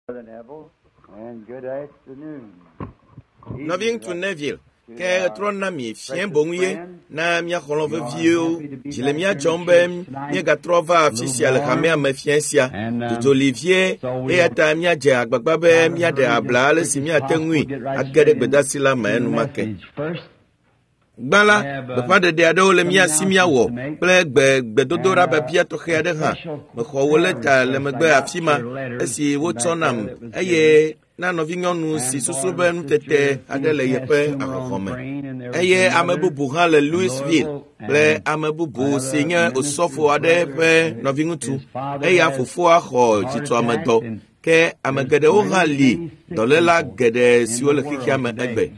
Brother Neville, and good afternoon. Nɔviŋutsu Neville, ke ɣetrɔ na mi fiẽ boŋu ye na mía xɔlɔ̃ veviwo. Dzi le mía dzɔm be míegatrɔ va afi sia le hamea me fiẽ sia. Dzodzo li vie eya ta míadze agbagba be míaɖe abla ale si míate ŋui age ɖe gbedeasi la me enumake. Gbã la, gbeƒãɖeɖe aɖewo le mía si míawɔ kple gbe gbedodoɖa biabia tɔxɛ aɖe hã. Mexɔ wò lɛta le megbe afi ma esi wotsɔ nam eye na nɔvinyɔnu si susu be nutete aɖe le yeƒe ahɔhɔ̃ me. Eye ame bubu hã le Louisville kple ame bubu si nye osɔfo aɖe ƒe nɔviŋutsu. Eya fofoa xɔ dzitsɔamedɔ ke ame geɖewo hã li dɔléla geɖe siwo le xexea me egbe.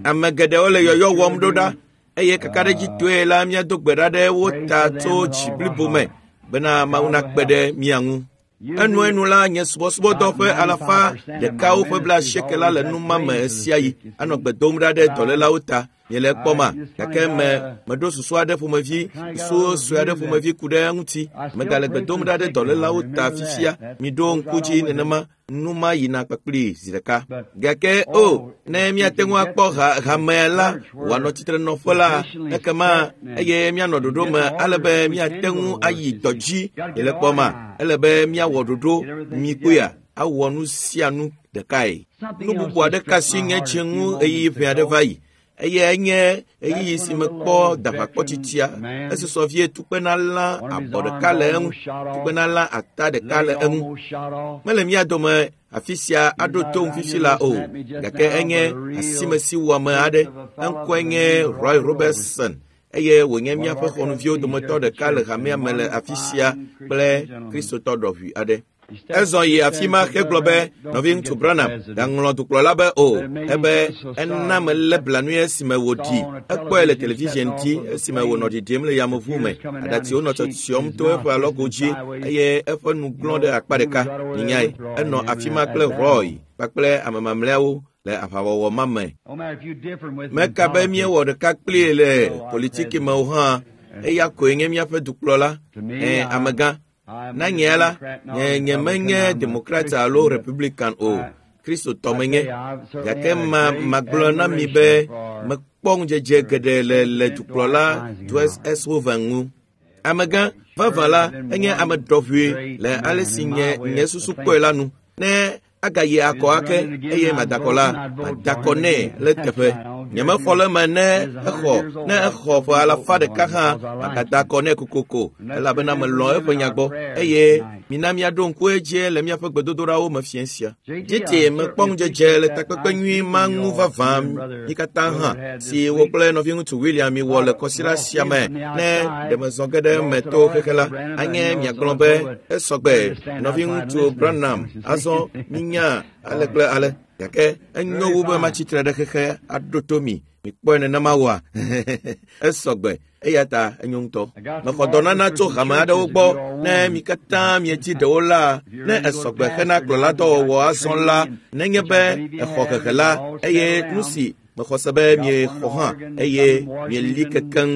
Ame geɖewo le yɔyɔ wɔm ɖo ɖa eye kakaɖedzitɔe la míado gbe ɖa ɖe wo ta tso dzi blibo me bena Mawu nakpe ɖe mía ŋu. Enuenu la, nye subɔsubɔdɔ ƒe alafa ɖekawo ƒe blaasieke la le nu ma me ɣesiaɣi anɔ gbe dom ɖa ɖe dɔlélawo ta. Miele ekpɔma? Gake me meɖo susu aɖe ƒomevi, susu sue aɖe ƒomevi ku ɖe eŋuti. Megale gbe dom ɖa ɖe dɔlélawo ta fifia. Miɖo ŋku dzi nenema nu ma yina kpakpli zi ɖeka. Gake o, ne míate ŋu akpɔ ha, hamea la wòanɔ tsitrenɔƒe la, ekema eye míanɔ ɖoɖo me ale be míate ŋu ayi dɔ dzi le kpɔma. Ele be míawɔ ɖoɖo mikpɔea awɔ nu sia nu ɖekae. Nu bubu aɖe kasi nye dzi ŋu ɣeyiɣi ʋɛ aɖe va yi. Eye enye ɣeyiɣi si mekpɔ daʋakpɔtsitsia. Esusɔ vie tukpena lã abɔ ɖeka le eŋu, tukpena lã ata ɖeka le eŋu. Mele mía dome afi sia aɖo tom fifi la o, gake enye asimesiwɔame aɖe. Eŋkɔe nye Roy Robertson eye wònye míaƒe xɔnuviwo dometɔ ɖeka le hamea me le afi sia kple Kristotɔ ɖɔʋui aɖe. Ezɔ yi afi ma hegblɔ be, nɔviŋutsu Branham gaŋlɔ dukplɔla be o, ebe ena melé blanui esime wòɖi. Ekpɔe le television dzi esime wònɔ ɖiɖim le yameʋu me. Aɖatsiwo nɔ tsyɔtsyɔm to eƒe alɔgo dzi eye eƒe nu glɔ̃ ɖe akpa ɖeka. Minyae, enɔ afi ma kple Roy kpakple ame mamlɛawo le aʋawɔwɔ ma me. Meka be míewɔ ɖeka kplii le politiki me o hã, eya koe nye míaƒe dukplɔla, ẽ, amegã. Na nye la, nye nyemenye Demokrat alo Republican o, Kristotɔ menye. Gake ma magblɔ na mi be mekpɔ ŋudzedze geɖe le le dukplɔla Dwight S. Hoover ŋu. Amegã vavã la enye ame ɖɔʋui le ale si nye nye susu kpɔe la nu. Ne agayi akɔ ake eye madakɔ la, madakɔ nɛ le teƒe. Nyemexɔ le eme ne exɔ ne exɔ ƒe alafa ɖeka hã magada akɔ nɛ kokoko elabena melɔ̃ eƒe nya gbɔ eye mina míaɖo ŋku edzi le míaƒe gbedodoɖawo me fiẽ sia. Tete mekpɔ ŋudzedze le takpekpe nyui ma ŋu vavã mí katã hã si wo kple nɔviŋutsu William miwɔ le kɔsiɖa sia me ne ɖe mezɔ ge ɖe eme to xexe la, anye miagblɔ be esɔgbe nɔviŋutsu Branham azɔ minya ale kple ale. Gake enyo wu be matsi tre ɖe xexe aɖo to mi. Mikpɔe nenema wɔa? Esɔgbe eya ta enyo ŋutɔ. Mexɔ dɔnana tso hame aɖewo gbɔ ne mi katã miedzi ɖewo la, ne esɔgbe hena kplɔladɔwɔwɔ azɔ la, nenye be exɔ hehe la, eye nu si mexɔ se be miexɔ hã eye mieli kekeŋ.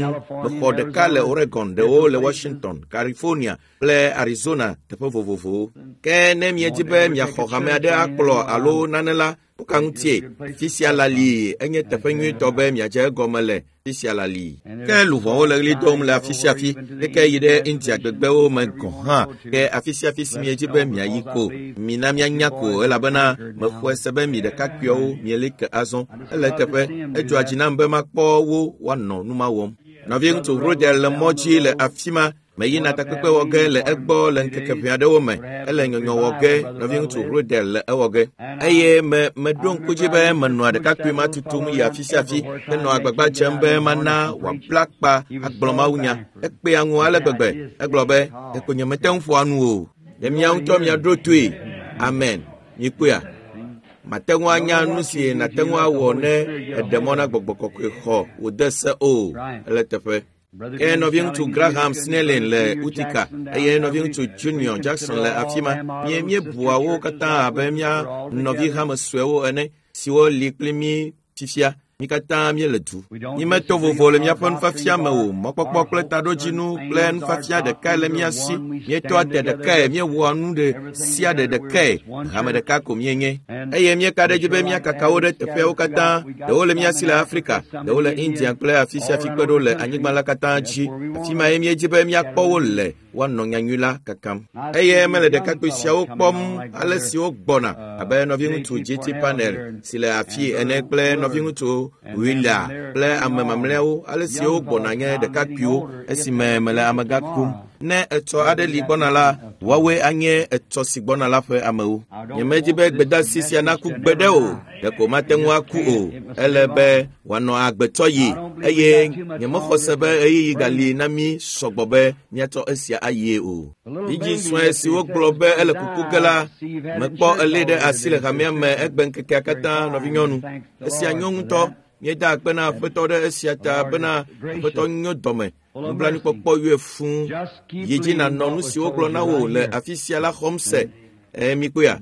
Mexɔ ɖeka le Oregon, ɖewo le Washington, California kple Arizona teƒe vovovowo. Ke ne miedi be miaxɔ hame aɖe akplɔ alo nane la, nu ka ŋutie? Fi sia la li enye teƒe nyuitɔ be miadze egɔme le fi sia la li. Ke luʋɔwo le ɣli dom le afi sia afi, keke yi ɖe India gbegbewo me gɔ̃ hã. Ke afi sia afi si miedi be miayi ko, mina mianya ko elabena mexɔe se be mi ɖekakpuiawo mieli ke azɔ. Ele eteƒe, edzɔa dzi nam be makpɔ wo woanɔ nu ma wɔm. Nɔviŋutsu Rodel le mɔ dzi le afi ma meyina takpekpe wɔ ge le egbɔ le ŋkeke ʋɛ aɖewo me. Ele nyɔnyɔ wɔ ge, nɔviŋutsu Rodel le ewɔ ge. Eye me meɖo ŋku dzi be menɔa ɖekakpui ma tutum yi afi sia afi henɔ agbagba dzem be mana wòabla akpa agblɔ mawunya. Ekpea ŋu ale gbegbe. Egblɔ be, ɖeko nyemete ŋu ƒoa nu o. Ɖe mia ŋutɔ miaɖo toe. Amen. Mikpɔea? Mate ŋu anya nu si nàte ŋu awɔ ne èɖe mɔ na gbɔgbɔ kɔkɔe xɔ wòde se o. Ele teƒe. Ke nɔviŋutsu Graham Snelling le Utica eye nɔviŋutsu Junior Jackson le afi ma. Mie míebua wo katã abe mía nɔvi hame suewo ene siwo li kpli mí fifia. Mi katã míele du. Mímeto vovo le míaƒe nufiafia me o. Mɔkpɔkpɔ kple taɖodzinu kple nufiafia ɖekae le mía si. Míetoa te ɖekae, míewɔa nu ɖe sia ɖe ɖekae. Hame ɖeka ko míenye. Eye míeka ɖe edzi be míakaka wo ɖe teƒeawo katã. Ɖewo le mía si le Afrika, ɖewo le India kple afi sia afi kpe ɖo le anyigba la katã dzi. Afi mae míedzi be míakpɔ wo le woanɔ nyanyui la kakam. Eye mele ɖekakpui siawo kpɔm ale si wogbɔna abe nɔviŋutsu GT Panel si le afi ene kple nɔviŋutsu Willa kple ame mamlɛawo ale si wogbɔna nye ɖekakpuiwo esime mele amegã kum. Ne etsɔ aɖe li gbɔna la, woawoe anye etsɔ si gbɔna la ƒe amewo. Nyemedi be gbedeasi sia naku gbeɖe o, ɖeko mate ŋu aku o. Ele be wòanɔ agbetɔ yi eye nyemexɔ se be ɣeyiɣi gali na mí sɔgbɔ be míatsɔ esia ayie o. Vidzĩ sue si wogblɔ be ele kuku ge la, mekpɔ elé ɖe asi le hamea me egbe ŋkekea katã, nɔvinyɔnu. Esia nyo ŋutɔ. Míeda akpe na Aƒetɔ ɖe esia ta bena Aƒetɔ nyo dɔme. Nublanuikpɔkpɔ yɔe fũu. Yi dzi nànɔ nu si wogblɔ na wò le afi sia la xɔm se. Mikpɔea?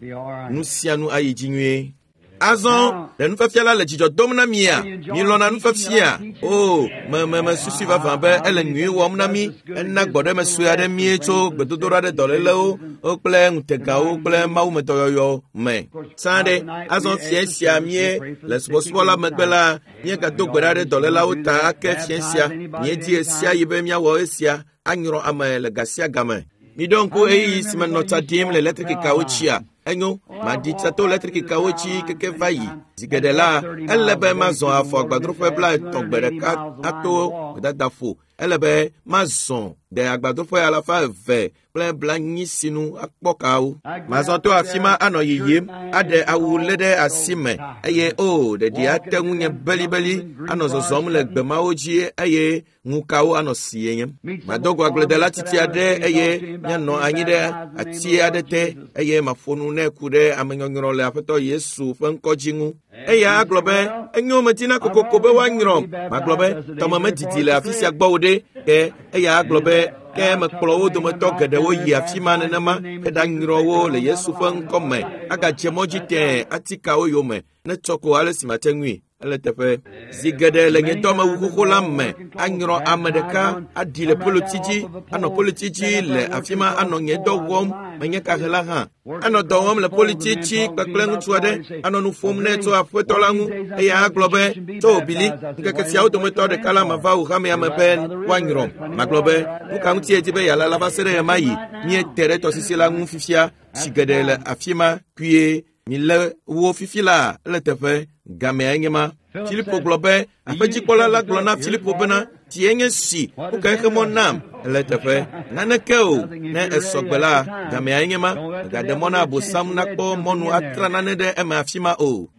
Nu sia nu ayi dzi nyuie. Azɔ ɖe nufiafia la le dzidzɔ dom na mia? Milɔ̃na nufiafia? O, me susui vavã be ele nyui wɔm na mí. Ena gbɔɖeme sue aɖe mí tso gbedodoɖa ɖe dɔlélewo kple ŋutegawo kple mawumedɔyɔyɔ me. Sã ɖe, azɔ fiẽ sia mie le subɔsubɔ la megbe la, míegado gbe ɖa ɖe dɔlélawo ta ake fiẽ sia. Míedi ɣe sia ɣi be míawɔ esia anyrɔ ame le ga sia game. Miɖo ŋku ɣeyiɣi si menɔ tsa ɖim le eletrikikawo dzia? Enyo, maɖi tsa to eletrikikawo dzi keke va yi. Zi geɖe la, ele be mazɔ afɔ agbadroƒe 30 gbe ɖeka ato gbedadaƒo. Ele be mazɔ ɖe agbadroƒe 240 sinu akpɔ kawo. Mazɔ to afi ma anɔ yiyim, aɖe awu lé ɖe asi me eye o ɖeɖi ate ŋu nye belibeli anɔ zɔzɔm le gbe mawo dzi eye ŋukawo anɔ sie nye. Mado go agbledela tsitsi aɖe eye míanɔ anyi ɖe ati aɖe te eye maƒo nu nɛ ku ɖe amenyɔnyrɔ le Aƒetɔ Yesu ƒe ŋkɔ dzi ŋu. Eya agblɔ be enyo medina kokoko be woanyrɔm. Magblɔ be tɔme medidi le afi sia gbɔ o ɖe. Ke eya agblɔ be ke mekplɔ wo dometɔ geɖewo yi afi ma nenema heɖanyrɔ wo le Yesu ƒe ŋkɔ me. Agadze mɔ dzi tẽe atikawo yome ne tsɔ ko ale si mate ŋui. Ele teƒe. Zi geɖe le nye dɔmewu xoxo la me anyrɔ ame ɖeka aɖi le poloti dzi, anɔ poloti dzi le afi ma anɔ nye dɔ wɔm menye kahela hã. Anɔ dɔ wɔm le politi dzi kpekple ŋutsu aɖe anɔ nu ƒom nɛ tso Aƒetɔ la ŋu eye agblɔ be tso Bili ŋkeke siawo dometɔ ɖeka la mava wò hamea me be woanyrɔm. Magblɔ be nu ka ŋuti edi be yealala va se ɖe ɣemaɣi? Míete ɖe tɔsisi la ŋu fifia, tsi geɖe le afi ma kpuie. Milé wo fifi la ele teƒe gamea nye ma. Filipo gblɔ be aƒedzikpɔla la gblɔ na Filipo bena tsie nye si woka exe mɔ nam ele teƒe naneke o ne esɔgbe la gamea nye ma. Megaɖe mɔ na Abosam nakpɔ mɔnu atra nane ɖe eme afi ma o.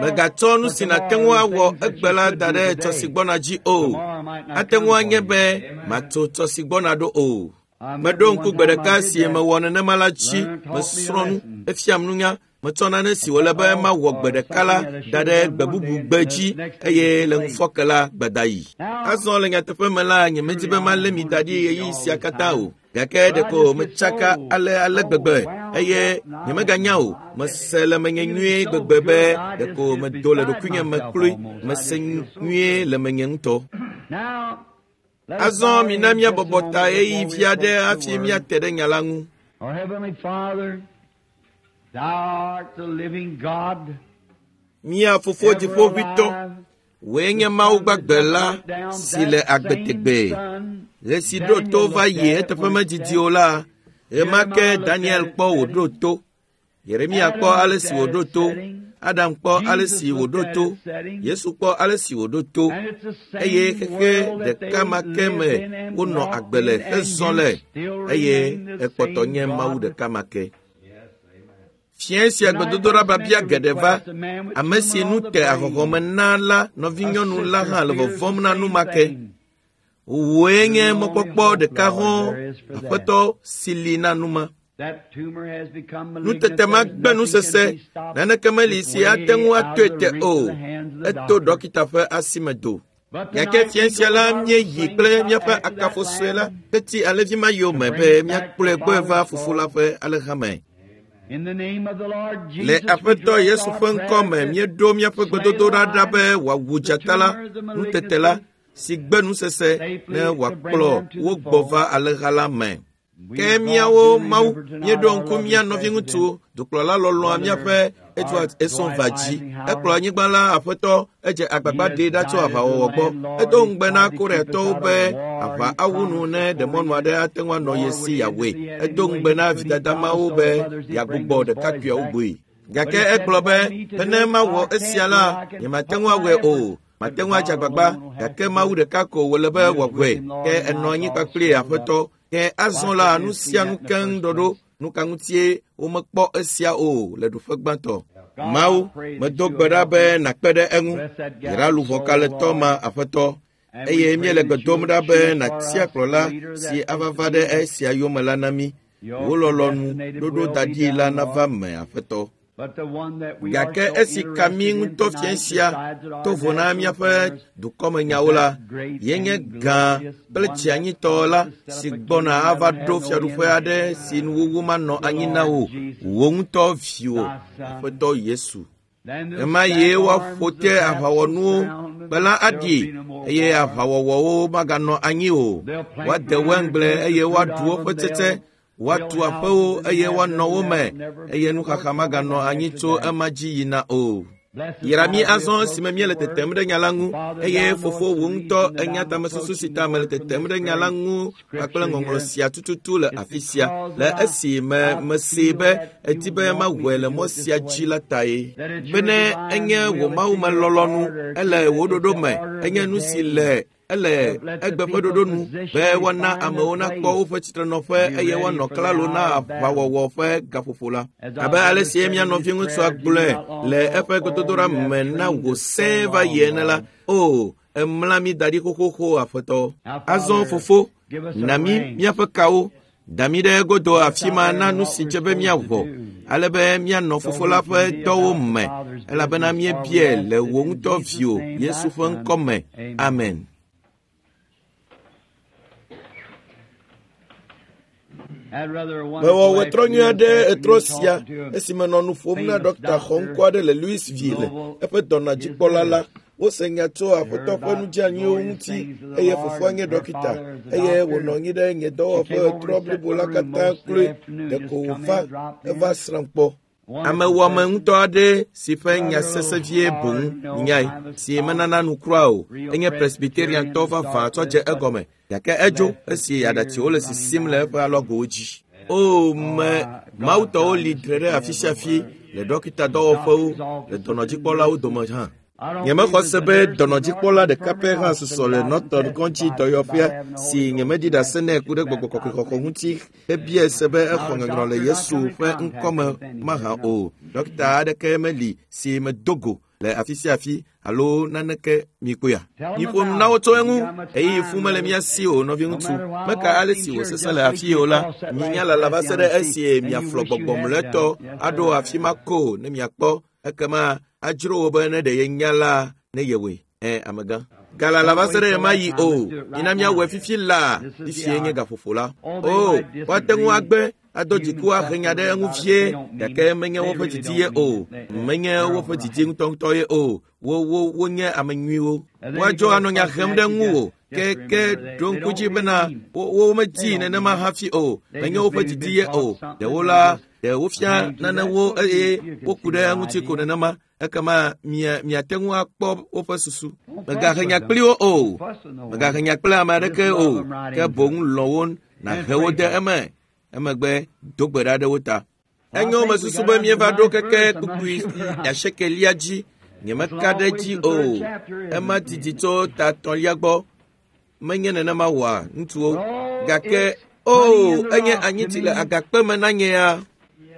Megatsɔ nu si nàte ŋu awɔ egbe la da ɖe tsɔ si gbɔna dzi o. Ate ŋu anye be matso tsɔ si gbɔna ɖo o. Meɖo ŋku gbe ɖeka si mewɔ nenema la dzi. Mesrɔ̃ nu, efiam nunya. Metsɔ nane si wòle be mawɔ gbe ɖeka la da ɖe gbe bubu gbe dzi eye le ŋufɔke la gbeda yi. Azɔ le nyateƒe me la, nyemedi be malé mi da ɖi ɣeyiɣi sia katã o. Gake ɖeko metsaka ale gbegbe eye nyemeganya o. Mese le menye nyuie gbegbe be ɖeko medo le ɖokuinye me kloe. Mese nyuie le menye ŋutɔ. Azɔ mina míabɔbɔ ta ɣeyiɣi vi aɖe hafi míate ɖe nya la ŋu. Our Heavenly Father, Thou art the living God. Mía Fofo Dziƒoʋĩtɔ, wòe nye Mawu gbagbe la si le agbe tegbee. Ɣe si ɖo to va yi eteƒe medidi o la, ɣema ke Daniel kpɔ wòɖo to. Yeremia kpɔ ale si wòɖo to. Adam kpɔ ale si wòɖo to. Yesu kpɔ ale si wòɖo to. Eye xexe ɖeka ma ke me wonɔ agbe le hezɔ le eye ekpɔtɔ nye Mawu ɖeka ma ke. Fiẽ sia gbedodoɖa biabia geɖe va. Ame si nu te ahɔhɔme na la nɔvinyɔnu la hã le vɔvɔ̃m na nu ma ke. Wòe nye mɔkpɔkpɔ ɖeka hɔ̃ Aƒetɔ si li na nu ma. Nutete ma gbe nusese, naneke meli si ate ŋu atoe te o. Eto ɖɔkita ƒe asi me do. Gake fiẽ sia la míeyi kple míaƒe akafo sue la heti alẽvi ma yome be míakplɔe gbɔe va fofo la ƒe alẽha me. Le Aƒetɔ Yesu ƒe ŋkɔ me míeɖo míaƒe gbedodoɖa ɖa be wòawu dzata la, nutete la, si gbe nusese ne wòakplɔ wo gbɔ va alẽha la me. Ke míawo Mawu míeɖo ŋku mía nɔviŋutsu dukplɔla lɔlɔ̃a míaƒe Edward Esonva dzi. Ekplɔ anyigba la aƒetɔ edze agbagba ɖee ɖa tso aʋawɔwɔ gbɔ. Edo ŋugbe na Koreatɔwo be aʋa awu nu ne ɖemɔnu aɖe ate ŋu anɔ ye si yeawɔe. Edo ŋugbe na vidada mawo be yeagbugbɔ ɖekakpuiawo gbɔe. Gake egblɔ be bene mawɔ esia la, nyemate ŋu awɔe o. Mate ŋu adze agbagba, gake Mawu ɖeka ko wòle be wòawɔe. Ke enɔ anyi kpakple aƒetɔ. Ke azɔ la nu sia nu keŋ ɖɔɖo. Nu ka ŋutie womekpɔ esia o le ɖoƒe gbãtɔ? Mawu, medo gbe ɖa be nàkpe ɖe eŋu. Yra luʋɔ kalẽtɔ ma aƒetɔ. Eye míele gbe dom ɖa be nàtia kplɔla si ava va ɖe esia yome la na mí. Wò lɔlɔ̃nu ɖoɖo da ɖi la nava me aƒetɔ. Gake esi ka mí ŋutɔ fiẽ sia to vo na míaƒe dukɔmenyawo la, yenye gã kple tsianyitɔ la si gbɔna ava ɖo fiaɖuƒe aɖe si nuwuwu manɔ anyi na wò, wò ŋutɔ viwò, Aƒetɔ Yesu. Ɣemaɣie woaƒo te aʋawɔnuwo, kpe la aɖi eye aʋawɔwɔwo maganɔ anyi o. Woade waingble eye woaɖu woƒe tsetse woatu aƒewo eye woanɔ wo me eye nuxaxa maganɔ anyi tso ema dzi yina o. Yra mí azɔ esime míele tetem ɖe nya la ŋu eye fofo wò ŋutɔ enya tamesusu si ta mele tetem ɖe nya la ŋu kpakple ŋɔŋlɔ sia tututu le afi sia le esi me mesee be edi be mawɔe le mɔ sia dzi la tae. Bene enye wò Mawu me lɔlɔ̃nu, ele wò ɖoɖo me, enye nu si le ele egbe ƒe ɖoɖo nu be woana amewo nakpɔ woƒe tsitrenɔƒe eye woanɔ klalo na aʋawɔwɔ ƒe gaƒoƒo la. Abe ale si mía nɔviŋutsua gblɔe le eƒe gbedodoɖa me na wò sẽe va yi ene la, o, emla mí da ɖi xoxoxo aƒetɔ. Azɔ fofo, na mí míaƒe kawo, da mí ɖe egodo afi ma na nu si dze be míawɔ, ale be míanɔ fofo la ƒe dɔwo me, elabena míebiae le wò ŋutɔ viwò Yesu ƒe ŋkɔ me. Amen. Mewɔ wetrɔ nyui aɖe etrɔ sia esi menɔ nu ƒom na ɖɔkta xɔŋkɔ aɖe le Louisville, eƒe dɔnɔdzikpɔla la. Wose nya tso aƒetɔ ƒe nudzeanyiwo ŋuti eye fofoa nye ɖɔkita eye wònɔ anyi ɖe nye dɔwɔƒe ɣetrɔ blibo la katã kloe ɖeko wòva eva srãm kpɔ. Amewɔame ŋutɔ aɖe si ƒe nya sesẽ vie boŋ nyae si menana nu kura o enye Presbyteriantɔ vavã tsɔ dze egɔme gake edzo esi aɖatsiwo le sisim le eƒe alɔgowo dzi. O me Mawutɔwo li tre ɖe afi sia afi le ɖɔkita dɔwɔƒewo le dɔnɔdzikpɔlawo dome hã. Nyemexɔ se be dɔnɔdzikpɔla ɖeka pɛ hã susɔ le Norton kɔdzi dɔyɔƒea si nyemedi ɖase nɛ ku ɖe gbɔgbɔ kɔkɔe xɔxɔ ŋuti hebiae se be exɔ nyɔnyrɔ le Yesu ƒe ŋkɔ me mahã o. Ɖɔkita aɖeke meli si medo go le afi sia afi alo naneke mikpɔea. Miƒo nu na wo tso eŋu. Ɣeyiɣi fũ mele mía si o, nɔviŋutsu. Meka ale si wòsesẽ le afii o la, minya lala va se ɖe esi miaflɔ gbɔgbɔ mlɔetɔ aɖo afi ma ko ne miakpɔ. Ekema adzro wò be ne ɖe yenya la ne yewɔe. Ẽ, amegã. Galala va se ɖe ɣemaɣi o. Mina míawɔe fifi laa. Fifie nye gaƒoƒo la. O, woate ŋu agbe ado dziku ahe nya ɖe eŋu vie, gake menye woƒe didi ye o. Menye woƒe didi ŋutɔŋutɔ ye o. Wo wo wonye ame nyuiwo. Woadzo anɔ nya hem ɖe ŋuwò. Ke ke ɖo ŋku dzi bena wo womedii nenema hafi o. Menye woƒe didi ye o. Ɖewo la, ɖe wofia nanewo eye woku ɖe eŋuti ko nenema. Ekema mia miate ŋu akpɔ woƒe susu. Mègahe nya kpli wo o. Mègahe nya kple ame aɖeke o. Ke boŋ lɔ̃ wo nàhe wo de eme. Emegbe do gbe ɖa ɖe wo ta. Enyo mesusu be míeva ɖo keke kpukpui asiekelia dzi. Nyemeka ɖe edzi o. Ema didi tso ta etɔ̃lia gbɔ. Menye nenema wɔa ŋutsuwo. Gake o, enye anyitsi le agakpe me na nye ya.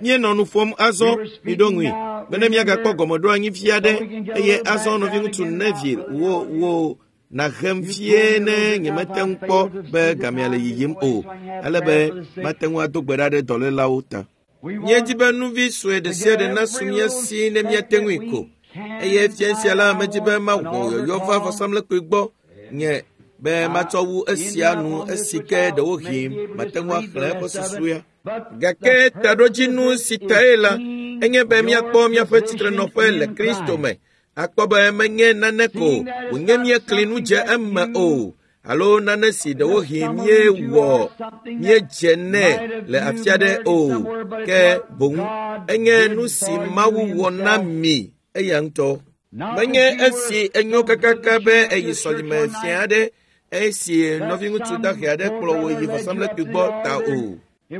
Míenɔ nu ƒom azɔ, miɖo ŋui, bene míagakpɔ gɔmeɖoanyi vi aɖe eye azɔ nɔviŋutsu Neville wò wò nàhem vie ne nyemete ŋu kpɔ be gamea le yiyim o, ale be mate ŋu ado gbe ɖa ɖe dɔlélawo ta. Míedi be nuvi sue ɖe sia ɖe nasu mía si ne míate ŋui ko. Eye fia sia la medi be mawɔ yɔyɔ va vɔsamlekpui gbɔ nye be matsɔ wu esia nu esi ke ɖewohĩ mate ŋu axlẽ eƒe susuea. Gake taɖodzinu si tae la, enye be míakpɔ míaƒe tsitrenɔƒe le Kristo me, akpɔ be menye nane ko wònye míekli nu dze eme o, alo nane si ɖewohĩ míewɔ míedze nɛ le afi aɖe o, ke boŋ enye nu si Mawu wɔ na mi eya ŋutɔ. Menye esi enyo kakaka be eyi sɔlime fia aɖe esi nɔviŋutsu dahe aɖe kplɔ wò yi vɔsamlekpui gbɔ ta o.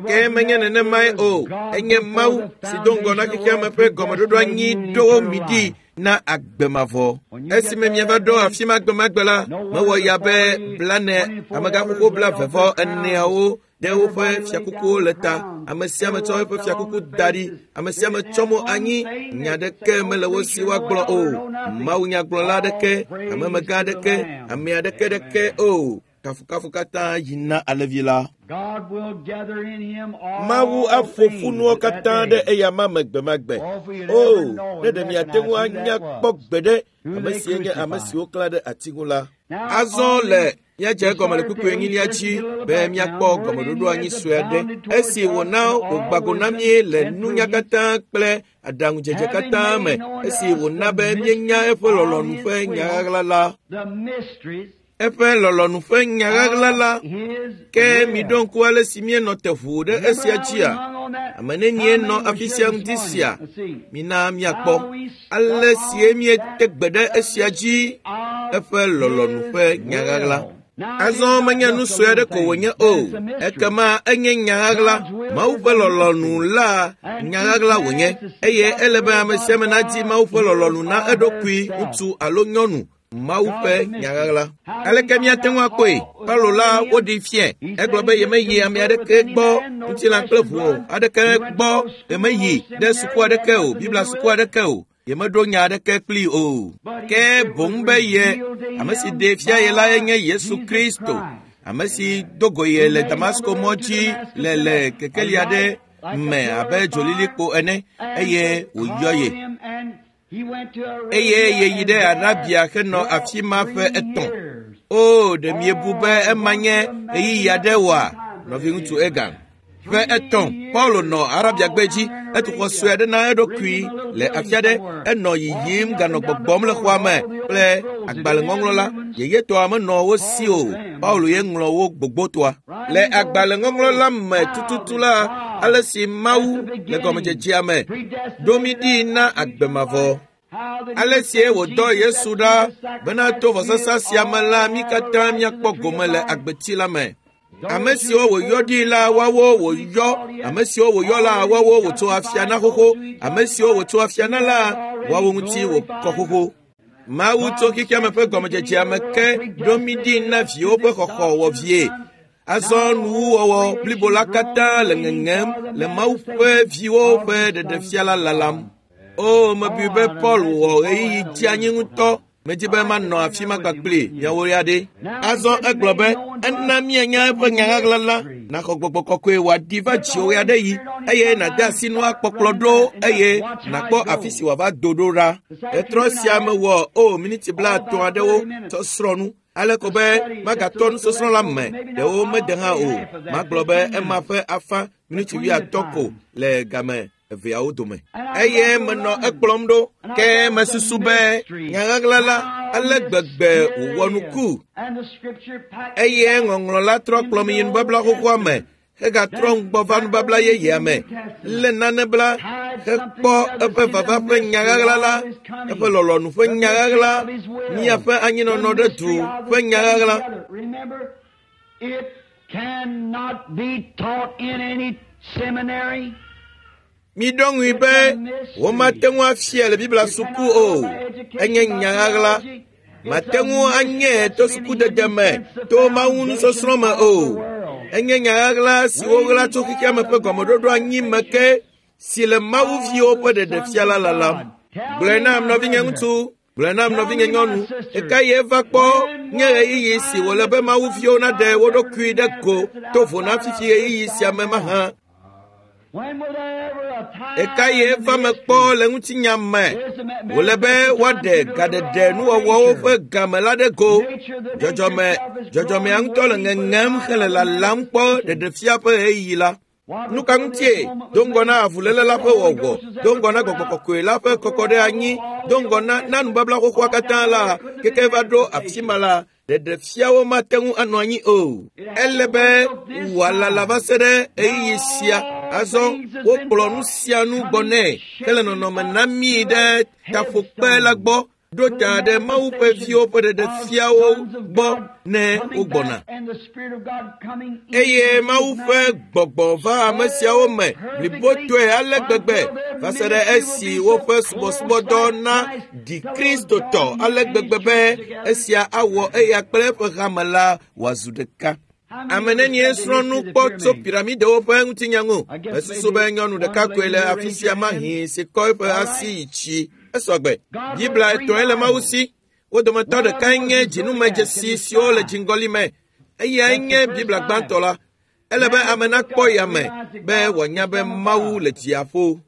Ke menye nenemae o, enye Mawu si do ŋgɔ na xexeame ƒe gɔmeɖoɖo anyi ɖo mi ɖi na agbe mavɔ. Esime miava ɖo afi ma gbemagbe la, mewɔ ya be 40 amegãxoxo 44 ɖe woƒe fiakukuwo le ta. Ame sia ame tsɔ eƒe fiakuku da ɖi. Ame sia ame tsɔ mo anyi. Nya aɖeke mele wo si woagblɔ o. Mawunyagblɔla aɖeke, hamemegã aɖeke, ame aɖeke ɖeke o. Kafukafu katã yi na Alẽvi la. Mawu aƒo ƒu nuwo katã ɖe eyama me gbemagbe. O, ne ɖe miate ŋu anya kpɔ gbeɖe ame sie nye ame si woklã ɖe ati ŋu la. Azɔ le míadze egɔme le kpukpui enyilia dzi be míakpɔ gɔmeɖoɖo anyi sue aɖe. Esi wòna wògba go na mí le nunya katã kple aɖaŋudzedze katã me, esi wòna be míenya eƒe lɔlɔ̃nu ƒe nya ɣaɣla la. Eƒe lɔlɔ̃nu ƒe nya ɣaɣla la. Ke miɖo ŋku ale si míenɔ te ʋuu ɖe esia dzia? Ame nenie nɔ afi sia ŋdi sia? Mina míakpɔ ale sie míete gbe ɖe esia dzi. Eƒe lɔlɔ̃nu ƒe nya ɣaɣla. Azɔ menye nu sue aɖe ko wònye o. Ekema enye nya ɣaɣla. Mawu ƒe lɔlɔ̃nu la nya ɣaɣla wònye. Eye ele be ame sia ame nadi Mawu ƒe lɔlɔ̃nu na eɖokui, ŋutsu alo nyɔnu. Mawu ƒe nya ɣaɣla. Aleke míate ŋu akpɔe? Paulo la woɖee fiae. Egblɔ be yemeyi ame aɖeke gbɔ, ŋutilã kple ʋu aɖeke gbɔ, yemeyi ɖe suku aɖeke o, Biblia suku aɖeke o. Yemeɖo nya aɖeke kplii o. Ke boŋ be ye, ame si ɖee fia ye lae nye Yesu Kristo, ame si do go ye le Damasko mɔ dzi le kekeli aɖe me abe dzolilikpo ene, eye wòyɔ ye. Eye yeyi ɖe Arabia henɔ afi ma ƒe 3. O, ɖe miebu be ema nye ɣeyiɣi aɖe oa, nɔviŋutsu Egan? Ƒe 3, Paulo nɔ Arabiagbe dzi. Etu xɔ sue aɖe na eɖokui le afi aɖe. Enɔ yiyim ganɔ gbɔgbɔm le xɔa me kple agbalẽŋɔŋlɔ la. Yeyetɔa menɔ wo si o. Paulo ye ŋlɔ wo gbogbotɔa. Le agbalẽŋɔŋlɔ la me tututu la, ale si Mawu le gɔmedzedzea me ɖo mí ɖi na agbe mavɔ. Ale sie wòdɔ Yesu ɖa bena to vɔsasa sia me la mí katã míakpɔ gome le agbeti la me. Ame siwo wòyɔ ɖi la woawo wòyɔ, ame siwo wòyɔ la woawo wòtso afia na xoxo, ame siwo wòtso afia na la woawo ŋuti wòkɔ xoxo. Mawu tso xexeame ƒe gɔmedzedzea me ke ɖo mí ɖi na viwo ƒe xɔxɔ wɔ vie. Azɔ nuwuwɔwɔ blibo la katã le ŋeŋem le Mawu ƒe viwo ƒe ɖeɖefia la lalam. O, mebui be Paul wɔ ɣeyiɣi dzeanyi ŋutɔ. Medi be manɔ afi ma kpakpli miawo ya ɖe. Azɔ egblɔ be ena míanya eƒe nya ɣaɣla la, naxɔ gbɔgbɔ kɔkɔe wòaɖi va dziwò ya ɖe yi, eye nàde asi nua kpɔkplɔ ɖo eye nàkpɔ afi si wòava do ɖo ɖa. Etrɔ sia mewɔ o miniti 30 aɖewo tsɔ srɔ̃ nu. Ale ko be magatɔ nusɔsrɔ̃ la me ɖewo mede hã o. Magblɔ be ema ƒe afã miniti 50 ko le game eveawo dome. Eye menɔ ekplɔm ɖo, ke mesusu be nya ɣaɣla la ale gbegbe wòwɔ nuku. Eye ŋɔŋlɔ la trɔ kplɔm yi nubabla xoxoa me, hegatrɔ ŋgbɔ va nubabla yeyea me, lé nane bla, hekpɔ eƒe vava ƒe nya ɣaɣla la, eƒe lɔlɔ̃nu ƒe nya ɣaɣla, míaƒe anyinɔnɔ ɖe du ƒe nya ɣaɣla. It cannot be taught in any seminary. Miɖo ŋui be womate ŋu afia le Biblia suku o. Enye nya ɣaɣla. Mate ŋu anye to sukudede me, to Mawu nusɔsrɔ̃ me o. Enye nya ɣaɣla si woɣla tso xexeame ƒe gɔmeɖoɖo anyi me ke, si le Mawu viwo ƒe ɖeɖefia la lalam. Gblɔe nam nɔvinye ŋutsu, gblɔe nam nɔvinye nyɔnu, ɣeka ye va kpɔ nye ɣeyiɣi si wòle be Mawu viwo naɖe wo ɖokui ɖe go to vo na fifi ɣeyiɣi sia me mahã. Ɣeka ye va me kpɔ le ŋutinya me wòle be woaɖe gaɖeɖe nuwɔwɔwo ƒe game la ɖe go. Dzɔdzɔmea ŋutɔ le ŋeŋem hele lalam kpɔ ɖeɖefia ƒe ɣeyiɣi la. Nu ka ŋutie? Do ŋgɔ na avuléle la ƒe wɔwɔ, do ŋgɔ na gbɔgbɔ kɔkɔe la ƒe kɔkɔ ɖe anyi, do ŋgɔ na nubabla xoxoa katã la, keke va ɖo afi ma la, ɖeɖefiawo mate ŋu anɔ anyi o. Ele be wòalala va se ɖe ɣeyiɣi sia. Azɔ wokplɔ nu sia nu gbɔ nɛ hele nɔnɔme na mí ɖe taƒokpe la gbɔ ɖo ta ɖe Mawu ƒe viwo ƒe ɖeɖefiawo gbɔ ne wogbɔna. Eye Mawu ƒe gbɔgbɔ va ame siawo me blibotɔe ale gbegbe va se ɖe esi woƒe subɔsubɔdɔ na ɖi Kristotɔ ale gbegbe be esia awɔ eya kple eƒe hame la wòazu ɖeka. Ame nenie srɔ̃ nu kpɔ tso piramidewo ƒe ŋutinya ŋu? Mesusu be nyɔnu ɖeka koe le afi sia mahi si kɔ eƒe asi yi tsi. Esɔgbe. Biblia etɔ̃e le Mawu si. Wo dometɔ ɖekae nye dzinumedzesi siwo le dziŋgɔli me. Eyae nye Biblia gbãtɔ la. Ele be ame nakpɔ yame be wòanya be Mawu le dziaƒo.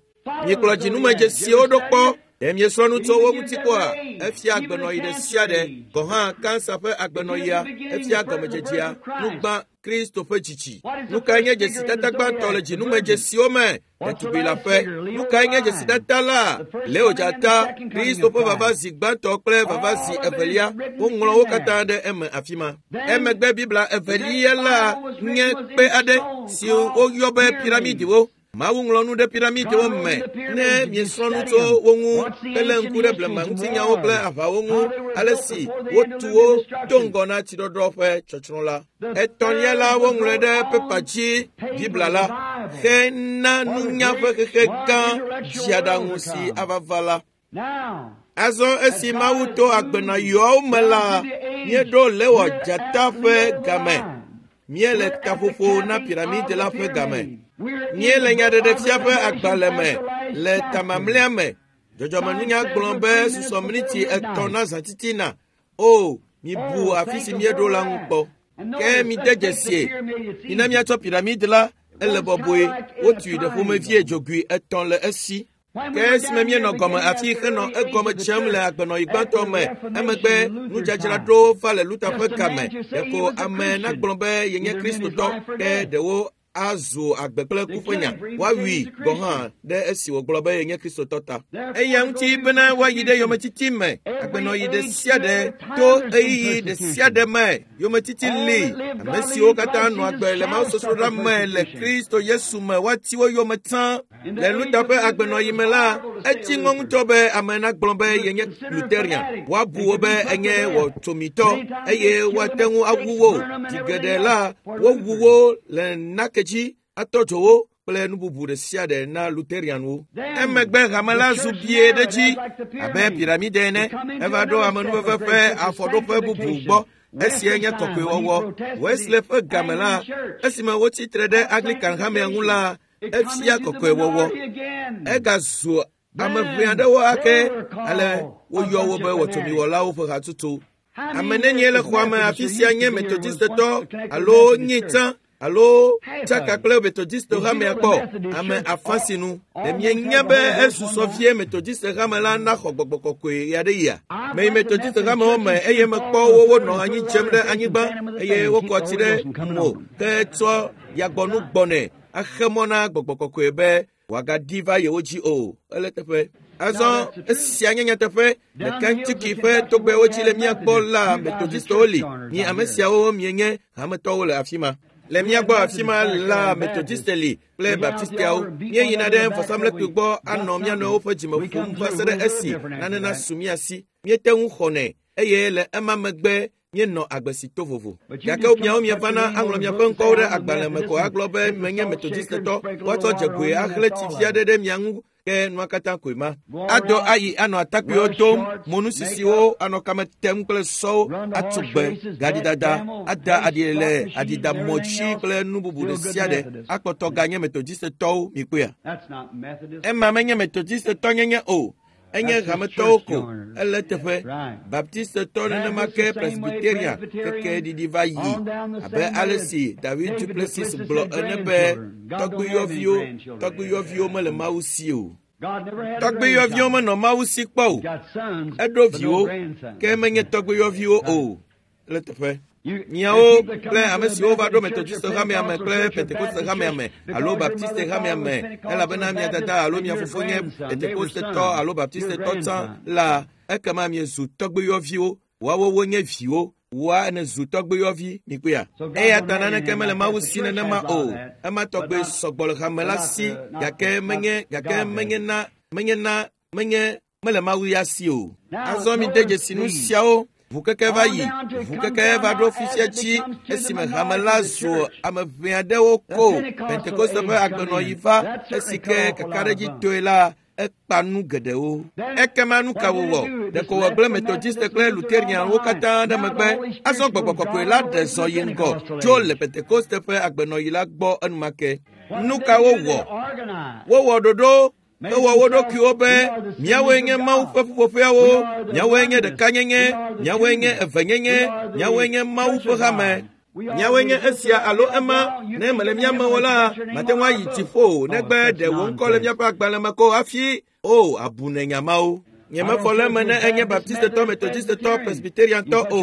Miekplɔ dzinumedzesiwo ɖo kpɔ. Ɖe miesrɔ̃ nu tso wo ŋuti kpɔa? Efia agbenɔɣi ɖe sia ɖe, gɔ̃ hã kansa ƒe agbenɔɣia, efia gɔmedzedzea, nugbã Kristo ƒe dzidzi. Nu kae nye dzesitata gbãtɔ le dzinumedzesiwo me? Ɖetugbi la ƒe. Nu kae nye dzesitata la? Leo dzata, Kristo ƒe vava zi gbãtɔ kple vava zi evelia, woŋlɔ wo katã ɖe eme afi ma. Emegbe Biblia evelia la nye kpe aɖe si woyɔ be piramidiwo. Mawu ŋlɔ nu ɖe piramidiwo me ne miesrɔ̃ nu tso wo ŋu helé ŋku ɖe blema ŋutinyawo kple aʋawo ŋu, ale si wotu wo do ŋgɔ na tsiɖɔɖɔ ƒe tsɔtsrɔ̃ la. Etɔ̃lia la, woŋlɔe ɖe pepa dzi Biblia la hena nunya ƒe xexe gã dziaɖaŋu si ava va la. Azɔ esi Mawu to agbenɔyɔawo me la, míeɖo Lewɔ dzata ƒe game. Míele taƒoƒo na piramidi la ƒe game. Míele nyaɖeɖefia ƒe agbalẽ me le tamamlɛa me. Dzɔdzɔmenunya gblɔ be susɔ miniti 3 na zãtitina. O, mibu afi si míeɖo la ŋu kpɔ. Ke mide dzesie. Mina míatsɔ piramidi la, ele bɔbɔe. Wotui ɖe ƒomevie dzogoe 3 le esi. Ke esime míenɔ gɔme afi henɔ egɔme dzem le agbenɔɣi gbãtɔ me, emegbe nudzadzraɖo va le Luther ƒe game. Ɖeko ame nagblɔ be yenye Kristotɔ, ke ɖewo azu agbe kple ku ƒe nya. Woawui gɔ̃ hã ɖe esi wògblɔ be yenye Kristotɔ ta. Eya ŋuti bena woayi ɖe yometiti me, agbenɔɣi ɖe sia ɖe to ɣeyiɣi ɖe sia ɖe me. Yometiti li. Ame siwo katã nɔ agbe le mawusosroɖa me le Kristo Yesu me woati wo yome tsã. Le Luther ƒe agbenɔɣi me la, etsi ŋɔ ŋutɔ be ame nagblɔ be yenye Lutherian. Woabu wo be enye wɔtsomitɔ eye woate ŋu awu wo. Zi geɖe la, wowu wo le nake dzi, atɔ dzo wo kple nu bubu ɖe sia ɖe na Lutherianwo. Emegbe hame la zu bie ɖe dzi abe piramide ene. Eva ɖo amenuveve ƒe afɔɖoƒe bubu gbɔ. Esia nye kɔkɔewɔwɔ. Wesley ƒe game la, esime wotsi tre ɖe Anglican hamea ŋu la, efia kɔkɔewɔwɔ. Egazu ame ʋɛ aɖewo ake ale woyɔ wo be wɔtsomiwɔlawo ƒe hatutu. Ame nenie le xɔa me afi sia nye Methodistetɔ alo nye tsã alo tsaka kple Methodist hamea kpɔ? Ame afã sinu. Ɖe mienya be esusɔ vie Methodist hame la naxɔ gbɔgbɔ kɔkɔe ɣe aɖe yia? Meyi Methodist hamewo me eye mekpɔ wo wonɔ anyi dzem ɖe anyigba eye wokɔ tsi ɖe mo ke tsɔ yagbɔnu gbɔnɛ axe mɔ na gbɔgbɔ kɔkɔe be wòagaɖi va yewo dzi o. Ele teƒe. Azɔ esia nye nyateƒe. Le Kentucky ƒe togbɛwo dzi le mía gbɔ la, Methodistwo li. Mi ame siawo mienye hametɔwo le afi ma. Le mía gbɔ afi ma la, Methodiste li kple Baptisteawo. Míeyina ɖe vɔsamlekpui gbɔ anɔ mía nɔewo ƒe dzime ƒom va se ɖe esi nane nasu mía si. Míete ŋu xɔnɛ eye le ema megbe míenɔ agbe si to vovo. Gake miawo mievana aŋlɔ miaƒe ŋkɔwo ɖe agbalẽ me ko agblɔ be menye Methodistetɔ. Woatsɔ dzegoe axlẽ tsi fia ɖe ɖe mia ŋu ke nua katã koe ma. Ado ayi anɔ atakpuiwo dom, monusisiwo anɔ kame tem kple sɔwo, atso gbe, gaɖidada, ada aɖi le aɖidamɔ dzi kple nu bubu ɖe sia ɖe akpɔtɔ ganye Methodistetɔwo mikpɔea. Ema menye Methodistetɔ nyenye o. Enye hametɔwo ko. Ele teƒe. Baptistetɔ nenema ke Presbyterian keke ɖiɖi va yi abe ale si David Duplessis gblɔ ene be tɔgbuiyɔviwo mele Mawu si o. Tɔgbuiyɔviwo menɔ Mawu si kpɔ o. Eɖo viwo ke menye tɔgbuiyɔviwo o. Ele teƒe. Miawo kple ame siwo va ɖo Metodiste hamea me kple Pentekoste hamea me alo Baptiste hamea me, elabena mia dada alo mia fofo nye Pentekostetɔ alo Baptistetɔ tsã la, ekema miezu tɔgbuiyɔviwo. Woawo wonye viwo. Woa ene zu tɔgbuiyɔvi mikpɔea. Eya ta naneke mele Mawu si nenema o. Ema tɔgbe sɔgbɔ le hame la si, gake menye gake menye na menye na menye mele Mawu ya si o. Azɔ mi de dzesi nu siawo. Ʋukeke va yi, ʋukeke va ɖo fisia dzi esime hame la zu ame ʋɛ aɖewo ko. Pentekoste ƒe agbenɔɣi va esi ke kakaɖedzitɔe la ekpa nu geɖewo. Ekema nu ka wòwɔ? Ɖeko wògblẽ Metodiste kple Luterianwo katã ɖe megbe. Azɔ gbɔgbɔ kɔkɔe la ɖe zɔ yi ŋgɔ tso le Pentekoste ƒe agbenɔɣi la gbɔ enumake. Nu ka wowɔ? Wowɔ ɖoɖo hewɔ wo ɖokuiwo be míawoe nye Mawu ƒe ƒuƒoƒeawo, míawoe nye ɖekanyenye, míawoe nye evenyenye, míawoe nye Mawu ƒe hame. Míawoe nye esia alo ema. Ne mele mía me o la, mate ŋu ayi dziƒo negbe ɖe wò ŋkɔ le míaƒe agbalẽ me ko hafi. O, abu ne nya mawo. Nyemefɔ le eme ne enye Baptistetɔ, Metodistetɔ, Presbyteriantɔ o.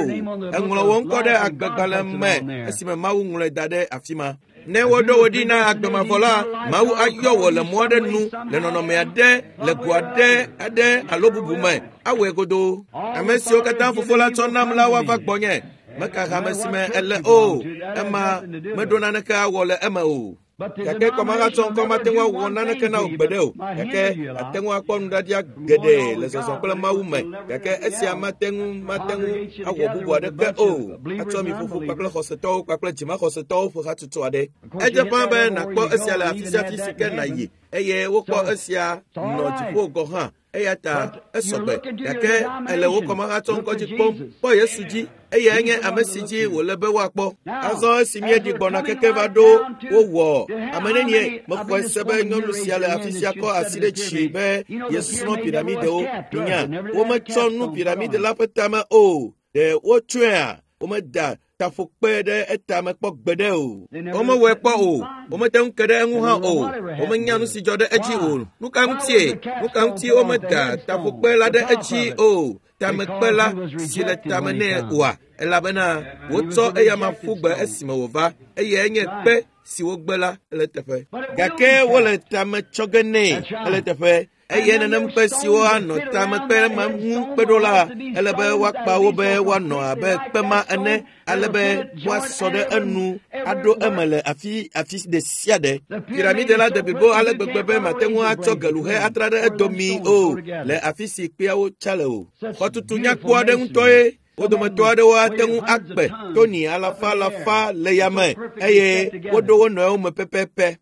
Eŋlɔ wò ŋkɔ ɖe agbegbalẽ me esime Mawu ŋlɔe da ɖe afi ma. Ne woɖo wò ɖi na agbe mavɔ la, Mawu ayɔ wò le mɔ aɖe nu, le nɔnɔme aɖe, le go aɖe aɖe alo bubu me. Awɔe godoo. Ame siwo katã Fofo la tsɔ nam la woava gbɔnye. Meka hame si me ele o. Ema meɖo naneke awɔ le eme o. Gake kɔmahatsɔ ŋkɔ mate ŋu awɔ naneke na wò gbeɖe o. Gake ate ŋu akpɔ nuɖaɖia geɖe le zɔzɔ kple Mawu me. Gake esia mate ŋu mate ŋu awɔ bubu aɖeke o. Atsɔ mi ƒoƒu kpakple xɔsetɔwo kpakple dzimaxɔsetɔwo ƒe hatsotso aɖe. Edze ƒãa be nàkpɔ esia le afi sia afi si ke nàyi eye wokpɔ esia nɔ dziƒo gɔ̃ hã. Eya ta esɔgbe, gake ele wò kɔmahatsɔ ŋkɔ dzi kpɔm. Kpɔ Yesu dzi, eyae nye ame si dzi wòle be woakpɔ. Azɔ esi míeɖi gbɔna keke va ɖo wowɔ ame nenie mexɔe se be nyɔnu sia le afi sia kɔ asi ɖe dzi be yesrɔ̃ piramidewo. Minya, wometsɔ nu piramide la ƒe tame o. Ɖe wotsɔea? Womeda taƒokpe ɖe etame kpɔ gbeɖe o. Womewɔe kpɔ o. Womete ŋu ke ɖe eŋu hã o. Womenya nu si dzɔ ɖe edzi o. Nu ka ŋutie? Nu ka ŋuti womeda taƒokpe la ɖe edzi o? Tamekpe la si le tame nɛ oa? Elabena wotsɔ eyama ƒu gbe esime wòva eye enye kpe si wogbe la ele teƒe. Gake wole tame tsɔ ge nɛ ele teƒe. Eye nenem kpe siwo anɔ tamekpe ma ŋu kpe ɖo la, ele be woakpa wo be woanɔ abe kpe ma ene, ale be woasɔ ɖe enu aɖo eme le afi afi ɖe sia ɖe. Piramide la de blibo ale gbegbe be mate ŋu atsɔ geluhe atra ɖe edomii o le afi si kpeawo tsa le o. Xɔtutu nyakpɔ aɖe ŋutɔe. Wo dometɔ aɖewo ate ŋu akpe toni alafa alafa le yame eye woɖo wo nɔewo me pɛpɛpɛ.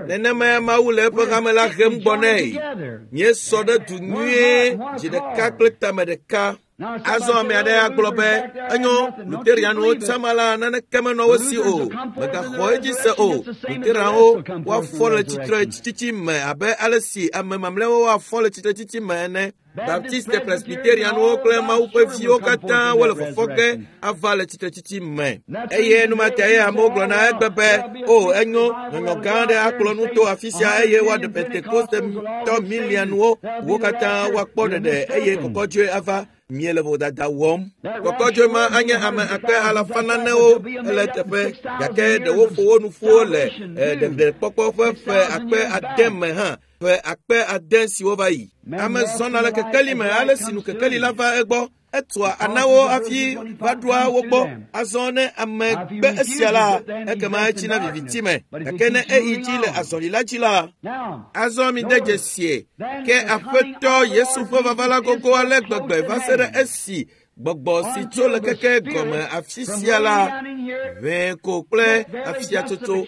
Nenemae Mawu le eƒe hame la hem gbɔ nɛ. Míesɔ ɖe du nyuie, dzi ɖeka kple tame ɖeka. Azɔ ame aɖe agblɔ be, enyo, Luterianwo tsama la naneke menɔ wo si o. Mègaxɔ edzi se o. Luterianwo woafɔ le tsitretsitsi me abe ale si ame mamlɛawo woafɔ le tsitretsitsi me ene. Baptiste, Presbyterianwo kple Mawu ƒe viwo katã wole fɔfɔ ge ava le tsitretsitsi me. Eye numatae amewo gblɔna egbe be, o, enyo, nyɔnyɔ gã aɖe akplɔ nu to afi sia eye woaɖe Pentekostetɔ miliɔnwo, wo katã woakpɔ ɖeɖe eye kɔkɔdzoe ava. Miele vodada wɔm. Kɔkɔdzoe ma anye ame akpe alafa nanewo ele teƒe, gake ɖewo ƒo wo nu ƒuwo le ɖeɖekpɔkpɔ ƒe ƒe akpe ade me hã. Ƒe akpe ade siwo va yi. Ame zɔna le kekeli me ale si nu kekeli la va egbɔ. Etua anawo hafi va ɖoa wo gbɔ. Azɔ ne ame gbe esia la, ekema etsina viviti me. Gake ne eyi dzi le azɔli la dzi la, azɔ mi de dzesie ke Aƒetɔ Yesu ƒe vava la gogo ale gbegbe va se ɖe esi gbɔgbɔ si tso le keke gɔme afi sia la, ʋɛ ko kple afiatsotso,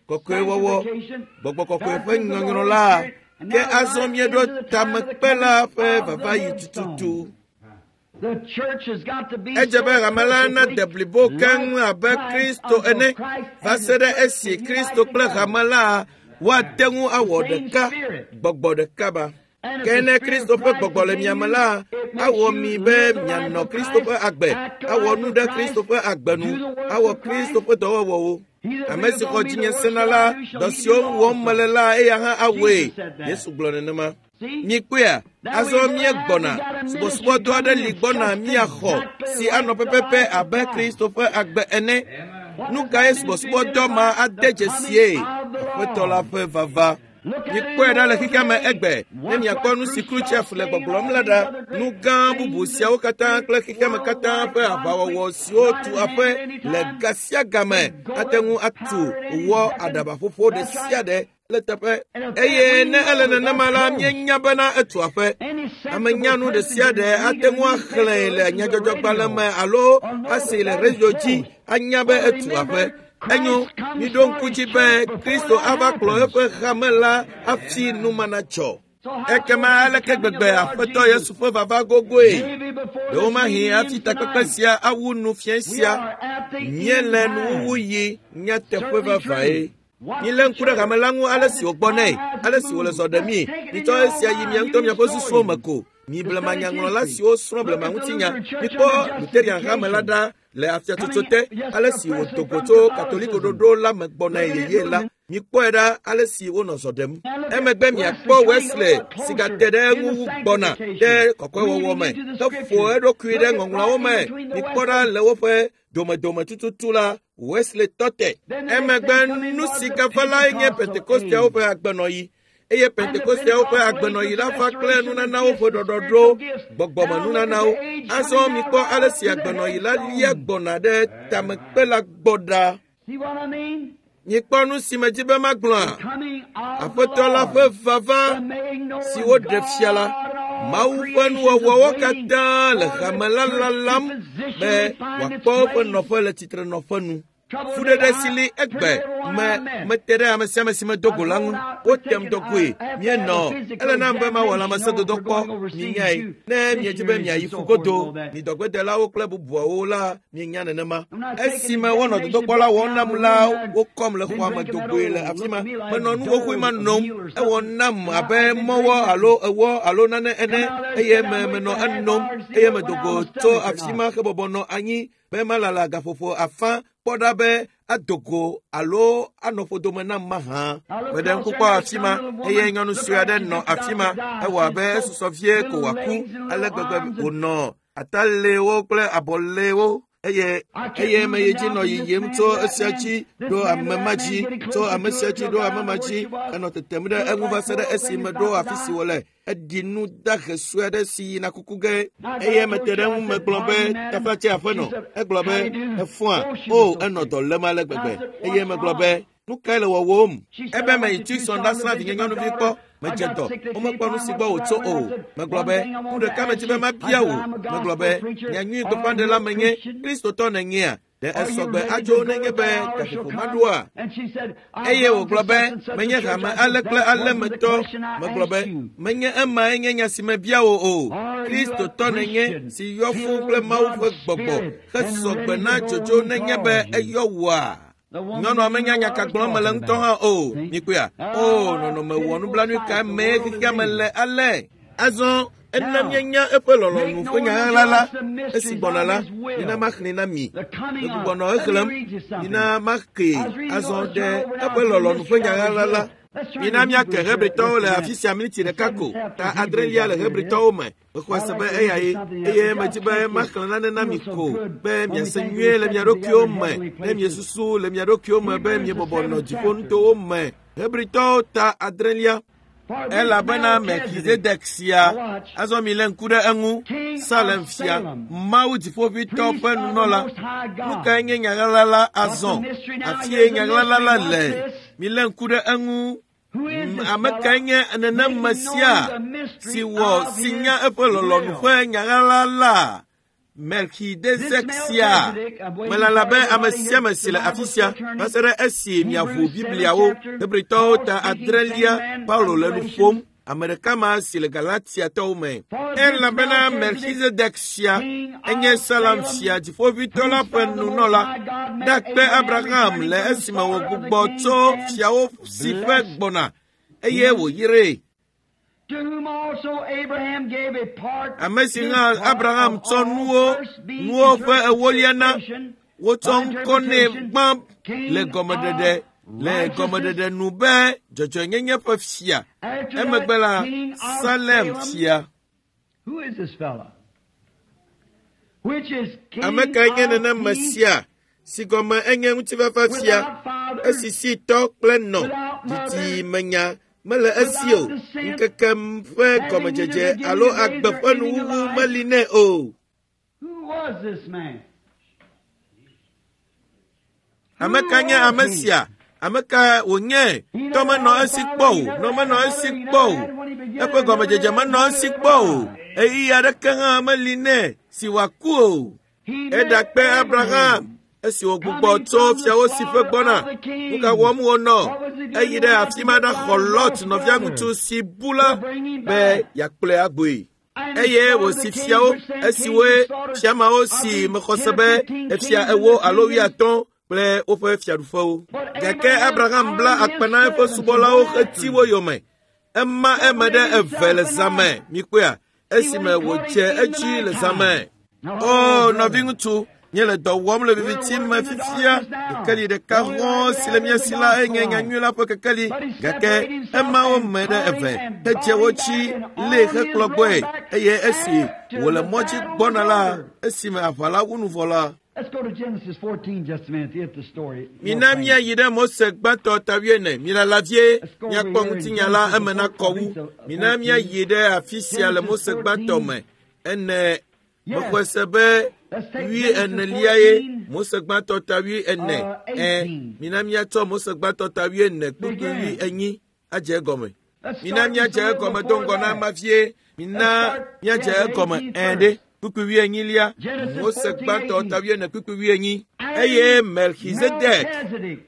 kɔkɔewɔwɔ, gbɔgbɔ kɔkɔe ƒe nyɔnyrɔ la, ke azɔ míeɖo tamekpe la ƒe vava yi tututu. Edze be hame la nade blibo keŋ abe Kristo ene va se ɖe esi Kristo kple hame la woate ŋu awɔ ɖeka, gbɔgbɔ ɖeka ba. Ke ne Kristo ƒe gbɔgbɔ le mia me la, awɔ mi be mianɔ Kristo ƒe agbe, awɔ nu ɖe Kristo ƒe agbe nu, awɔ Kristo ƒe dɔwɔwɔwo. Ame si xɔ dzinye sena la, dɔ siwo wɔm mele la, eya hã awɔe. Yesu gblɔ nenema. Mikpɔea, azɔ míegbɔna. Subɔsubɔdɔ aɖe li gbɔna míaxɔ si anɔ pɛpɛpɛ abe Kristo ƒe agbe ene. Nu kae subɔsubɔdɔ ma ade dzesie? Aƒetɔ la ƒe vava. Mikpɔe ɖa le xexea me egbe ne miakpɔ nu si Khrushchev le gbɔgblɔm la ɖa. Nu gã bubu siawo katã kple xexea me katã ƒe aʋawɔwɔ siwo tu aƒe le ga sia game ate ŋu atu wɔ aɖabaƒoƒo ɖe sia ɖe le teƒe. Eye ne ele nenema la, míenya bena etu aƒe. Ame nyanu ɖe sia ɖe ate ŋu axlẽe le nyadzɔdzɔgbalẽ me alo asee le radio dzi anya be etu aƒe. Enyo, miɖo ŋku dzi be Kristo ava kplɔ eƒe hame la hafi nu ma natsɔ. Ekema aleke gbegbe Aƒetɔ Yesu ƒe vava gogoe? Ɖewomahi hafi takpekpe sia awu nu fiẽ sia. Míele nuwuwu yi nyateƒe vavae. Milé ŋku ɖe hame la ŋu ale si wògbɔ nɛ, ale si wòle zɔ ɖemii. Mitsɔ esia yi mia ŋutɔ miaƒe susuwo me ko. Mi blemanyaŋlɔla siwo srɔ̃ blemaŋutinya, mikpɔ Luterian hame la ɖa le afiatsotso te, ale si wòdo go tso Katoliko ɖoɖo la me gbɔnae yeye la. Mikpɔe ɖa ale si wonɔ zɔ ɖem. Emegbe miakpɔ Wesley si gate ɖe eŋu wu gbɔna ɖe kɔkɔewɔwɔ me heƒo eɖokui ɖe ŋɔŋlɔawo me. Mikpɔ ɖa le woƒe domedome tututu la, Wesley tɔ te. Emegbe nu si gava lae nye Pentekosteawo ƒe agbenɔɣi. Eye Pentekosteawo ƒe agbenɔɣi la va kple nunanawo ƒe ɖɔɖɔɖo, gbɔgbɔmenunanawo. Azɔ mikpɔ ale si agbenɔɣi la lia gbɔna ɖe tamekpe la gbɔ ɖa. Mikpɔ nu si medzi be magblɔa? Aƒetɔ la ƒe vava si woɖe fia la, Mawu ƒe nuwɔwɔwo katã le hame la lalam be wòakpɔ eƒe nɔƒe le tsitrenɔƒe nu. Fuɖeɖe si li egbe me mete ɖe ame sia ame si medo go la ŋu. Wotem do goe. Míenɔ. Ele nam be mawɔ lãmesẽdodɔ kpɔ. Minyae. Ne miedzi be miayi ƒugodo, mi dɔgbedelawo kple bubuawo la, mienya nenema. Esime wonɔ dodokpɔ la wɔm nam la, wokɔm le xɔa me do goe le afi ma. Menɔ nu xoxoe ma nom. Ewɔ nam abe mɔwɔ alo ewɔ alo nane ene eye me menɔ enom eye medo go tso afi ma hebɔbɔ nɔ anyi be malala gaƒoƒo afã kpɔ ɖa be ado go alo anɔ ƒodome nam mahã. Meɖe ŋku kpɔ afi ma eye nyɔnu sue aɖe nɔ afi ma. Ewɔ abe esusɔ vie ko wòaku ale gbegbe wònɔ atalewo kple abɔlewo eye eye meyi dzi nɔ yiyim tso esia dzi ɖo ame ma dzi, tso ame sia dzi ɖo ame ma dzi, enɔ tetem ɖe eŋu va se ɖe esi meɖo afi si wòle. Eɖi nu dahe sue aɖe si yina kuku ge eye mete ɖe eŋu megblɔ be tafatse aƒenɔ. Egblɔ be efɔa o enɔ dɔ lém ale gbegbe eye megblɔ be nu kae le wɔwɔm? Ebe meyi Tucson ɖasrã vinye nyɔnuvi kpɔ. Medze dɔ, womekpɔ nu si gbɔ wòtso o. Megblɔ be nu ɖeka medzi be mabia wò. Megblɔ be nyanyui gbeƒãɖela menye, Kristotɔ nènyea? Ɖe esɔgbe adzo nenye be gaƒoƒo maɖoa? Eye wògblɔ be menye hame ale kple ale me tɔ. Megblɔ be menye emae nye nya si mebia wò o. Kristotɔ nènye si yɔ fũu kple Mawu ƒe gbɔgbɔ hesɔgbe na dzodzo nenye be eyɔ wòa? Nyɔnua menya nya ka gblɔm mele ŋutɔ hã o. Mikpɔea? O, nɔnɔme wɔ nublanui ka mee xexea me le ale? Azɔ ena míenya eƒe lɔlɔ̃nu ƒe nya ɣaɣla la esi gbɔna la, mina maxlẽe na mi. Megbugbɔ nɔ exlẽm, mina makee azɔ ɖe eƒe lɔlɔ̃nu ƒe nya ɣaɣla la. Mina míake Hebritɔwo le afi sia miniti ɖeka ko, ta adrelia le Hebritɔwo me. Mexɔe se be eya ye, eye medzi be maxlẽ nane na mi ko be miase nyuie le mia ɖokuiwo me ne miesusu le mia ɖokuiwo me be miebɔbɔ nɔ dziƒonutowo me. Hebritɔwo ta adrelia. Elabena Melchizedek sia, azɔ milé ŋku ɖe eŋu, Salem fia, Mawu dziƒoʋĩtɔ ƒe nunɔla. Nu kae nye nya ɣaɣla la azɔ? Afie nya ɣaɣla la le. Milé ŋku ɖe eŋu. Ame kae nye nenem sia si wɔ si nya eƒe lɔlɔ̃nu ƒe nya ɣaɣla la? Melchizedek sia. Melala be ame sia ame si le afi sia va se ɖe esi miaʋu Bibliawo. Hebritɔwo ta adrelia, Paulo le nu ƒom. Ame ɖeka ma si le Galatiatɔwo me. Elabena Melchizedek sia enye Salem fia dziƒoʋĩtɔ la ƒe nunɔla. Ɖakpe Abraham le esime wògbugbɔ tso fiawo si ƒe gbɔna eye wòyree. Ame si hã Abraham tsɔ nuwo ƒe ewolia na, wotsɔ ŋkɔ nɛ gbã le gɔmeɖeɖe. Le gɔmeɖeɖe nu be dzɔdzɔenyenye ƒe fia. Emegbe la, Salem fia. Ame kae nye nenem sia si gɔme enye ŋutifafa fia, esi si tɔ kple nɔ didimenya mele esi o, ŋkeke ƒe gɔmedzedze alo agbe ƒe nuwuwu meli nɛ o. Ame ka nye ame sia? Ame ka wònye? Tɔ menɔ esi kpɔ o, nɔ menɔ esi kpɔ o, eƒe gɔmedzedze menɔ esi kpɔ o, ɣeyiɣi aɖeke hã meli nɛ si wòaku o. Eɖakpe Abraham esi wògbugbɔ tso fiawo si ƒe gbɔna. Nu ka wɔm wònɔ? Eyi ɖe afi ma ɖaxɔ Lot nɔvia ŋutsu si bu la be yeakplɔe agboe. Eye wòsi fiawo esiwoe fiamawo si mexɔ se be efia 40 alo 80 kple woƒe fiaɖuƒewo. Gake Abraham bla akpa na eƒe subɔlawo heti wo yome. Ema eme ɖe eve le zã me, mikpɔea, esime wòdze edzi le zã me. O, nɔviŋutsu, míele dɔ wɔm le viviti me fifia. Kekeli ɖeka hɔ̃ si le mía si la enye nyanyui la ƒe kekeli. Gake ema wo me ɖe eve hedze wo dzi lée hekplɔ gbɔe. Eye esi wòle mɔ dzi gbɔna la, esime aʋa la wu nu vɔ la, mina míayi ɖe Mose gbãtɔ ta 40. Milala vie míakpɔ ŋutinya la eme nakɔ wu. Mina míayi ɖe afi sia le Mose gbãtɔ me. Ene mexɔe se be 40 ye Mose gbãtɔ ta 40. Mina míatsɔ Mose gbãtɔ ta 40 kpukpui 40 adze egɔme. Mina míadze egɔme do ŋgɔ na ema vie. Mina míadze egɔme ɖe. Kpukpui 40 Mose gbãtɔ ta 40 kpukpui 40. Eye Melchizedek,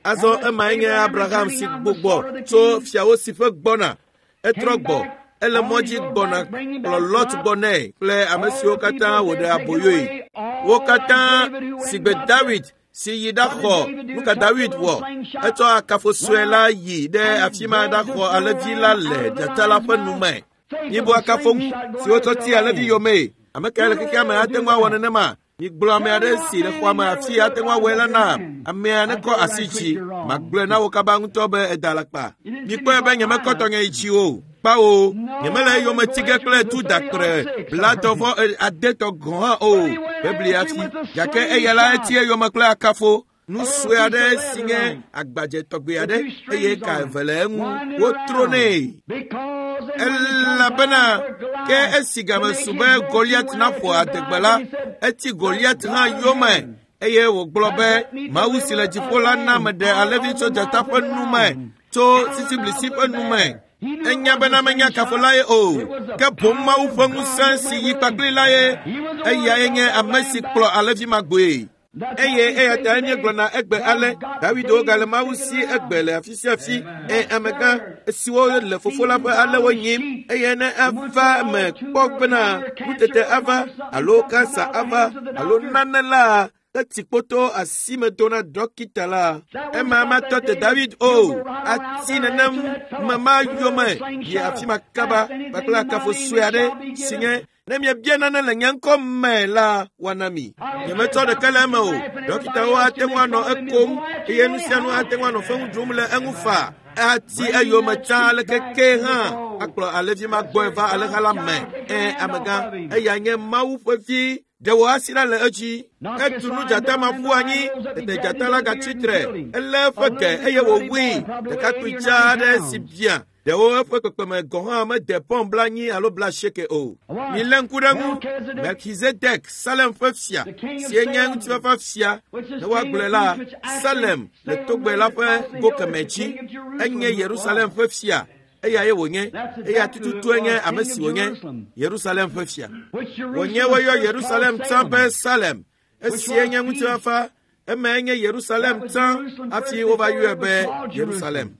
azɔ emae nye Abraham si gbugbɔ tso fiawo si ƒe gbɔna. Etrɔ gbɔ, ele mɔ dzi gbɔna kplɔ Lot gbɔ nɛ kple ame siwo katã wòɖe aboyoe. Wo katã sigbe David si yi ɖaxɔ. Nu ka David wɔ? Etsɔ akafo sue la yi ɖe afi ma ɖaxɔ alẽvi la le dzata la ƒe nu me. Mibu akafo ŋu si wotsɔ ti alẽvi yomee. Ame kae le xexea me ate ŋu awɔ nenema? Migblɔ ame aɖe si le xɔa me afi ate ŋu awɔe la na amea nekɔ asi dzi. Magblɔe na wo kaba ŋutɔ be eda alakpa. Mikpɔe be nyemekɔ tɔnye yi dzi o. Kpawo, nyemele eyome ti ge kple tu daktre 29 gɔ̃ hã o. Bebli hafi. Gake eya la eti eyome kple akafo. Nu sue aɖe si nye agbadze tɔgbe aɖe eye ka eve le eŋu wotro nɛ. Elabena ke esi game su be Goliat naƒo adegbe la, eti Goliat hã yome eye wògblɔ be Mawu si le dziƒo la na meɖe alẽvi tso dzata ƒe nu me, tso sisiblisi ƒe nu me. Enya bena menye akafo la ye o, ke boŋ Mawu ƒe ŋusẽ si yi kpakpli la ye. Eyae nye ame si kplɔ alẽvi ma gbɔe. Eye eya ta míegblɔna egbe ale, David wogale Mawu si egbe le afi sia afi. Amegã siwo le fofo la ƒe alẽwo nyim, eye ne ava eme kpɔ bena nutete ava alo kansa ava alo nane la, eti kpoto asime do na dɔkita la. Ema matɔ te David o, ati nenem me ma yome yi afi ma kaba kpakple akafo sue aɖe si nye ne miebia nane le nye ŋkɔ me la, woana mi. Nyemetsɔ ɖeke le eme o. Dɔkitawo ate ŋu anɔ ekom eye nu sia nu ate ŋu anɔ feŋu ɖum le eŋu faa. Ati eyome tsã aleke ke hã akplɔ alẽvi ma gbɔe va alẽha la me. Amegã, eya nye Mawu ƒe vi. Ɖe wò asi ɖa le edzi. Etu nu dzata ma ƒu anyi, tete dzata la gatsi tre. Elé eƒe ge eye wòwui. Ɖekakpui dzaa aɖe si bia. Ɖewo eƒe kpekpeme gɔ̃ hã mede pɔn 80 alo 80 o. Milé ŋku ɖe ŋu. Melchizedek, Salem ƒe fia, si nye ŋutifafa fia, ne woagblɔe la, Salem le togbe la ƒe go kemɛ dzi. Enye Yerusalem ƒe fia. Eyae wònye. Eya tututue nye ame si wònye. Yerusalem ƒe fia. Wònye woyɔ Yerusalem tsã be Salem. Esie nye ŋutifafa. Emae nye Yerusalem tsã hafi wova yɔe be Yerusalem.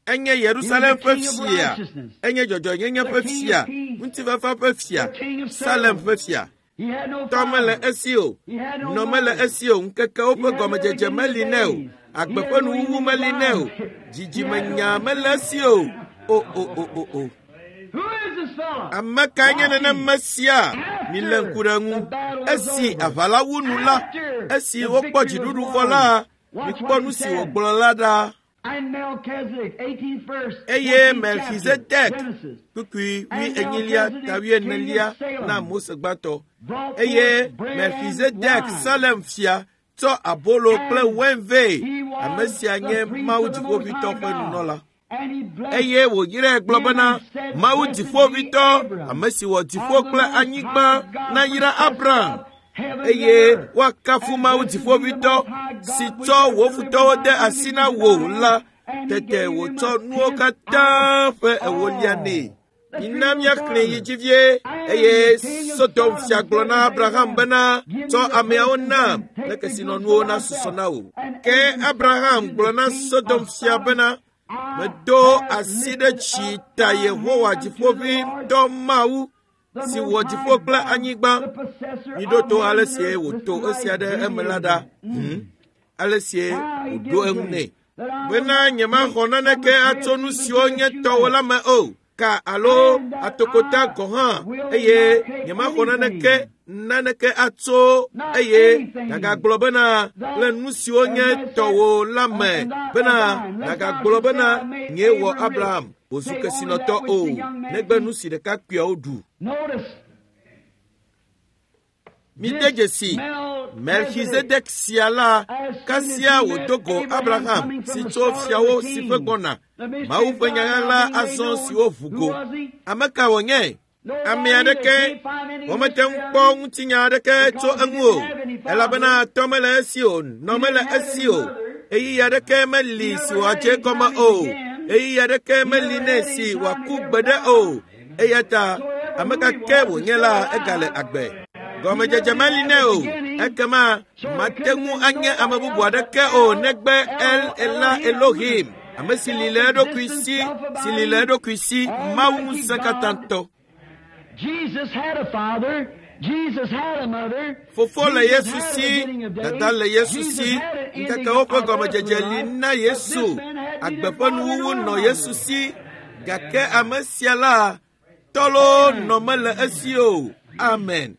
Enye Yerusalem ƒe fia. Enye dzɔdzɔenyenye ƒe fia, ŋutifafa ƒe fia, Salem ƒe fia. Tɔ mele esi o, nɔ mele esi o, ŋkekewo ƒe gɔmedzedze meli nɛ o, agbe ƒe nuwuwu meli nɛ o, dzidzimenya mele esi o. O o o o o. Ame kae nye nenem sia? Milé ŋku ɖe eŋu. Esi aʋa la wu nu la, esi wokpɔ dziɖuɖu vɔ la, Mikpɔ nu si wògblɔ la ɖa. Eye Melchizedek, kpukpui wuienylia ta wuienelia na Mose gbãtɔ. Eye Melchizedek Salem fia tsɔ abolo kple wain vɛ. Ame sia nye Mawu Dziƒoʋĩtɔ ƒe nunɔla. Eye wòyrae gblɔ bena, Mawu Dziƒoʋĩtɔ, ame si wɔ dziƒo kple anyigba, nayra Abraham. Eye woakafu Mawu Dziƒoʋĩtɔ, si tsɔ wò futɔwo de asi na wò la. Tete wòtsɔ nuwo katã ƒe ewolia nɛ. Mina míaxlẽ yi dzi vie. Eye Sodom fia gblɔ na Abraham bena, tsɔ ameawo nam ne kesinɔnuwo nasusɔ na wò. Ke Abraham gblɔ na Sodom fia bena, medo asi ɖe dzi ta Yehowa Dziƒoʋĩtɔ Mawu, si wɔ dziƒo kple anyigba. Miɖo to ale sie wòto esia ɖe eme la ɖa. Ale sie wòɖo eŋu nɛ bena nyemaxɔ naneke atso nu siwo nye tɔwò la me o, ka alo atokota gɔ̃ hã, eye nyemaxɔ naneke atso, eye nagagblɔ bena le nu siwo nye tɔwò la me, bena nagagblɔ bena nyee wɔ Abraham wòzu kesinɔtɔ o, negbe nu si ɖekakpuiawo ɖu. Mide dzesi Melchizedek sia la, kasia wòdo go Abraham si tso fiawo si ƒe gbɔna. Mawu ƒe nyaɣaɣla azɔ siwo ʋu go. Ame ka wònye? Ame aɖeke womete ŋu kpɔ ŋutinya aɖeke tso eŋu o, elabena tɔ mele esi o, nɔ mele esi o. Ɣeyiɣi aɖeke meli si wòadze egɔme o. Ɣeyiɣi aɖeke meli nɛ si wòaku gbeɖe o. Eya ta ame ka ke wònye la, egale agbe. Gɔmedzedze meli nɛ o. Ekema mate ŋu anye ame bubu aɖeke o negbe El Ela Elohim, ame si li le eɖokui si, si li le eɖokui si, Mawu ŋusẽkatãtɔ. Fofo le Yesu si, dada le Yesu si, ŋkekewo ƒe gɔmedzedze li na Yesu, agbe ƒe nuwuwu nɔ Yesu si, gake ame sia la, tɔlo nɔ mele esi o. Amen.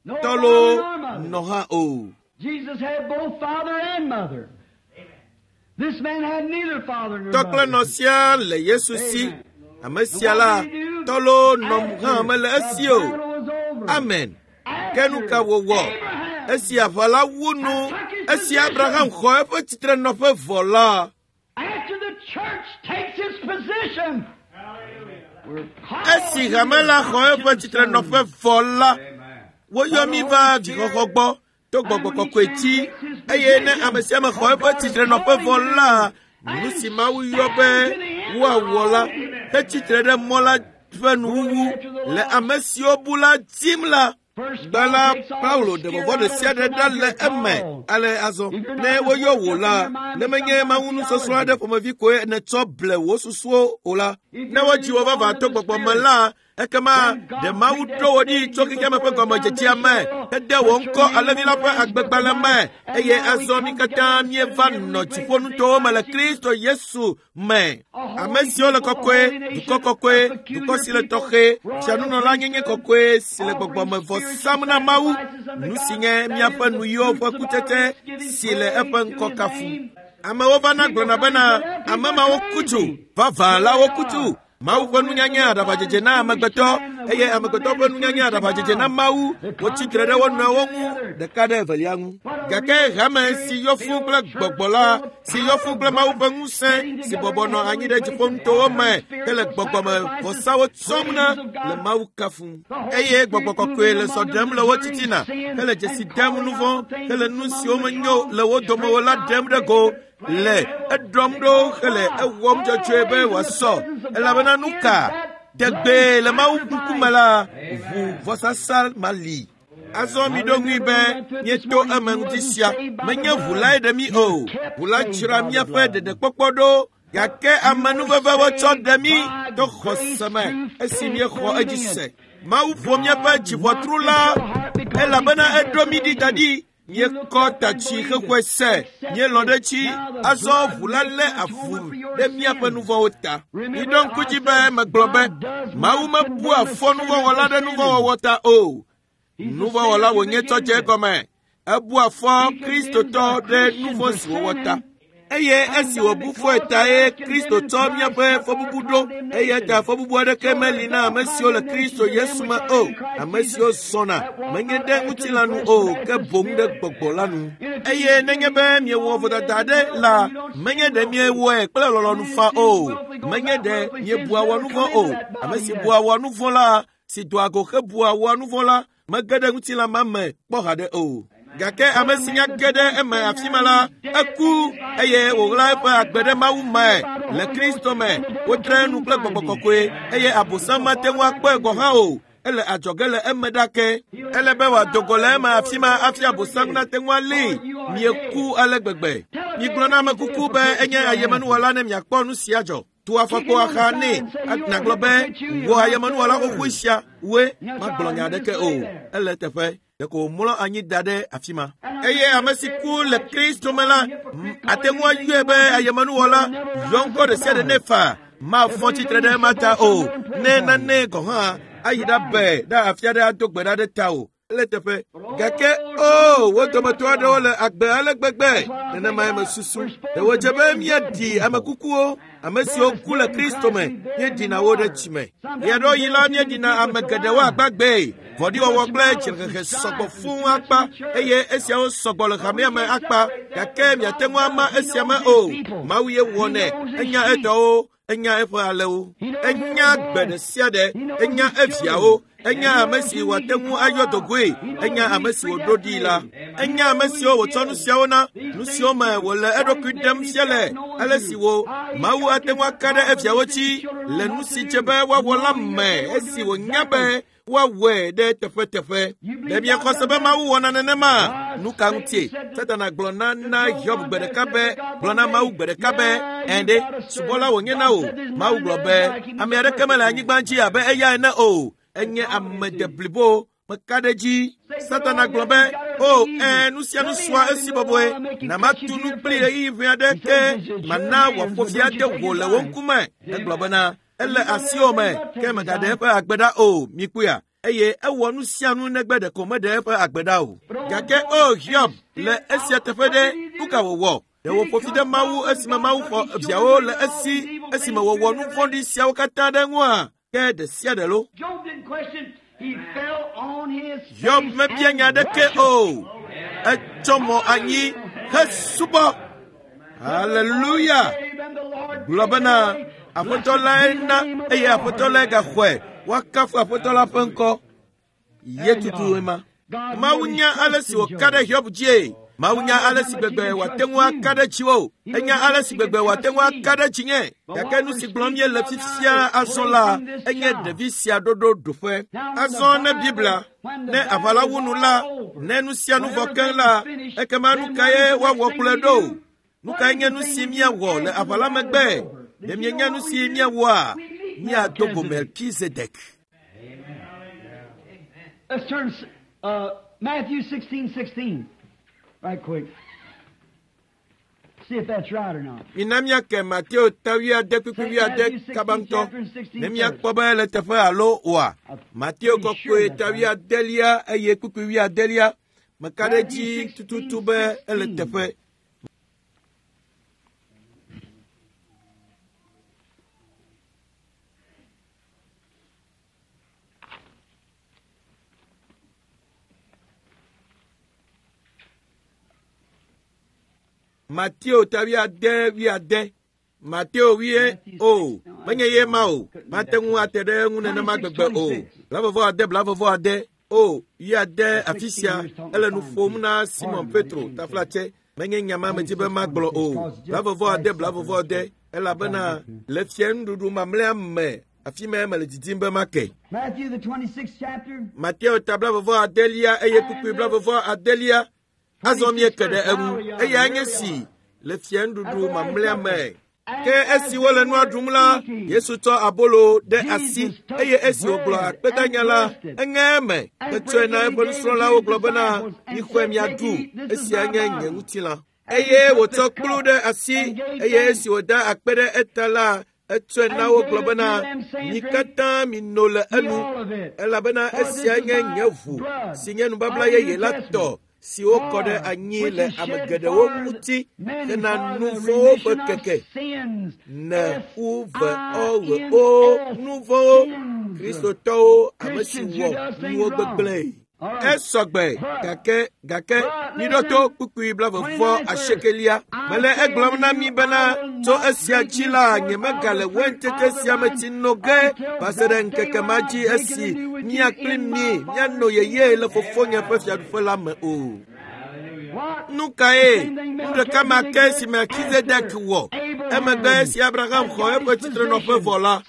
Tɔlo nɔ hã o. Jesus had both father and mother. This man had neither father nor Tɔ kple mother. nɔ sia le Yesu si. Ame sia la, tɔlo nɔ hã mele esi o. Amen. Ke nu ka wòwɔ? Esi aʋa la wu nu, esi Abraham xɔ eƒe tsitrenɔƒe vɔ la, After the church takes its position, we're called esi hame la xɔ eƒe tsitrenɔƒe vɔ la, woyɔ mí va vixɔxɔ gbɔ to gbɔgbɔ kɔkɔe dzi, eye ne ame sia ame xɔ eƒe tsitrenɔƒe vɔ la, nu si Mawu yɔ be woawɔ la, hetsitre ɖe mɔ la ƒe nuwuwu le ame siwo bu la dim la. Gbã la, Paulo ɖe vɔvɔ̃ ɖe sia ɖe ɖa le eme. Ale azɔ, ne woyɔ wò la, ne menye Mawu nusɔsrɔ̃ aɖe ƒomevi koe nètsɔ ble wò susuwo o la, ne wodzi wò vavã to gbɔgbɔ me la, ekema ɖe Mawu ɖo wò ɖi tso xexeame ƒe gɔmedzedzea me, hede wò ŋkɔ Alẽvi la ƒe agbegbalẽ me, eye azɔ mí katã míeva nɔ dziƒonutowo me le Kristo Yesu me. Ame siwo le kɔkɔe, dukɔ kɔkɔe, dukɔ si le tɔxɛ, fianunɔla nyenye kɔkɔe si le gbɔgbɔme vɔ sam na Mawu, nu si nye míaƒe nuyiwo ƒe kutsetse si le eƒe ŋkɔ kafum. Amewo vana gblɔna bena ame mawo ku tso, vavã la woku tso. Mawu ƒe nunyanya aɖaʋadzedze na amegbetɔ, eye amegbetɔ ƒe nunyanya aɖaʋadzedze na Mawu. Wotsi tre ɖe wo nɔewo ŋu ɖeka ɖe evelia ŋu. Gake hame si yɔ fũ kple gbɔgbɔ la, si yɔ fũ kple Mawu ƒe ŋusẽ, si bɔbɔ nɔ anyi ɖe dziƒonutowo me hele gbɔgbɔme vɔsawo tsɔm na le Mawu kafum. Eye gbɔgbɔ kɔkɔe le zɔ ɖem le wo titina, hele dzesi dem nu vɔ̃, hele nu siwo menyo le wo dome o la ɖem ɖe go, le eɖɔm ɖo hele ewɔm dzɔdzɔe be wòasɔ. Elabena nu ka tegbee le Mawu ŋkume la, ʋu vɔsasa ma li. Azɔ miɖo ŋui be míeto eme ŋuti sia. Menye ʋu lae ɖe mí o. Ʋu la dzra míaƒe ɖeɖekpɔkpɔ ɖo, gake amenuveve wotsɔ ɖe mí to xɔse me esi míexɔ edzi se. Mawu ƒo míaƒe dziʋɔtru la, elabena eɖo mí ɖi da ɖi. Míekɔ ta tsi xexɔe se, míelɔ̃ ɖe edzi. Azɔ ʋu la lé avu ɖe míaƒe nu vɔ̃wo ta. Miɖo ŋku dzi be megblɔ be Mawu mebua fɔ nuvɔ̃wɔla ɖe nuvɔ̃wɔwɔ ta o. Nuvɔ̃wɔla wònye tsɔ dze egɔme. Ebua fɔ Kristotɔ ɖe nu vɔ̃ si wòwɔ ta. Eye esi wòbu fɔe ta ye Kristo tsɔ míaƒe fɔbubu ɖo. Eya ta fɔbubu aɖeke meli na ame siwo le Kristo Yesu me o. Ame siwo zɔna menye ɖe ŋutilã nu o, ke boŋ ɖe gbɔgbɔ la nu. Eye nenye be miewɔ vodada aɖe la, menye ɖe miewɔe kple lɔlɔ̃nu faa o. Menye ɖe miebua wɔ nu vɔ̃ o. Ame si bua wɔ nu vɔ̃ la, si doa go hebua wɔ nu vɔ̃ la, mege ɖe ŋutilã ma me kpɔ haɖe o. Gake ame si nya ge ɖe eme afi ma la, eku eye wòɣla eƒe agbe ɖe Mawu me le Kristo me. Wotre nu kple gbɔgbɔ kɔkɔe eye Abosam mate ŋu akpɔe gɔ̃ hã o. Ele adzɔge le eme ɖake. Ele be wòado go le eme afi ma hafi Abosam nate ŋu alée. Mieku ale gbegbe. Migblɔ na ame kuku be enye ayemenuwɔla ne miakpɔ nu sia dzɔ. Tu afɔkpo axa nɛ nagblɔ be wò ayemenuwɔla xoxoe sia woe magblɔ nya aɖeke o. Ele eteƒe. Ɖeko wòmlɔ anyi da ɖe afi ma. Eye ame si ku le Kristo me la, ate ŋu ayɔe be ayemenuwɔla, yɔ ŋkɔ ɖe sia ɖe nɛ faa. Mafɔ tsitre ɖe ema ta o. Ne nane gɔ̃ hã ayi ɖabe ɖe afi aɖe ado gbe ɖa ɖe ta o. Ele teƒe. Gake o, wo dometɔ aɖewo le agbe ale gbegbe. Nenemae mesusu. Ɖe wòdze be míaɖi ame kukuwo, ame siwo ku le Kristo me, míeɖina wo ɖe tsime. Ɣeaɖewoɣi la, míeɖina ame geɖewo agbagbee. Vɔ̃ɖiwɔwɔ kple dzrehehe sɔgbɔ fũu akpa eye esiawo sɔgbɔ le hamea me akpa. Gake miate ŋu ama esia me o. Mawu ye wɔnɛ. Enya etɔwo, enya eƒe alewo. Enya gbe ɖe sia ɖe, enya eviawo, enya ame si wòate ŋu ayɔ dogoe, enya ame si wòɖo ɖii la. Enya ame siwo wòtsɔ nu siawo na, nu siwo me wòle eɖokui ɖem fia le, ale si wo Mawu ate ŋu aka ɖe eviawo dzi le nu si dze be woawɔ la me esi wònya be woawɔe ɖe teƒeteƒe. Ɖe miexɔ se be Mawu wɔna nenema? Nu ka ŋutie? Satana gblɔ na na Hiob gbe ɖeka be, gblɔ na Mawu gbe ɖeka be, ɛ̃ ɖe, subɔla wònye na wò. Mawu gblɔ be, ame aɖeke mele anyigba dzi abe eya ene o. Enye ame deblibo. Meka ɖe edzi. Satana gblɔ be, o, ɛ̃, nu sia nu sua esi bɔbɔe. Na matu nu kpli ɣeyiɣi ʋɛ aɖe ke mana wòaƒo fi ade wò le wò ŋkume. Egblɔ bena, ele asiwò me, ke mègaɖe eƒe agbe ɖa o. Mikpɔea? Eye ewɔ nu sia nu negbe ɖeko meɖe eƒe agbe ɖa o. Gake o Hiob, le esia teƒe ɖe, nu ka wòwɔ? Ɖe wòƒo fi ɖe Mawu esime Mawu xɔ viawo le esi esime wòwɔ nu vɔ̃ɖi siawo katã ɖe eŋua? Ke ɖe sia ɖe lo. Hiob mebia nya aɖeke o. Etsɔ mɔ anyi hesubɔ. Haleluya! Gblɔ bena, Aƒetɔ lae na eye Aƒetɔ lae gaxɔe. Woakafu Aƒetɔ la ƒe ŋkɔ. Ye tutu ema. Mawu nya ale si wòka ɖe Hiob dzie. Mawu nya ale si gbegbe wòate ŋu aka ɖe dziwò. Enya ale si gbegbe wòate ŋu aka ɖe dzinye. Gake nu si gblɔm míele fifia azɔ la, enye ɖevi sia ɖoɖo ɖoƒe. Azɔ ne Biblia, ne aʋa la wu nu la, ne nu sia nu vɔ keŋ la, ekema nu kae woawɔ kplɔe ɖo? Nu kae nye nu si míawɔ le aʋa la megbe? Ɖe mienya nu si míawɔa? Míado go Melkizedek. Let's turn Matthew 16:16 right quick. See if that's right or not. Mina míake Mateo ta wuiade kpukpui wuiade kaba ŋutɔ ne míakpɔ be ele teƒe alo oa. Mateo kɔkɔe ta wuiadelia eye kpukpui wuiadelia. Meka ɖe edzi tututu be ele teƒe. Mateo ta wuiade wuiade. Mateo wuie o menye ye ma o. Mate ŋu ate ɖe eŋu nenema gbegbe o. 25 25 o wuiade afi sia ele nu ƒom na Simon Petro taflatse. Menye nya ma medzi be magblɔ o. 25 25 elabena le fia nuɖuɖu mamlɛa me afi mae mele didim be make. Matthew the 26th chapter. Mateo ta 25 eye kpukpui 25 Azɔ míeke ɖe eŋu eyae nye si le fia nuɖuɖu mamlɛa me. Ke esi wole nua ɖum la, Yesu tsɔ abolo ɖe asi eye esi wògblɔ akpedanya la, eŋe eme hetsɔe na eƒe nusrɔ̃lawo gblɔ bena, mixɔe miaɖu, esia nye nye ŋutilã. Eye wòtsɔ kplu ɖe asi eye esi wòda akpe ɖe eta la, etsɔe na wo gblɔ bena, mi katã mino le enu, elabena esia nye nye ʋu si nye nubabla yeye la tɔ. si wokɔ ɖe anyi le ame geɖewo ŋuti hena nu vɔ̃wo ƒe keke. Ne u ve ɔ ɣe o nu vɔ̃wo Kristotɔwo ame si wɔ nuwo gbegblẽe. Esɔgbe gake gake miɖo to kpukpui 28. Mele egblɔm na mi bena tso esia dzi la nyemegale waintete sia me tsi no ge va se ɖe ŋkeke ma dzi esi mía kpli mi míano yeye le fofonye ƒe fiaɖuƒe la me o. Nu kae nu ɖeka ma ke si Melkizedek wɔ emegbe esi Abraham xɔ eƒe tsitrenɔƒe vɔ la,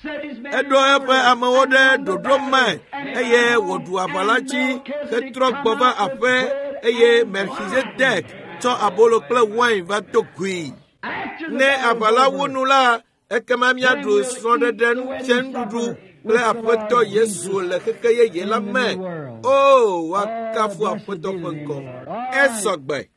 eɖo eƒe amewo ɖe ɖoɖo me eye wòɖu aʋa la dzi hetrɔ gbɔ va aƒe eye Melkizedek tsɔ abolo kple wain va do goe. Ne aʋa la wu nu la, ekema míaɖu srɔ̃ɖeɖe ŋuɖuɖu kple Aƒetɔ Yesu le xexe yeye la me. O, woakafu Aƒetɔ ƒe ŋkɔ. Esɔgbe.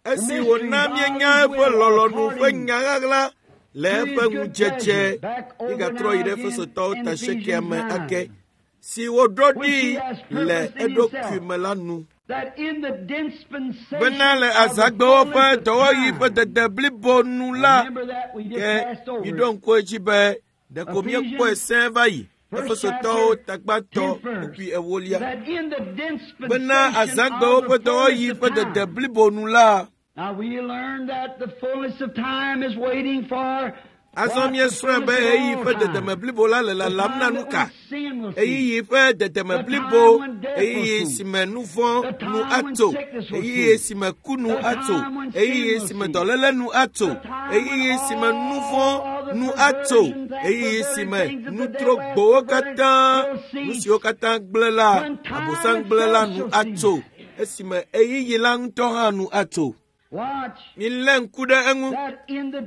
Esi wòna míenya eƒe lɔlɔ̃nu ƒe nya ɣaɣla le eƒe ŋudzedze, mígatrɔ yi ɖe Efesotɔwo ta 8 me ake, si woɖo ɖi le eɖokui me la nu. Bena le azãgbewo ƒe dɔwɔɣi ƒe dede blibo nu la, ke miɖo ŋku edzi be ɖeko míekpɔe sẽe va yi. Efesotɔwo tagbatɔ kpukpui 4. Bena azãgbewo ƒe dɔwɔɣi ƒe dede blibo nu la, azɔ míesrɔ̃e be ɣeyiɣi ƒe dedeme blibo la le lalam na nu ka? Ɣeyiɣi ƒe dedeme blibo, ɣeyiɣi si me nu vɔ̃ nu atso, ɣeyiɣi si me ku nu atso, ɣeyiɣi si me dɔléle nu atso, ɣeyiɣi si me nu vɔ̃ nu atso, ɣeyiɣi si me nutrogbowo katã, nu siwo katã gblẽ la, Abosam gblẽ la nu atso, esime ɣeyiɣi la ŋutɔ hã nu atso. Milé ŋku ɖe eŋu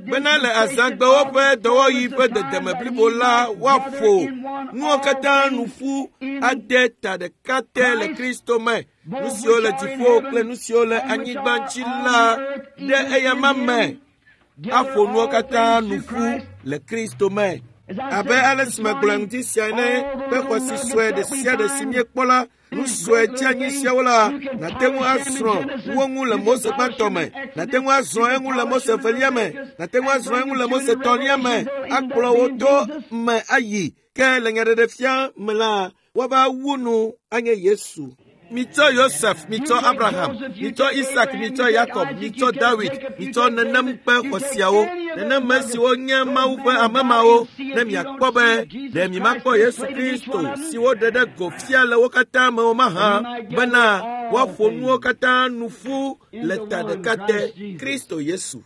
bena le azãgbewo ƒe dɔwɔɣi ƒe dedeme blibo la woaƒo nuwo katã nu ƒu ade ta ɖeka te le Kristo me, nu siwo le dziƒo kple nu siwo le anyigba dzi la ɖe eyama me. Aƒo nuwo katã nu ƒu le Kristo me. Abe ale si megblɔ ŋdi sia ene, be xɔsi sue ɖe sia ɖe si míekpɔ la, nu sue dzeanyi siawo la, nàte ŋu asrɔ̃ wo ŋu le Mose gbãtɔ me, nàte ŋu asrɔ̃ eŋu le Mose evelia me, nàte ŋu asrɔ̃ eŋu le Mose etɔ̃lia me, akplɔ wo to me ayi. Ke le nyaɖeɖefia me la, woava wu nu anye Yesu. Mitsɔ Yosef, mitsɔ Abraham, mitsɔ Isak, mitsɔ Yakob, mitsɔ Dawid, mitsɔ nenem ƒe xɔ siawo, nenem me siwo nye Mawu ƒe ame mawo, ne miakpɔ be ɖe mimakpɔ Yesu Kristo si woɖe ɖe go fia le wo katã me o mahã, bena woaƒo nuwo katã nu ƒu le ta ɖeka te, Kristo Yesu.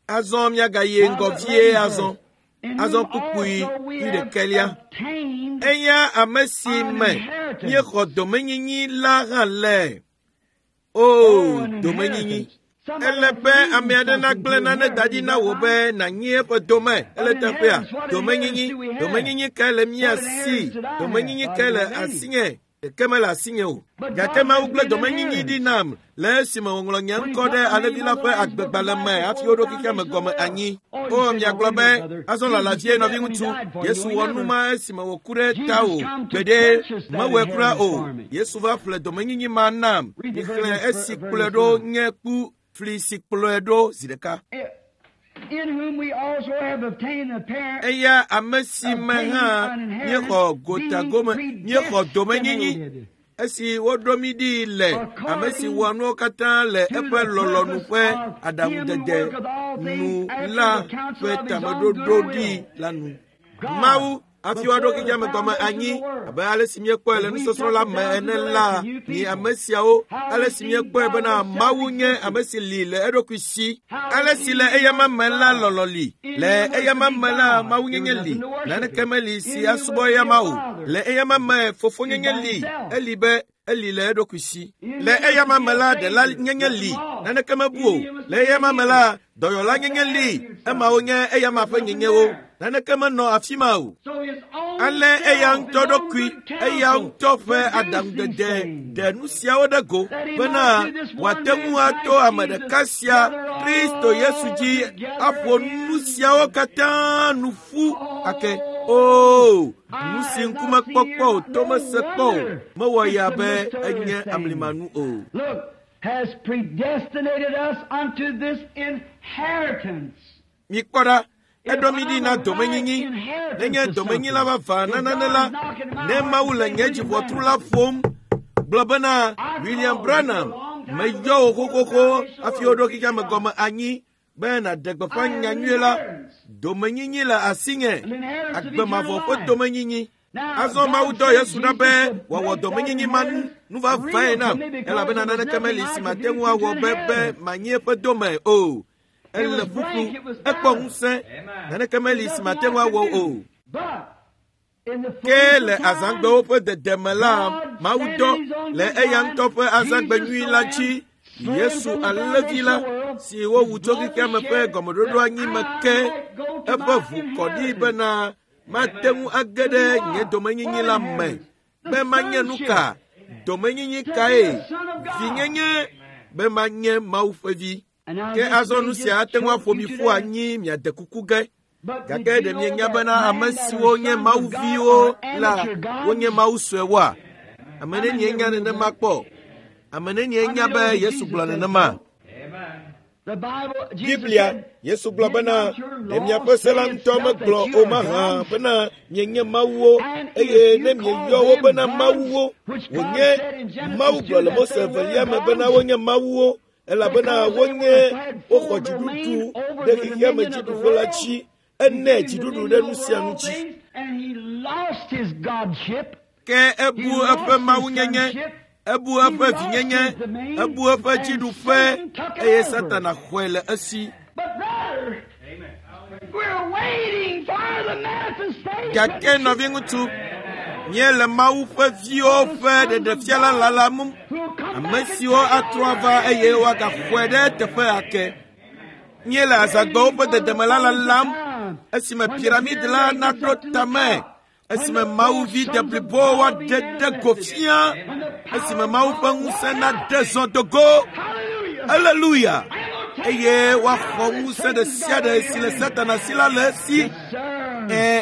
Azɔ miagayi ŋgɔ vie azɔ. Azɔ kpukpui 11. Eya ame si me míexɔ domenyinyi la hã le. O, domenyinyi. Ele be ame aɖe nagblẽ nane da ɖi na wò be nànyi eƒe dome. Ele teƒea. Domenyinyi. Domenyinyi kae le mía si? Domenyinyi kae le asinye? Ɖeke mele asinye o. Gake Mawu gblẽ domenyinyi ɖi nam le esime wòŋlɔ nye ŋkɔ ɖe alẽvi la ƒe agbegbalẽ me hafi woɖo xexea me gɔme anyi. O, miagblɔ be, azɔ lala vie nɔviŋutsu, Yesu wɔ nu ma esime wòku ɖe tawò. Gbeɖe, mewɔe kura o. Yesu va ƒle domenyinyi ma nam. Mixlẽ esi kplɔe ɖo nye ku fli si kplɔe ɖo zi ɖeka. Eya ame si me hã míexɔ gotagome, míexɔ domenyinyi esi woɖo mí ɖi le ame si wɔa nuwo katã le eƒe lɔlɔ̃nu ƒe aɖaŋudede nu la ƒe tameɖoɖo ɖi la nu. Mawu hafi woaɖo xexea me gɔme anyi abe ale si míekpɔe le nusɔsrɔ̃ la me ene la, mi ame siawo, ale si míekpɔe bena Mawu nye ame si li le eɖokui si. Ale si le eyama me la lɔlɔ̃ li, le eyama me la mawunyenye li, naneke meli si asubɔ eyama o. Le eyama me fofonyenye li, eli be eli le eɖokui si. Le eyama me la ɖela nyenye li, naneke mebu o. Le eyama me la dɔyɔla nyenye li, emawo nye eyama ƒe nyenyewo, naneke menɔ afi ma o. Ale eya ŋutɔ ɖokui, eya ŋutɔ ƒe aɖaŋudede ɖe nu siawo ɖe go bena wòate ŋu ato ame ɖeka sia, Kristo Yesu dzi, aƒo nu siawo katã nu ƒu ake. Oo, nu si ŋkume kpɔkpɔ o, tomese kpɔ o, mewɔ ya be enye amlimanu o. Has predestinated us unto this inheritance. Mikpɔ ɖa, eɖo mi ɖi na domenyinyi. Nenye domenyila vavã na nane la, ne Mawu le nye dziƒotru la ƒom, gblɔ bena William Branham, meyɔ wò xoxoxo hafi woɖo xexea me gɔme anyi be nàɖe gbeƒã nyanyuie la. Domenyinyi le asinye, agbemavɔ ƒe domenyinyi. Azɔ Mawu dɔ Yesu ɖa be wòawɔ domenyinyi ma nu vavãe nam, elabena naneke meli si mate ŋu awɔ be manyi eƒe dome o. Ele ƒuƒlu, ekpɔ ŋusẽ, naneke meli si mate ŋu awɔ o. Ke le azãgbewo ƒe dedeme la, Mawu dɔ le eya ŋutɔ ƒe azãgbe nyui la dzi Yesu alẽvi la si wowu tso xexea me ƒe gɔmeɖoɖo anyi me ke eƒe ʋu kɔ ɖi bena mate ŋu age ɖe nye domenyinyi la me be manye nu ka? Domenyinyi kae? Vinyenye be manye Mawu ƒe vi. Ke azɔ nu sia ate ŋu aƒo mi ƒu anyi miade kuku ge. Gake ɖe mienya bena ame siwo nye Mawu viwo la wonye Mawu suewoa? Ame nenie nya nenema kpɔ? Ame nenie nya be Yesu gblɔ nenema? Biblia, Yesu gblɔ bena, ɖe miaƒe se la ŋutɔ megblɔ o mahã bena mienye mawuwo, eye ne mieyɔ wo bena mawuwo, wònye Mawu gblɔ le Mose evelia me bena wonye mawuwo, elabena wonye woxɔ dziɖuɖu ɖe xexea me dziɖuƒe la dzi, ene dziɖuɖu ɖe nu sia nu dzi. Ke ebu eƒe mawunyenye, ebu eƒe vinyenye, ebu eƒe dziɖuƒe, eye Satana xɔe le esi. Gake nɔviŋutsu, míele Mawu ƒe viwo ƒe ɖeɖefia la lalam, ame siwo atrɔ ava eye woagaxɔe ɖe teƒe ake. Míele azãgbewo ƒe dedeme la lalam, esime piramid la naɖo tame, esime Mawu vi deblibo woaɖe ɖe go fia, esime Mawu ƒe ŋusẽ naɖe zɔ do go. Haleluya! Eye woaxɔ ŋusẽ ɖe sia ɖe si le Satana si la le esi.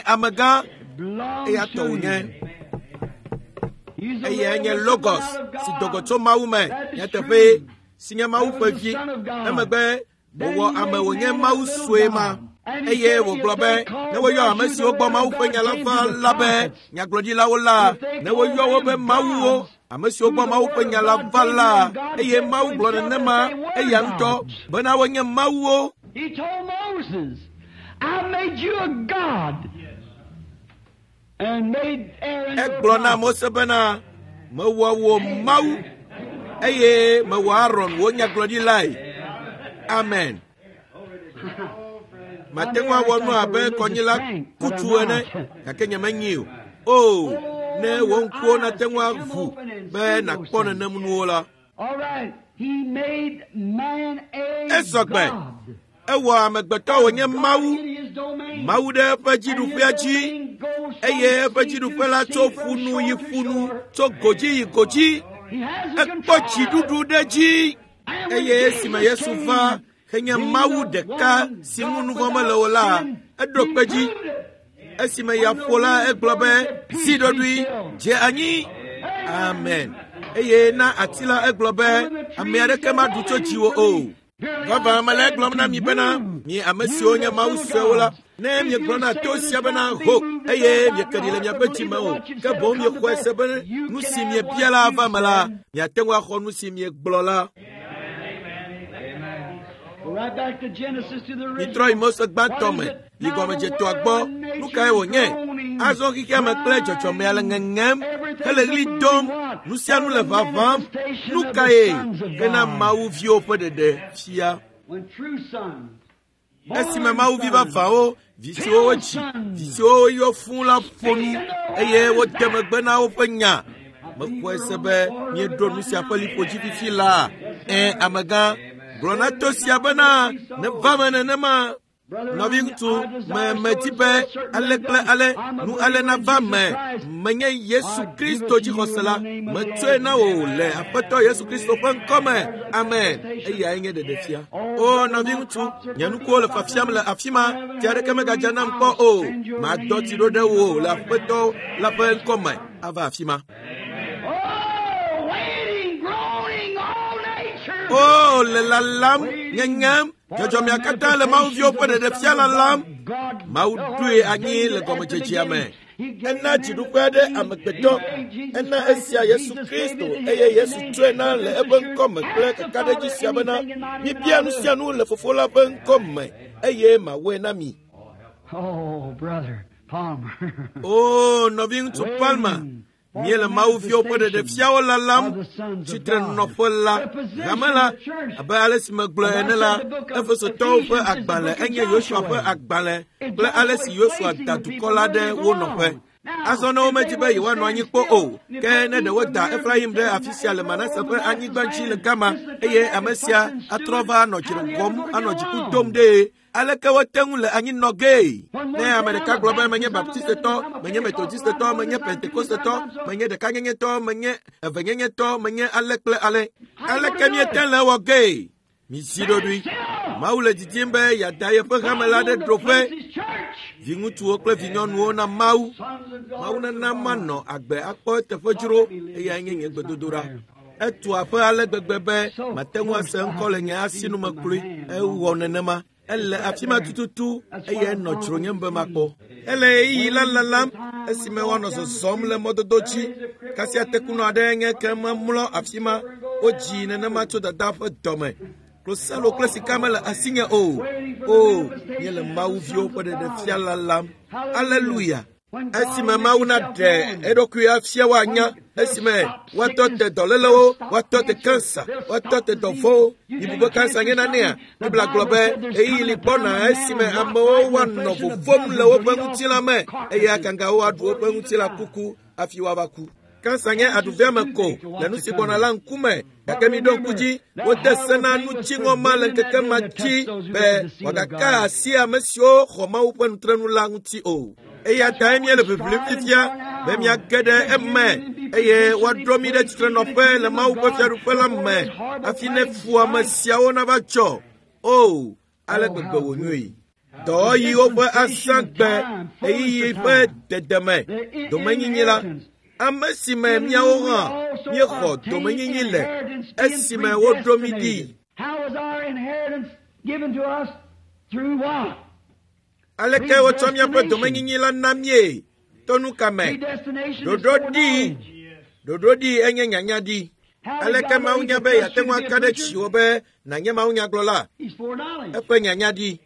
Amegã, eya tɔ wònye. Eyae nye Logos si do go tso Mawu me, nyateƒe si nye Mawu ƒe vi. Emegbe wòwɔ ame wònye Mawu sue ma. Eye wògblɔ be ne woyɔ ame siwo gbɔ Mawu ƒe nya la va la be nyagblɔɖilawo la, ne woyɔ wo be mawuwo, ame siwo gbɔ Mawu ƒe nya la va la, eye Mawu gblɔ nenema eya ŋutɔ bena wonye mawuwo. He told Moses, I made you a god and made Aaron your Egblɔ na prophet. Mose bena mewɔ wò Mawu eye mewɔ Aron wò nyagblɔɖilae. Amen. Mate ŋu awɔ nu abe kɔnyila kutu ene, gake nyemenyi o. O, ne wò ŋkuwo nate ŋu aʋu be nàkpɔ nenem nuwo la. All right, he made man a Esɔgbe. god. Ewɔ amegbetɔ wònye Mawu, In his domain. Mawu ɖe eƒe dziɖuƒea dzi, eye eƒe dziɖuƒe la tso ƒunu yi ƒunu, tso godzi yi godzi. He has the Ekpɔ control. dziɖuɖu ɖe dzi. And when Eye esime Jesus Yesu va henye came, Mawu being the ɖeka one si ŋu God nu vɔ̃ without mele o la, sin, eɖo he kpe dzi. proved it. Esime yeaƒo la, egblɔ be, zi ɖoɖoe, dze anyi. Amen. Eye na ati la egblɔ be, ame aɖeke maɖu tso dziwò o. Vavã mele egblɔm na mi bena, mi ame siwo nye Mawu suewo la, ne miegblɔ na to sia bena ho, eye mieke ɖi le miaƒe dzime o, ke boŋ miexɔe se be nu si miebia la ava me la, miate ŋu axɔ nu si miegblɔ la. Go right back to Genesis to the Mitrɔ yi original. Mose gbãtɔ me, yi gɔmedzetoa gbɔ. Nu kae wònye? Azɔ xexea me kple dzɔdzɔmea le ŋeŋem, hele ɣli dom, nu sia nu le ʋaʋãm. Nu kae hena Mawu viwo ƒe ɖeɖe fia? When true sons, Esime Mawu vi vavãwo, vi siwo wodzi, vi siwo woyɔ fũu la ƒo nu eye wode megbe na woƒe nya. Mexɔe se be míeɖo nu sia ƒe liƒo dzi fifi laa. Ẽ, amegã, gblɔ na to sia bena neva me nenema. Nɔviŋutsu, me medi be ale kple ale nu ale nava me. Menye Yesu Kristo dzixɔsela. Metsɔe na wò le Aƒetɔ Yesu Kristo ƒe ŋkɔme. Amen. Eyae nye ɖeɖefia. O nɔviŋutsu, nye nukuwo le fiafiam le afi ma. Tsi aɖeke megadza nam kpɔ o. Madɔ tsi ɖo ɖe wò le Aƒetɔ la ƒe ŋkɔme ava afi ma. O le lalam, ŋeŋem, dzɔdzɔmea katã le Mawuviwo ƒe ɖeɖefia lalam. Mawu ɖoe anyi le gɔmedzedzea me. Ena dziɖuƒe aɖe amegbetɔ. Ena esia Yesu Kristo eye Yesu tsɔe na le eƒe ŋkɔme kple kakaɖedzi sia bena mibia nu sia nu le Fofo la ƒe ŋkɔme eye mawɔe na mi. O nɔviŋutsu Palmer, míele Mawuviwo ƒe ɖeɖefiawo lalam tsitrenɔƒe la hame la abe ale si megblɔ ene la Efesotɔwo ƒe agbalẽ enye Yosua ƒe agbalẽ kple ale si Yosua da dukɔ la ɖe wo nɔƒe. Azɔ ne womedi be yewoanɔ anyi kpɔ o, ke ne ɖe woda Efraim ɖe afi sia le Manase ƒe anyigba dzi le gama eye ame sia atrɔ va anɔ dzre wɔm anɔ dziku dom ɖee. Aleke wote ŋu le anyi nɔ gee? Ne ame ɖeka gblɔ be menye Baptistetɔ, menye Methodistetɔ, menye Pentekostetɔ, menye ɖekanyenyetɔ, menye evenyenyetɔ, menye ale kple ale. Aleke míete le wɔ gee? Mizi ɖoɖoe. Mawu le didim be yeada yeƒe hame la ɖe ɖoƒe. Viŋutsuwo kple vinyɔnuwo na Mawu. Mawu nana manɔ agbe akpɔ eteƒe dzro eyae nye nye gbedodoɖa. Etu aƒe ale gbegbe be mate ŋu ase ŋkɔ le nye asinume kloe. Ewɔ nenema. Ele afi ma tututu eye enɔ dzronyem be makpɔ. Ele ɣeyiɣi la lalam esime woanɔ zɔzɔm le mɔdodo dzi. Kasia tekunɔ aɖe nye ke memlɔ afi ma. Wodzi nenema tso dada ƒe dɔme. Klosalo kple sika mele asinye o. O, míele Mawuviwo ƒe ɖeɖefia lalam. Aleluya. Esime Mawu naɖe eɖokui afia woanya, esime woatɔ te dɔlélewo, woatɔ te kansa, woatɔ te dɔvɔ̃wo. Mibu be kansa nye nanea? Biblia gblɔ be ɣeyiɣi li gbɔna esime amewo woanɔ vovom le woƒe ŋutilã me eye agangawo aɖu woƒe ŋutilã kuku hafi woava ku. Kansa nye aɖuveame ko le nu si gbɔna la ŋkume. Gake miɖo ŋku dzi, wode se na nutsiŋɔ ma le ŋkeke ma dzi be wòagaka asi ame siwo xɔ Mawu ƒe nutrenu la ŋuti o. Eya tae míele ʋiʋlim fifia be míage ɖe eme eye woaɖo mí ɖe tsitrenɔƒe le Mawu ƒe fiaɖuƒe la me hafi ne fuame siawo nava dzɔ. O, ale gbegbe wònyoe. Dɔwɔɣiwo ƒe azãgbe ɣeyiɣi ƒe dedeme domenyinyi la, ame si me míawo hã míexɔ domenyinyi le esime woɖo mí ɖi. Aleke wotsɔ míaƒe domenyinyi la na míe? To nu ka me? Ɖoɖo ɖi. Ɖoɖo ɖi enye nyanya ɖi. Aleke Mawu nya be yeate ŋu aka ɖe dziwò be nànye mawunyagblɔla? Eƒe nyanya ɖi.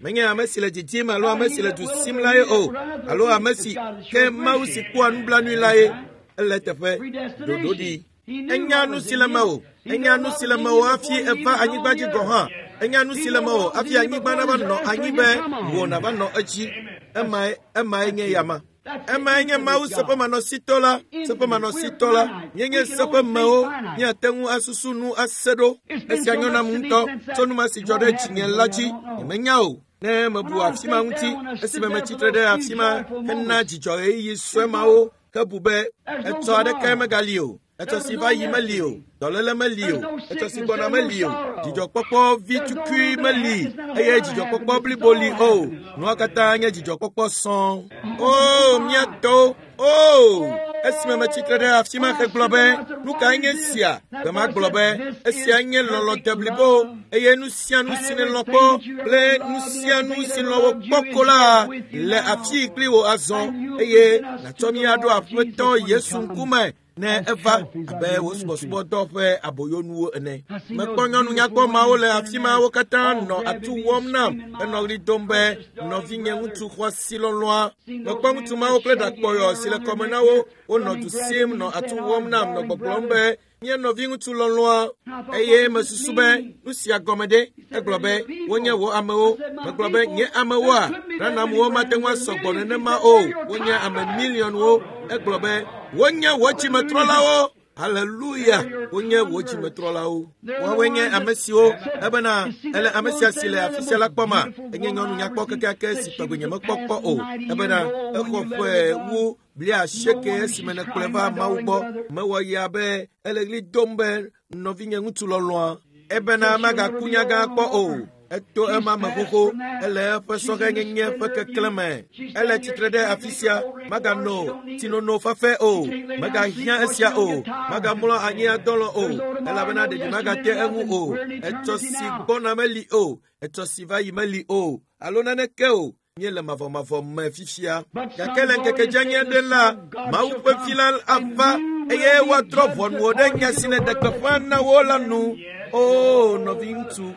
Menye ame si le didim alo ame si le du sim lae o, alo ame si ke Mawu si kpɔa nublanui lae. Ele teƒe. Ɖoɖo ɖi. Enya nu si le mewò. Enya nu si le mewò hafi eva anyigba dzi gɔ̃ hã. Enya nu si le mewò hafi anyigba nava nɔ anyi be wò nava nɔ edzi. Emae nye yama. Emae nye Mawu seƒemanɔsitɔ la, seƒemanɔsitɔ la. Míenye seƒemewo, míate ŋu asusu nu ase ɖo. Esia nyo nam ŋutɔ tso nu ma si dzɔ ɖe dzinye la dzi. Nyemenya o. Ne mebu afi ma ŋuti, esime metsitre ɖe afi ma hena dzidzɔ ɣeyiɣi sue mawo ke bu be etsɔ aɖeke megali o. Etsɔ si va yi meli o, dɔléle meli o, etsɔ si gbɔna meli o, dzidzɔkpɔkpɔ vi tukui meli eye dzidzɔkpɔkpɔ blibo li o. Nua katã nye dzidzɔkpɔkpɔ sɔŋ. O, mía tɔwo, o, esime metsitre ɖe afi ma hegblɔ be, nu kae nye sia? Gbe ma gblɔ be, esia nye lɔlɔ̃ deblibo eye nu sia nu si nèlɔ̃ kpɔ kple nu sia nu si lɔ̃ wò kpɔ ko la le afii kpli wò azɔ eye nàtsɔ mí aɖo Aƒetɔ Yesu ŋkume ne eva abe wò subɔsubɔdɔ ƒe aboyonuwo ene. Mekpɔ nyɔnu nyakpɔ mawo le afi ma wo katã nɔ atu wɔm nam henɔ ɣli dom be nɔvinye ŋutsu xɔasi lɔlɔ̃a. Mekpɔ ŋutsu mawo kple ɖakpɔyɔ si le kɔme na wo wonɔ du sim nɔ atu wɔm nam nɔ gbɔgblɔm be nye nɔvi ŋutsu lɔlɔ̃a eye mesusu be nu sia gɔme ɖe. Egblɔ be wonye wò amewo. Megblɔ be nye amewoa, Branhamwo mate ŋu asɔ gbɔ nenema o. Wonye ame miliɔnwo. Egblɔ be wonye wò dzimetrɔlawo. Haleluya! Wonye wò dzimetrɔlawo. Woawoe nye ame siwo ebena ele ame sia si le afi sia la kpɔma. Enye nyɔnu nyakpɔ kekeake si tɔgbi nyemekpɔ kpɔ o. Ebena exɔ ƒe wu 80 esime nèkplɔe va Mawu gbɔ. Mewɔ ya be ele ɣli dom be nɔvinye ŋutsu lɔlɔ̃a. Ebena magaku nyagã kpɔ o. Eto ema me xoxo, ele eƒe sɔhɛnyenye ƒe keklẽ me. Ele tsitre ɖe afi sia, magano tsinono fafɛ o, megahiã esia o, magamlɔ anyi adɔlɔ o, elabena ɖeɖi magate eŋu o. Etsɔ si gbɔna meli o, etsɔ si va yi meli o, alo naneke o. Míele mavɔmavɔ me fifia. Gake le ŋkeke dzeani aɖe la, Mawu ƒe vi la ava eye woadrɔ̃ ʋɔnuwo ɖe nya si nèɖe gbeƒã na wo la nu. Oo, nɔviŋutsu.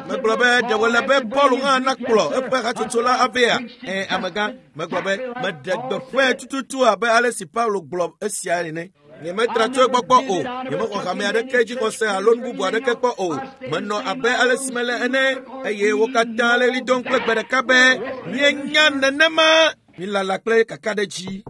Megblɔ be ɖe wòle be Paul hã nakplɔ eƒe hatsotso la avea? Ẽ, amegã, megblɔ be meɖe gbeƒãe tututu abe ale si Paulo gblɔ esia ene. Nyemetra tso egbɔ kpɔ o. Nyemexɔ hame aɖeke dzixɔse alo nu bubu aɖeke kpɔ o. Menɔ abe ale si mele ene eye wo katã le ɣli dom kple gbe ɖeka be míenya nenema. Mílala kple kakaɖedzi.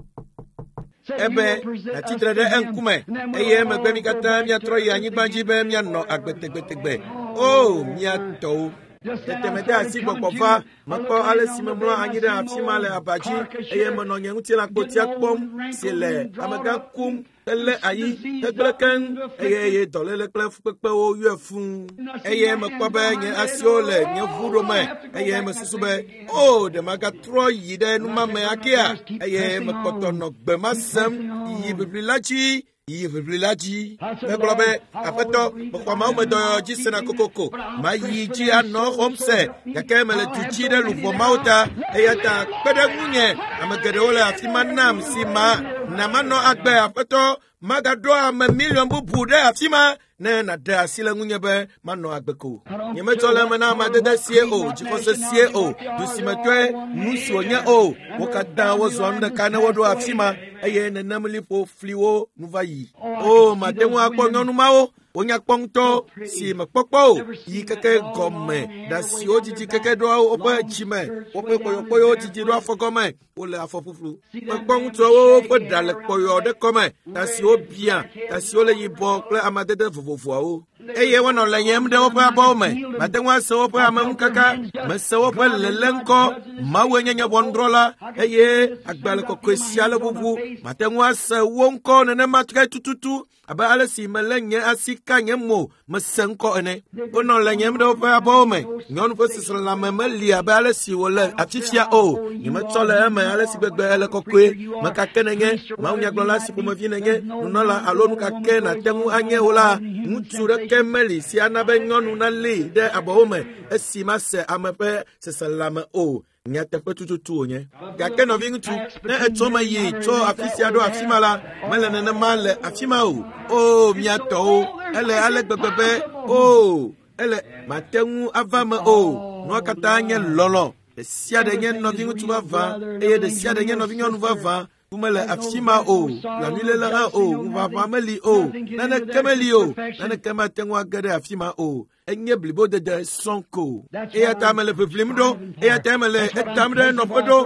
Ebe nàtsitre ɖe eŋkume eye emegbe mi katã míatrɔ yi anyigba dzi be míanɔ agbe tegbetegbe. O, mía tɔwo! Tete mede asi gbɔgbɔ va, mekpɔ ale si memlɔ anyi ɖe afi ma le aba dzi eye menɔ nye ŋutilãkpotia kpɔm si le amegã kum helé ayi hegblẽ keŋ eye ye dɔléle kple fukpekpewo yɔe fũu. Eye mekpɔ be nye asiwo le nye ʋuɖo me eye mesusu be o ɖe magatrɔ yi ɖe numame akea eye mekpɔtɔ nɔ gbe ma sem yi ʋiʋli la dzi. Yi ʋiʋli la dzi. Megblɔ be, Aƒetɔ, mexɔ Mawu me dɔyɔyɔ dzi sena kokoko. Mayi dzi anɔ xɔm se, gake mele du dzi ɖe luʋɔ mawo ta. Eya ta kpe ɖe ŋunye. Ame geɖewo le afi ma nam si ma na manɔ agbe, Aƒetɔ. Magaɖo ame miliɔn bubu ɖe afi ma ne nàɖe asi le ŋunye be manɔ agbe ko. Nyemetsɔ le eme na amadede sie o, dzixɔse sie o, du si me tɔe nu si wònye o. Wo katã wozɔa nu ɖeka ne woɖo afi ma eye nenem liƒo fliwo nu va yi. O, mate ŋu akpɔ nyɔnu mawo wonya kpɔ ŋutɔ si mekpɔkpɔ o yi keke gɔme ɖa siwo dzidzi keke ɖoa woƒe dzime woƒe kpɔyɔkpɔyɔwo dzidzi ɖo afɔgɔme wole afɔ ƒuƒlu. Mekpɔ ŋutsuawo woƒe ɖa le kpɔyɔ ɖe kɔme, ta siwo bia, ta siwo le yibɔ kple amadede vovovoawo. Eye wonɔ leyem ɖe woƒe abɔwo me. Mate ŋu ase woƒe ameŋukaka, mese woƒe lele ŋkɔ. Mawue nye nye ʋɔnudrɔ̃la eye agbalẽ kɔkɔe sia le ʋuʋu. Mate ŋu ase wo ŋkɔ nenema ke tututu abe ale si melé nye asi ka nye mo mese ŋkɔ ene. Wonɔ lenyem ɖe woƒe abɔwo me. Nyɔnu ƒe seselelãme meli abe ale si wòle afifia o. Nyemetsɔ le eme ale si gbegbe ele kɔkɔe. Meka ke nenye mawunyagblɔla si ƒomevi nenye nunɔla alo nu ka ke nàte ŋu anye o la, ŋutsu ɖeke meli si ana be nyɔnu nalée ɖe abɔwo me esi mase ame ƒe seselelãme o. Nyateƒe tututu wònye. Gake nɔviŋutsu, ne etsɔ me yi tso afi sia ɖo afi ma la, mele nenema le afi ma o. O, mía tɔwo, ele ale gbegbe be, o, ele mate ŋu ava me o. Nua katã nye lɔlɔ̃. Ɖe sia ɖe nye nɔviŋutsu vavã eye ɖe sia ɖe nye nɔvinyɔnu vavã. Ku mele afi ma o, blanuiléle hã o, ŋuʋaʋã meli o, naneke meli o, naneke mate ŋu age ɖe afi ma o. Enye blibodede sɔŋ ko. Eya ta mele ʋiʋlim ɖo, eya ta mele etam ɖe nɔƒe ɖo.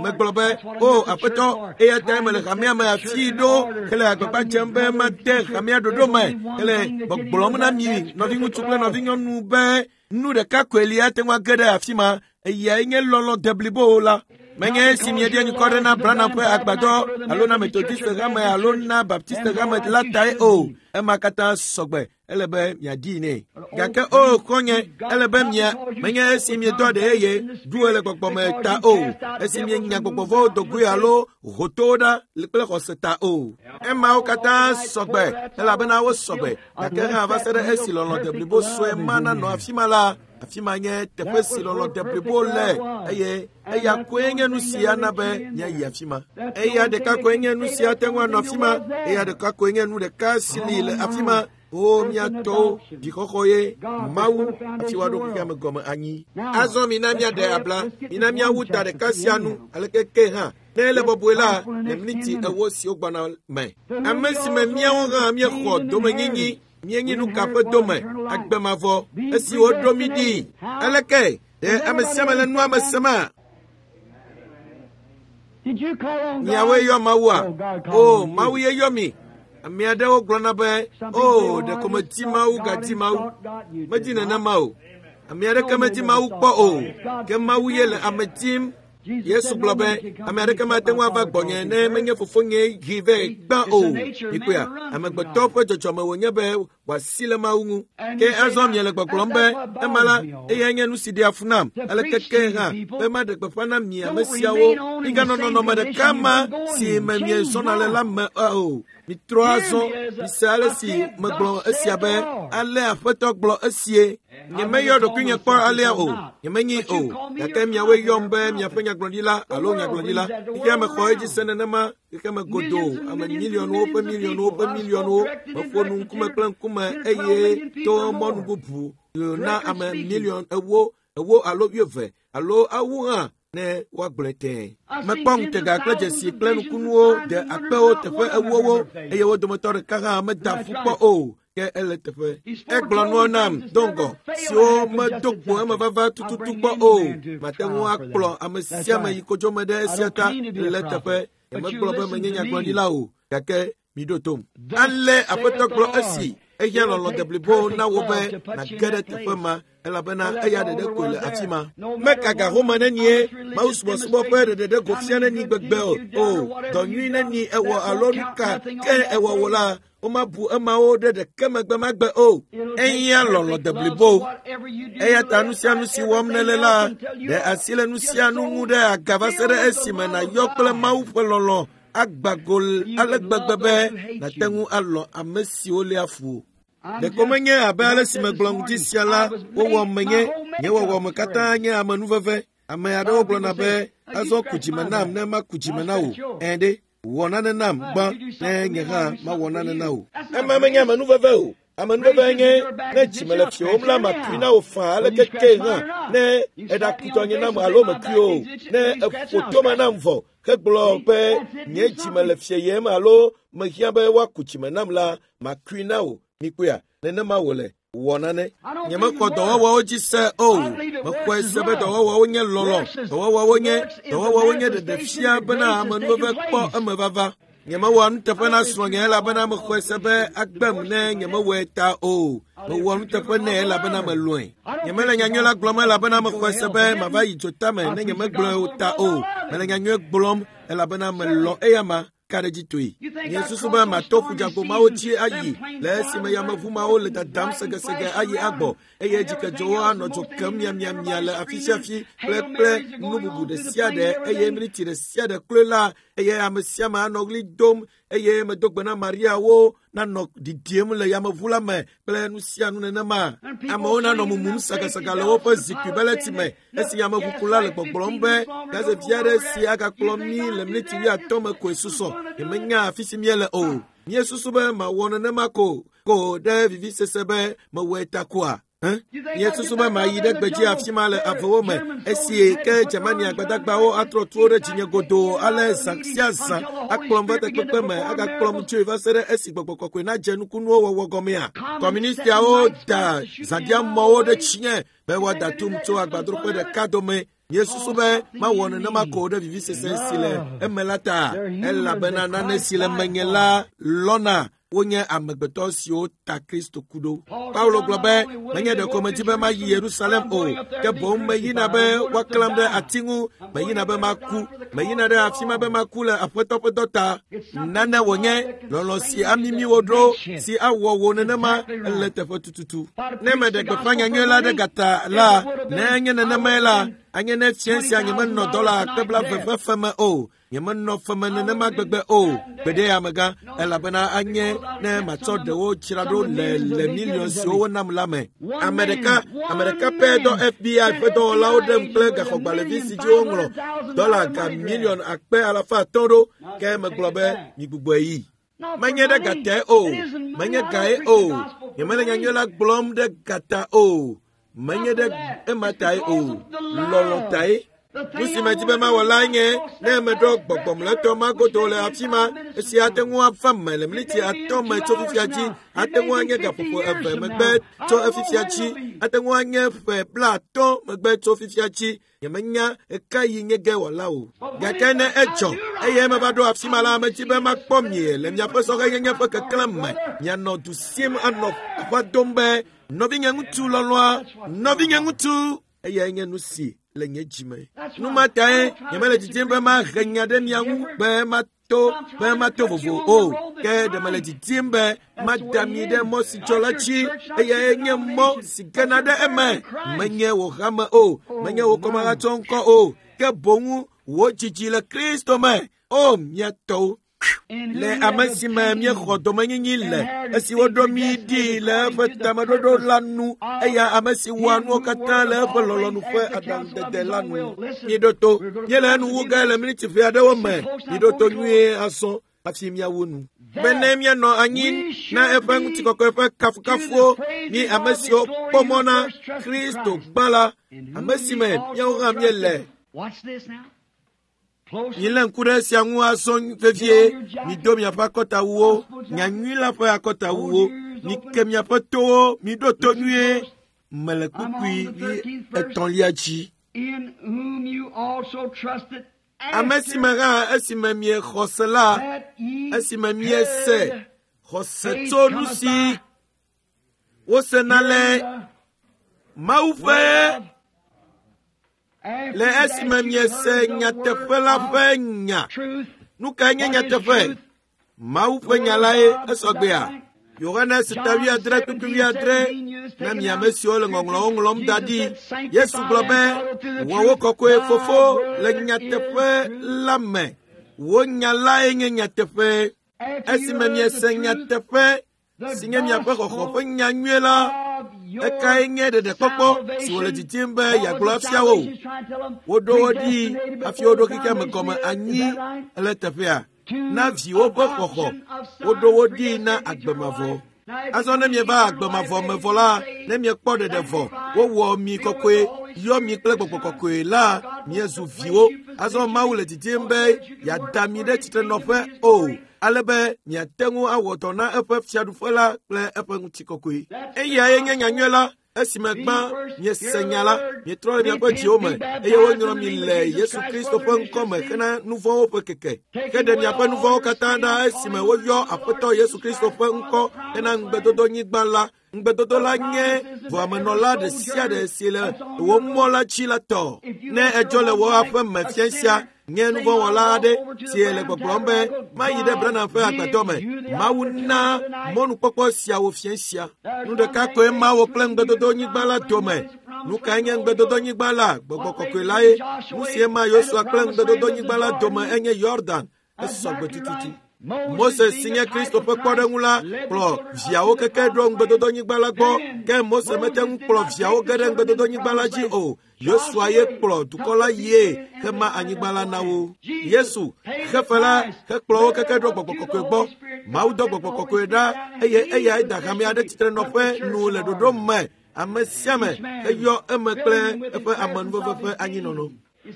Megblɔ be, o Aƒetɔ, eya ta mele hamea me afii ɖo hele agbagba dzem be made hamea ɖoɖo me hele gbɔgblɔm na mi nɔviŋutsu kple nɔvinyɔnu be nu ɖeka koe li ate ŋu age ɖe afi ma, eyae nye lɔlɔ̃ deblibo la. Menye esi mieɖia nyikɔ ɖe na Branham ƒe agbadɔ alo na Methodist hame alo na Baptist hame la tae o. Ema katã sɔgbe. Ele be miadii nɛ. Gake o xɔ̃nye, ele be mia menye esi miedɔ ɖe yeye ɖu le gbɔgbɔme ta o, esi mienya gbɔgbɔvɔwo do goe alo hotowo ɖa kple xɔse ta o. Emawo katã sɔgbe elabena wo sɔgbe. Gake hã va se ɖe esi lɔlɔ̃ deblibo sue ma nanɔ afi ma la, afi ma nye teƒe si lɔlɔ̃ deblibo le eye eya koe nye nu si ana be míayi afi ma. Eya ɖeka koe nye nu si ate ŋu anɔ afi ma. Eya ɖeka koe nye nu ɖeka si li le afi ma. O mía tɔwo, dzixɔxɔ ye Mawu hafi woaɖo xexea me gɔme anyi. Azɔ mina míaɖe abla, mina míawu ta ɖeka sia nu aleke ke hã. Ne ele bɔbɔe la, le miniti 40 siwo gbɔna me. Ame si me míawo hã míexɔ domenyinyi, míenyi nu ka ƒe dome, agbe mavɔ, esi woɖo mí ɖi. Aleke? Ɖe ame sia ame le nua me sema? Miawoe yɔ Mawua? O, Mawu ye yɔ mi. Ame aɖewo gblɔna be, "O, ɖeko medi Mawu gadi Mawu." Medi nenema o. Ame aɖeke medi Mawu kpɔ o, ke Mawu ye le ame dim. Yesu gblɔ be, ame aɖeke mate ŋu ava gbɔnye ne menye fofonye hee vɛ gbã o. Mikpɔea, amegbetɔ ƒe dzɔdzɔme wònye be wòasi le Mawu ŋu. Ke azɔ miele gbɔgblɔm be, ema la, eyae nye nu si ɖea fu nam. Aleke ke hã be maɖe gbeƒã na mi ame siawo. Miganɔ nɔnɔme ɖeka ma si me miezɔna le la me o. Mitrɔ azɔ, mise ale si megblɔ esia be, ale Aƒetɔ gblɔ esie. Nyemeyɔ ɖokuinye kpɔ alea o, nyemenyi o, gake miawoe yɔm be miaƒe nyagblɔɖila alo nyagblɔɖila. Xexea me xɔ edzi se nenema, xexea me godoo, ame miliɔnwo ƒe miliɔnwo ƒe miliɔnwo. Meƒo nu ŋkume kple ŋkume eye to mɔnu bubu na ame miliɔn 8 alo 20 alo awu hã ne woagblɔe tẽe. Mekpɔ ŋutega kple dzesi kple nukunuwo de akpewo teƒe 4 eye wo dometɔ ɖeka hã meda ƒu kpɔ o. Ke ele teƒe. Egblɔ nuwo nam do ŋgɔ siwo medo kpo emevava tututu kpɔ o. Mate ŋu akplɔ ame sia ame yi kodzome ɖe esia ta le teƒe. Nyemegblɔ be menye nyagblɔɖila o, gake miɖo tom. Ale Aƒetɔ gblɔ esi, ehiã lɔlɔ̃ deblibo na wò be nàge ɖe teƒe ma, elabena eya ɖeɖe koe le afi ma. Meka ga home nenie, Mawu subɔsubɔ ƒe ɖeɖeɖe go fia neni gbegbe o, dɔ nyui neni ewɔ alo nu ka ke ewɔ wò la, womabu emawo ɖe ɖeke megbe magbe o. Ehiã lɔlɔ̃ deblibo. Eya ta nu sia nu si wɔm nèle la, ɖe asi le nu sia nu ŋu ɖe aga va se ɖe esime nàyɔ kple Mawu ƒe lɔlɔ̃ agba go ale gbegbe be nàte ŋu alɔ̃ ame siwo léa fu wò. Ɖeko menye abe ale si megblɔ ŋdi sia la, wowɔ menye, nye wɔwɔme katã nye amenuveve. Ame aɖewo gblɔna be, azɔ ku dzime nam ne maku dzime na wò. Ẽ ɖe, wɔ nane nam gbã ne nye hã mawɔ nane na wò. Ema menye amenuveve o. Amenuveve nye ne dzime le fiwòm la makui na wò faa aleke ke hã ne eɖaku tɔnye nam alo mekui o. Ne eƒo tome nam vɔ hegblɔ be nye dzime le fieyem alo mehiã be woaku dzime nam la, makui na wò. Mikpɔea, nenema wòle. Wɔ nane. Nyemexɔ dɔwɔwɔwo dzi se o. Mexɔe se be dɔwɔwɔwo nye lɔlɔ̃. Dɔwɔwɔwo nye ɖeɖefia bena amenuveve kpɔ emevava. Nyemewɔ nuteƒe na srɔ̃nye elabena mexɔe se be agbem ne nyemewɔe ta o. Mewɔ nuteƒe nɛ elabena melɔ̃e. Nyemele nyanyui la gblɔm elabena mexɔe se be mava yi dzotame ne nyemegblɔe o ta o. Mele nyanyui gblɔm elabena melɔ̃ eyama. Ka ɖe dzi toe. Nye susu be mato ƒudzagbo mawo dzi ayi le esime yameʋu mawo le dadam segesege ayi agbɔ eye dzikedzowo anɔ dzo kem miamiamia le afi sia afi kple nu bubu ɖe sia ɖe eye miniti ɖe sia ɖe kloe la eye ame sia ame anɔ ɣli dom eye medo gbe na Mariawo nanɔ ɖiɖim le yameʋu la me kple nu sia nu nenema. Amewo nanɔ mumum sagasaga le woƒe zikpui beleti me esi yameʋukula le gbɔgblɔm be gazevi aɖe si agakplɔ mí le miniti 80 me koe susɔ. Nyemenya afi si míele o. Míesusu be mawɔ nenema ko ɖe vivisese be mewɔe ta koa? Míesusu be mayi ɖe gbedzi afi ma le avewo me esi ke Germania gbadagbawo atrɔ tuwo ɖe dzinye godoo ale zã sia zã akplɔm va takpekpe me agakplɔm tsoe va se ɖe esi gbɔgbɔ kɔkɔe nadze nukunuwo wɔwɔ gɔmea. Kɔmunistiawo da zãdiamɔwo ɖe tsinye be woada tum tso agbadroƒe ɖeka dome. Míesusu be mawɔ nenema ko ɖe vivisese si le eme la ta, elabena nane si le menye la lɔna wonye amegbetɔ siwo ta Kristo ku ɖo. Paulo gblɔ be, menye ɖeko medi be mayi Yerusalem o, ke boŋ meyina be woaklãm ɖe ati ŋu, meyina be maku, meyina ɖe afi ma be maku le Aƒetɔ ƒe dɔ ta. Nane wònye lɔlɔ̃ si amimi wò ɖo, si awɔ wò nenema ele teƒe tututu. Ne meɖe gbeƒã nyanyui la ɖe gata la, ne nye nenemae la, anye ne fia sia nyemenɔ dɔla akpe 20 ƒe feme o. Nyemenɔ feme nenema gbegbe o, gbeɖe amegã, elabena anye ne matsɔ ɖewo dzra ɖo le miliɔn siwo wonam la me. Ame ɖeka pɛ dɔ FBI ƒe dɔwɔlawo ɖem kple gaxɔgbalẽvi si dzi woŋlɔ dɔla ga miliɔn 500 ɖo, ke megblɔ be migbugbɔe yi. Menye ɖe gatae o, menye gae o, nyemele nyanyui la gblɔm ɖe gata o, menye ɖe ema tae o, lɔlɔ̃ tae. Nu si medi be mawɔ lae nye ne meɖo gbɔgbɔmletɔ magodo le afi ma, esi ate ŋu ava me le miniti 5 me tso fifia dzi, ate ŋu anye gaƒoƒo 2 megbe tso efifia dzi, ate ŋu anye ƒe 50 megbe tso fifia dzi. Nyemenya ɣekaɣi nye ge wòala o. Gake ne edzɔ eye meva ɖo afi ma la, medi be makpɔ mie le miaƒe sɔhɛnyenye ƒe keklẽ me. Mianɔ du sim anɔ aƒa dom be nɔvinye ŋutsu lɔlɔ̃a, nɔvinye ŋutsu, eyae nye nu si le nye dzime. Nu ma tae nyemele didim be mahe nya ɖe mia ŋu be mato vovo o. Ke ɖe mele didim be mada mi ɖe mɔ si dzɔ la dzi, eyae nye mɔ si gena ɖe eme. Menye wò hame o, menye wò kɔmahatsɔ ŋkɔ o, ke boŋ wò dzidzi le Kristo me. O mía tɔwo, le ame si me míexɔ domenyinyi le, esi woɖo mí ɖi le eƒe tameɖoɖo la nu, eya ame si wɔa nuwo katã le eƒe lɔlɔ̃nu ƒe aɖaŋudede la nu. Miɖo to, míele enu wu ge le miniti ʋɛ aɖewo me. Miɖo to nyuie azɔ hafi míawu nu. Bene míanɔ anyi na eƒe ŋutikɔkɔe ƒe kafukafuwo, mí ame siwo kpɔ mɔ na Kristo gbã la, ame si me míawo hã míele. Milé ŋku ɖe esia ŋu azɔ vevie. Mido miaƒe akɔtawuwo, nyanyui la ƒe akɔtawuwo. Mike miaƒe towo, miɖo to nyuie. Mele kpukpui 3 dzi. Ame si me hã esime miexɔ se la, esime miese xɔse tso nu si wosena le Mawu ƒe le esime miese nyateƒe la ƒe nya. Nu kae nye nyateƒe? Mawu ƒe nya lae esɔgbea. Yohanes 7:6 na mi ame siwo le ŋɔŋlɔwo ŋlɔm da ɖi. Yesu gblɔ be, wɔ wo kɔkɔe fofo le nyateƒe la me. Wò nya lae nye nyateƒe. Esime miese nyateƒe si nye miaƒe xɔxɔ ƒe nya nyui la, ekae nye ɖeɖekpɔkpɔ si wòle didim be yeagblɔ afia wo. Woɖo wo ɖi hafi woɖo xexeame gɔme anyi le teƒea na viwo ƒe xɔxɔ. Woɖo wo ɖi na agbe mavɔ. Azɔ ne mieva agbe mavɔ me vɔ la, ne miekpɔ ɖeɖe vɔ, wowɔ mi kɔkɔe, yɔ mi kple gbɔgbɔ kɔkɔe la, miezu viwo. Azɔ Mawu le didim be yeada mi ɖe tsitrenɔƒe o, ale be miate ŋu awɔ dɔ na eƒe fiaɖuƒe la kple eƒe ŋutikɔkɔe. Eyae nye nyanyui la. Esime gbã miese nya la, mietrɔ le miaƒe dziwo me, eye wonyrɔ mi le Yesu Kristo ƒe ŋkɔ me hena nu vɔ̃wo ƒe keke. Ke ɖe miaƒe nu vɔ̃wo katã ɖa esime woyɔ Aƒetɔ Yesu Kristo ƒe ŋkɔ hena ŋugbedodonyigba la. Ŋugbedodo la nye voamenɔla ɖe sia ɖe si le wò mɔ la dzi la tɔ. Ne edzɔ le wò aƒe me fia sia, nye nuvɔ̃wɔla aɖe si le gbɔgblɔm be mayi ɖe Branham ƒe agbadɔ me. Mawu na mɔnukpɔkpɔ siawo fia sia. Nu ɖeka koe ma wò kple ŋugbedodonyigba la dome. Nu kae nye ŋugbedodonyigba la? Gbɔgbɔ kɔkɔe lae. Nu sie ma Yosua kple ŋugbedodonyigba la dome enye Yordan. Esɔgbe tututu. Mose si nye Kristo ƒe kpɔɖeŋu la kplɔ viawo keke ɖo ŋugbedodonyigba la gbɔ, ke Mose mete ŋu kplɔ viawo ge ɖe ŋugbedodonyigba la dzi o. Yosua ye kplɔ dukɔ la yie hema anyigba la na wo. Yesu xefe la hekplɔ wo keke ɖo gbɔgbɔ kɔkɔe gbɔ. Mawu dɔ gbɔgbɔ kɔkɔe ɖa eye eyae da hame aɖe tsitrenɔƒe nu le ɖoɖo me. Ame sia ame heyɔ eme kple eƒe amenuveve ƒe anyinɔnɔ.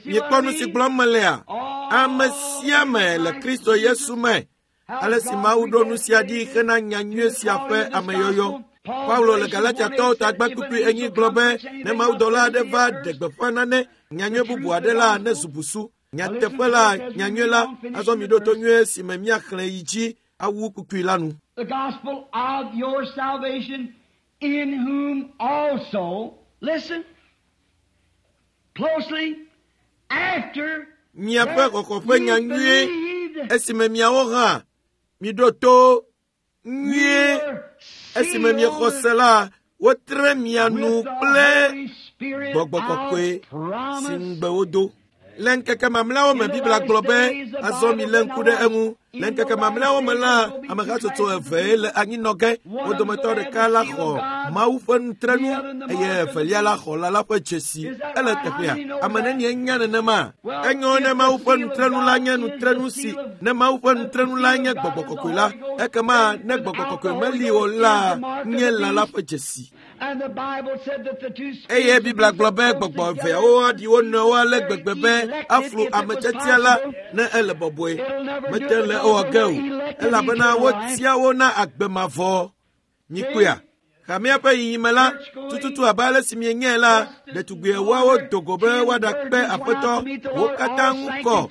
Miekpɔ nu si gblɔm melea? Ame sia ame le Kristo Yesu me. Ale si Mawu ɖo nu sia ɖi hena nyanyui sia ƒe ameyɔyɔ. Paulo le Galatiatɔwo tagba kpukpui 4 gblɔ be ne mawudɔla aɖe va ɖe gbeƒã nane nyanyui bubu aɖe la ne zu busu. Nyateƒe la, nyanyui la, azɔ miɖo to nyuie si me míaxlẽ yi dzi awu kpukpui la nu. The gospel of your salvation, in whom also, listen closely, after miaƒe xɔxɔ ƒe nyanyui, esime miawo hã miɖo to nyuie, esime miexɔ se la, wotre mia nu kple gbɔgbɔ kɔkɔe si ŋugbe wodo. Le ŋkeke mamlɛawo me, Biblia gblɔ be azɔ milé ŋku ɖe eŋu. Le ŋkeke mamlɛawo me la, amehatsotso evee le anyinɔ ge. Wo dometɔ ɖeka la xɔ Mawu ƒe nutrenu eye evelia la xɔ lã la ƒe dzesi. Ele teƒea. Ame nenie nya nenema? Enyo ne Mawu ƒe nutrenu la nye nutrenu si ne Mawu ƒe nutrenu la nye gbɔgbɔ kɔkɔe la, ekema ne gbɔgbɔ kɔkɔe meli o la nye lã la ƒe dzesi. Eye Biblia gblɔ be gbɔgbɔ eveawo aɖi wo nɔewo ale gbegbe be aflu ame tiatia la ne ele bɔbɔe. Mete le ewɔ ge o, elabena wotia wo na agbe mavɔ. Mikpɔea? Hamea ƒe yiyime la, tututu abe ale si mienyae la, ɖetugbi ewoawo do go be woaɖakpe Aƒetɔ. Wo katã ŋu kɔ,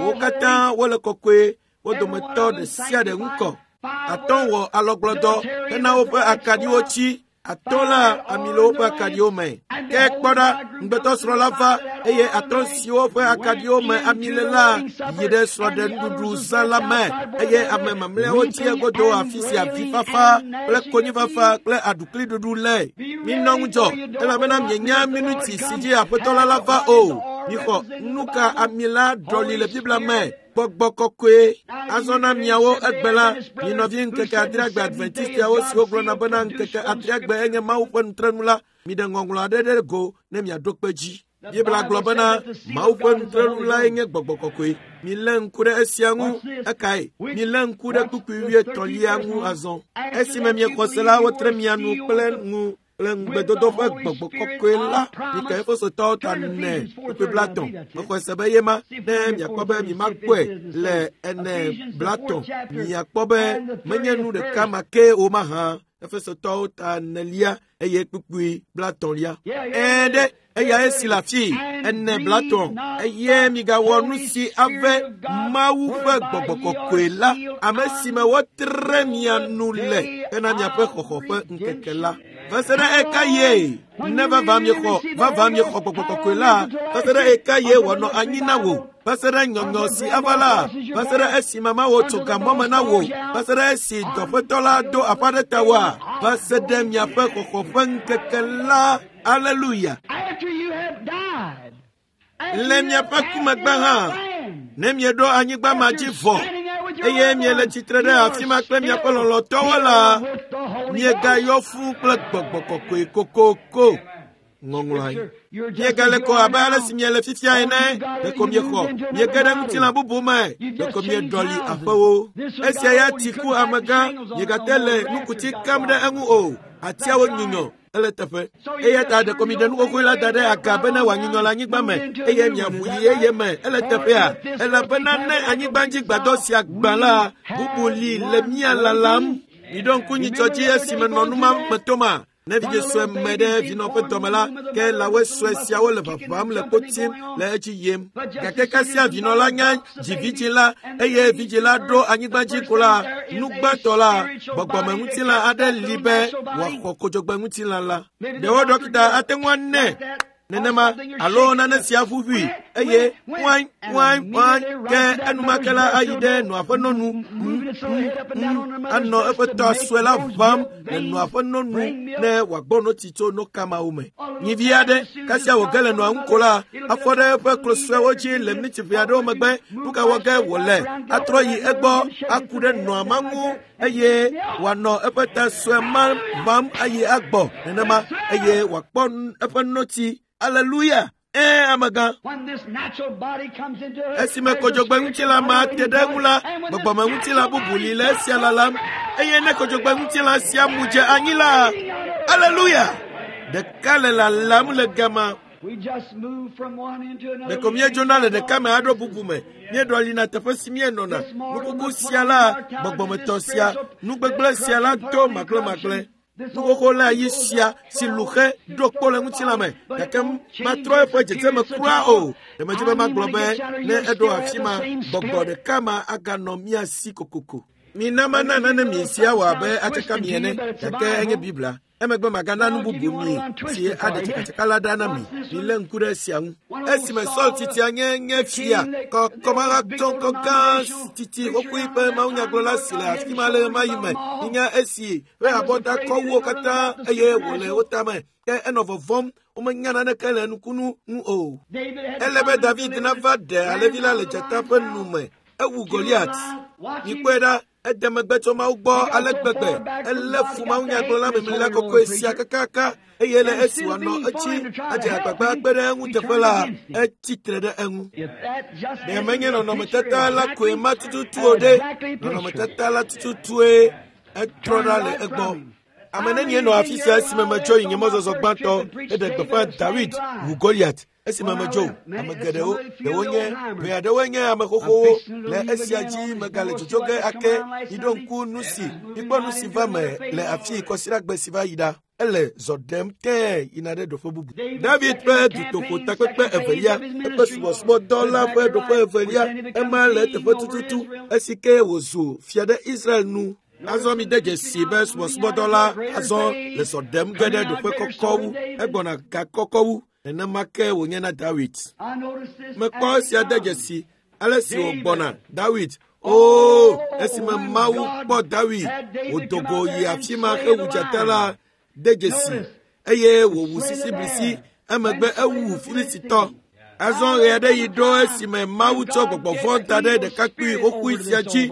wo katã wole kɔkɔe, wo dometɔ ɖe sia ɖe ŋu kɔ. 5 wɔ alɔgblɔdɔ hena woƒe akaɖiwo tsi. 5 la ami le woƒe akaɖiwo me. Ke kpɔ ɖa, ŋugbetɔsrɔ̃ la va eye 5 siwo ƒe akaɖiwo me ami le la yi ɖe srɔ̃ɖenuɖuɖu zã la me eye ame mamlɛawo tsi egodo afi sia avifafa kple konyifafa kple aɖukliɖuɖu le. Minɔ ŋudzɔ elabena mienya minuti si dzi Aƒetɔ la la va o. Mixɔ nuka ami la ɖɔli le Biblia me. Gbɔgbɔ kɔkɔe. Azɔ na miawo egbe la, mi nɔvi ŋkeke adreagbe Adventistiawo siwo gblɔna bena ŋkeke adreagbe enye Mawu ƒe nutrenu la, miɖe ŋɔŋlɔ aɖe ɖe go ne miaɖo kpe dzi. Biblia gblɔ bena Mawu ƒe nutrenu lae nye gbɔgbɔ kɔkɔe. Milé ŋku ɖe esia ŋu. Ekae? Milé ŋku ɖe kpukpui 23 ŋu azɔ. Esime miexɔ se la, wotre mia nu kple nu kple ŋugbedodo ƒe gbɔgbɔ kɔkɔe la. Mika Efesotɔwo ta 4 kpukpui 30. Mexɔe se be ye ma ne miakpɔ be mimakpɔe le 4:30. Miakpɔ be menye nu ɖeka ma ke o mahã. Efesotɔwo ta 4 eye kpukpui 30. Ɛ̃ ɖe eya esi le afii 4:30. Eye migawɔ nu si ave Mawu ƒe gbɔgbɔ kɔkɔe la, ame si me wotre mia nu le hena miaƒe xɔxɔ ƒe ŋkeke la. Va se ɖe eka ye ne vava miexɔ gbɔgbɔ kɔkɔe la, va se ɖe eka ye wòanɔ anyi na wò, va se ɖe nyɔnyɔ si ava la, va se ɖe esi mama wò tso gamɔ me na wò, va se ɖe esi dɔƒetɔ la do aƒa ɖe tawòa, va se ɖe miaƒe xɔxɔ ƒe ŋkeke la. Aleluya. Le miaƒe ku megbe hã, ne mieɖo anyigba ma dzi vɔ eye miele tsitre ɖe afi ma kple miaƒe lɔlɔ̃tɔwo la, miegayɔ fũu kple gbɔgbɔ kɔkɔe kokoko. Ŋɔŋlɔae. Miegale ko abe ale si miele fifia ene, ɖeko miexɔ, miege ɖe ŋutilã bubu me, ɖeko mieɖɔli aƒewo. Esia ya ti ku amegã, miegate le nukuti kam ɖe eŋu o, atiawo nyunyɔ. Ele teƒe. Eya ta ɖeko miɖe nu xoxoe la da ɖe aga bene wòanyunyɔ le anyigba me eye miaʋu yi eye me. Ele teƒea, elabena ne anyigbadzigbadɔ sia gbã la, bubu li le mía lalam. Miɖo ŋku nyitsɔ dzi esime nɔ nu ma me toma. Ne vidzĩ sue me ɖe vinɔ ƒe dɔme la, ke lãwoe sue siawo le ʋaʋãm le kpo tim le edzi yim. Gake kasia vinɔ la nya dzi vidzĩ la eye vidzĩ la ɖo anyigba dzi ko la, nu gbãtɔ la, gbɔgbɔmeŋutilã aɖe li be wòaxɔ kodzogbeŋutilã la. Ɖewo ɖɔkita ate ŋu anɛ nenema alo nane sia ʋuʋui eye ŋuaŋ ŋuaŋ ŋuaŋ ke enumake la ayi ɖe nɔa ƒe nɔnu anɔ eƒe tɔ sue la ʋãm le nɔa ƒe nɔnu ne wòagbɔ notsi tso nokamawo me. Nyivi aɖe kasia wòge le nɔa ŋu ko la, afɔ ɖe eƒe klo suewo dzi le miniti ʋɛ aɖewo megbe. Nu ka wɔ ge wòle? Atrɔ yi egbɔ aku ɖe nɔa ma ŋu eye wòanɔ eƒe ta sue ma ʋãm ayi agbɔ nenema eye wòakpɔ eƒe notsi. Aleluya! Ɛ̃, amegã. Esime kodzogbeŋutilã ma te ɖe eŋu la, gbɔgbɔmeŋutilã bubu li le esia lalam. Eye ne kodzogbeŋutilã sia mu dze anyi la, aleluya! Ɖeka le lalam le gama. Ɖeko míedzona le ɖeka me aɖo bubu me. Míeɖɔlina teƒe si míenɔna. Nukuku sia la, gbɔgbɔmetɔ sia, nugbegblẽ sia la do magblẽmagblẽ. Nu xoxo la yi sia si lu xe ɖo kpo le ŋutilã me, gake matrɔ eƒe dzedzeme kura o. Ɖe medzi be magblɔ be ne eɖo afi ma, gbɔgbɔ ɖeka ma aganɔ mía si kokoko. Mina mana nane mi sia wɔ abe atsaka mi ene, gake enye Biblia. Emegbe magana nu bubu mi si aɖe tsakatsaka la ɖa na mi. Milé ŋku ɖe esia ŋu. Esime Saul titia nye fia kɔmahatsɔŋkɔ gã titi xoxoe ƒe mawunyagblɔla si le afi ma le ɣemaɣi me nya esi ƒe abɔta kɔ wo katã eye wòle wo tame. Ke enɔ vɔvɔ̃m, womenya naneke le nukunu ŋu o. Ele be David nava ɖe alẽvi la le dzata ƒe nu me. Ewu Goliat. Mikpɔe ɖa, ede megbe tso Mawu gbɔ ale gbegbe. Elé fu mawunyagblɔla memlila kɔkɔe sia kakaka eye le esi wòanɔ etsi adze agbagba kpe ɖe eŋu teƒe la, etsi tre ɖe eŋu. Ɖe menye nɔnɔmetata la koe ma tututu o ɖe? Nɔnɔmetata la tututue etrɔ ɖa le egbɔ. Ame nenie nɔ afi sia esime metsɔ yi nye mɔzɔzɔ gbãtɔ heɖe gbeƒã Dawid wu Goliat esime medzo ame geɖewo ɖewo nye ʋe aɖewoe nye ame xoxowo le esia dzi megale dzodzo ge ake miɖo ŋku nu si mikpɔ nu si va me le afii kɔsiɖagbe si va yi ɖa ele zɔ ɖem tẽe yina ɖe ɖoƒe bubu. David ƒe dutoƒo takpekpe evelia eƒe subɔsubɔdɔ la ƒe ɖoƒe evelia ema le eteƒe tututu esi ke wòzu fia ɖe Israel nu. Azɔ mi de dzesi be subɔsubɔdɔ la azɔ le zɔ ɖem ge ɖe ɖoƒe kɔkɔ wu egbɔna ga kɔkɔ wu nenema ke wònye na Dawid. Mekpɔ esia de dzesi ale si wògbɔna Dawid. Oo, esime Mawu kpɔ Dawid wòdo go yi afi ma hewu dzata la de dzesi eye wòwu sisiblisi emegbe ewu Filistitɔ. Azɔ ɣe aɖe yi ɖo esime Mawu tsɔ gbɔgbɔ vɔ̃ da ɖe ɖekakpui xoxoe sia dzi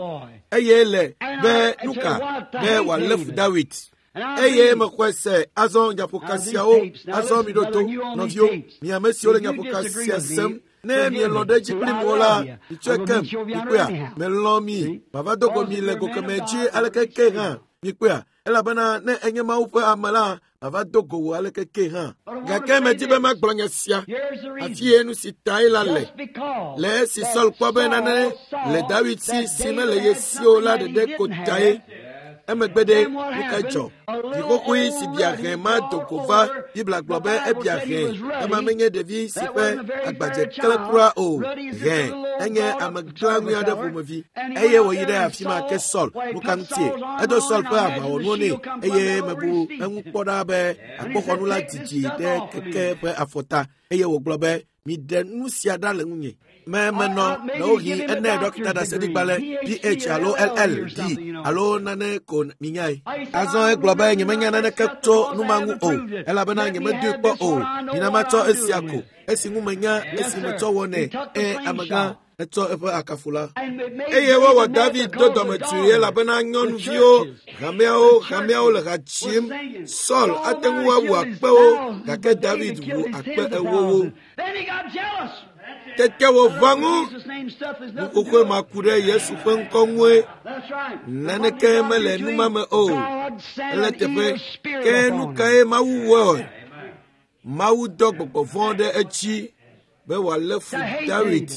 eye le be nuka be wòalé fu Dawid. Eye mexɔe se azɔ nyaƒoka siawo azɔ mi ɖo to nɔviwo mi ame siwo le nyaƒoka sia sem ne mielɔ̃ ɖe edzi kplim o la mitsɔe kem mikpɔea melɔ̃ mi mava do go mi le go kemɛ dzi aleke ke hã mikpɔea elabena ne enye Mawu ƒe ame la mava do go wò aleke ke hã gake medi be magblɔ nya sia afi ye nu si tae la le le esi Saul kpɔ be nane le Dawid si si mele ye si o la ɖeɖe ko tae emegbe ɖe nu ka dzɔ vi xoxoe si bia hɛ̃ ma do go va Biblia gblɔ be ebia hɛ̃ ema menye ɖevi si ƒe agbadze kle kura o hɛ̃ enye ame gãŋui aɖe ƒomevi eye wòyi ɖe afi ma ke Saul nu ka ŋutie edo Saul ƒe aʋawɔnuwo nɛ eye mebu eŋu kpɔ ɖa be akpoxɔnu la didi ɖe keke ƒe afɔta eye wògblɔ be miɖe nu sia ɖa le ŋunye me menɔ ɖewohĩ ene ɖɔkita ɖaseɖigbalẽ PH alo LLD alo nane ko minyae. Azɔ egblɔ be nyemenya naneke tso nu ma ŋu o elabena nyemedoe kpɔ o mina matsɔ esia ko esi ŋu menya esi metsɔ wɔnɛ ẽ amegã etsɔ eƒe akafu la. Eye wowɔ David do dɔmedzoe elabena nyɔnuviwo hameawo le ha dzim. Saul ate ŋu awu akpewo gake David wu akpe ewowo. Tete wòʋã ŋu nuxoxoe ma ku ɖe Yesu ƒe ŋkɔ ŋue. Naneke mele nu ma me o. Ele teƒe ke nu kae Mawu wɔe? Mawu dɔ gbɔgbɔ vɔ̃ ɖe edzi be wòalé fu Dawid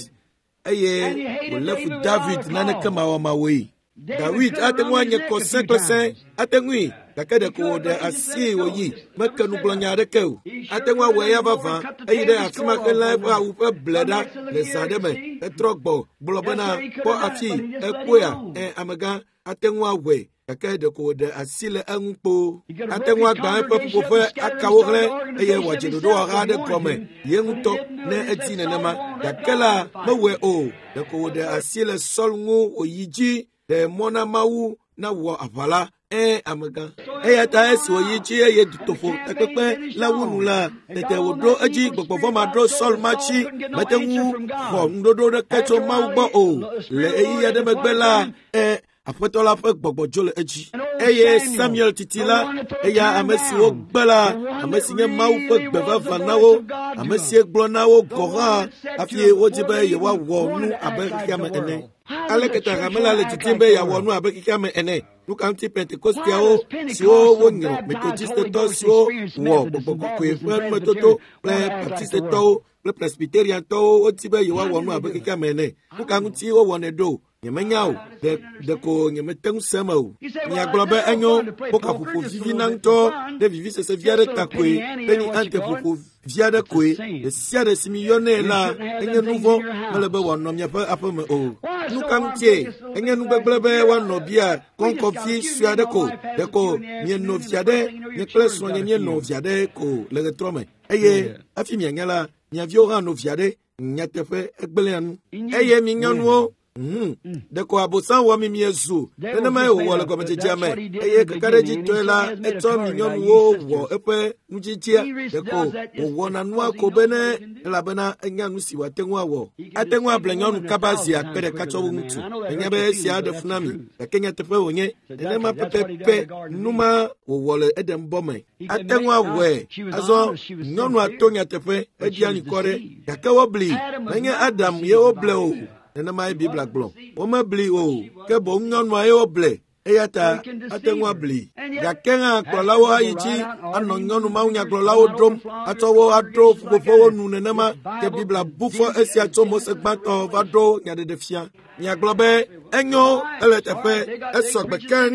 eye wòlé fu David naneke mawɔmawɔe. Dawid ate ŋu anye kɔ sẽ kple sẽ ate ŋui gake ɖeko wòɖe asi wòyi meke nugblɔnya aɖeke o. Ate ŋu awɔ eya vavã eyi ɖe afi ma helã eƒe awu ƒe ble ɖa le zã ɖe me etrɔ gbɔ gblɔ bena kpɔ afi ekpɔea ẽ amegã ate ŋu awɔe gake ɖeko wòɖe asi le eŋu kpoo. Ate ŋu agbã eƒe ƒuƒoƒe akawo hlẽ eye wòadze ɖoɖowɔha aɖe gɔme ye ŋutɔ ne edi nenema gake la mewɔe o. Ɖeko wòɖe asi le Saul ŋu wòyi dzi ɖe mɔ na Mawu nawɔ aʋa la ẽ amegã. Eya ta esi wòyi dzi eye dutoƒo takpekpe la wu nu la tete wòɖo edzi gbɔgbɔ vɔ̃ ma ɖo Saul ma tsi mete ŋu xɔ ŋuɖoɖo ɖeke tso Mawu gbɔ o. Le ɣeyiɣi aɖe megbe la ẽ Aƒetɔ la ƒe gbɔgbɔ dzo le edzi. Eye Samuel titi la, eya ame si wogbe la, ame si nye Mawu ƒe gbe vavã na wo, ame si gblɔ na wo gɔ̃ hã hafi wodi be yewoawɔ nu abe xexeame ene. Aleke ta hame la le didim be yeawɔ nu abe xexeame ene? Nu ka ŋuti Pentekosteawo siwo wonyrɔ, Metodistetɔ siwo wɔ gbɔgbɔ kɔkɔe ƒe numetoto kple Baptistetɔwo kple Presbyteriantɔwo wodi be yewoawɔ nu abe xexeame ene. Nu ka ŋuti wowɔnɛ ɖo? Nyemenya o, ɖeko nyemete ŋu se eme o. Miagblɔ be enyo, poka ƒoƒo vivina ŋutɔ ɖe vivisese vi aɖe ta koe, penny ante ƒoƒo vi aɖe koe. Ɖe sia ɖe si miyɔnɛ la, enye nu vɔ̃, mele be wòanɔ miaƒe aƒeme o. Nu ka ŋutie? Enye nu gbegblẽ be woanɔ bia kɔŋkɔvi sue aɖe ko, ɖeko mieno vi aɖe, nye kple srɔ̃nye míeno vi aɖe ko le ɣetrɔ me. Eye hafi mianya la, mia viwo hã no vi aɖe. Nyateƒe egblẽa nu. Eye mi nyɔnuwo, ɖeko abosam wɔ mi miezu nenemae wòwɔ le gɔmedzedzea me eye kakaɖedzitɔe la etsɔ mi nyɔnuwo wɔ eƒe nudzidzia ɖeko wòwɔna nua ko be ne elabena enya nu si wòate ŋu awɔ. Ate ŋu able nyɔnu kaba zi akpe ɖeka tsɔ wu ŋutsu. Menya be esia aɖe fu na mi gake nyateƒe wònye nenema pɛpɛpɛ nu ma wòwɔ le Eɖenbɔ me. Ate ŋu awɔe azɔ nyɔnua to nyateƒe eɖia anyikɔ ɖe gake wobli menye Adam ye woble o. Nenemae Biblia gblɔ. Womebli o ke boŋ nyɔnua ye woble. Eya ta ate ŋu abli. Gake hã kplɔlawo ayi dzi anɔ nyɔnu mawunyagblɔlawo ɖom atsɔ wo aɖo ƒuƒoƒewo nu nenema ke Biblia bu fɔ esia tso Mose gbãtɔ va ɖo nyaɖeɖefia. Miagblɔ be enyo ele teƒe esɔgbe keŋ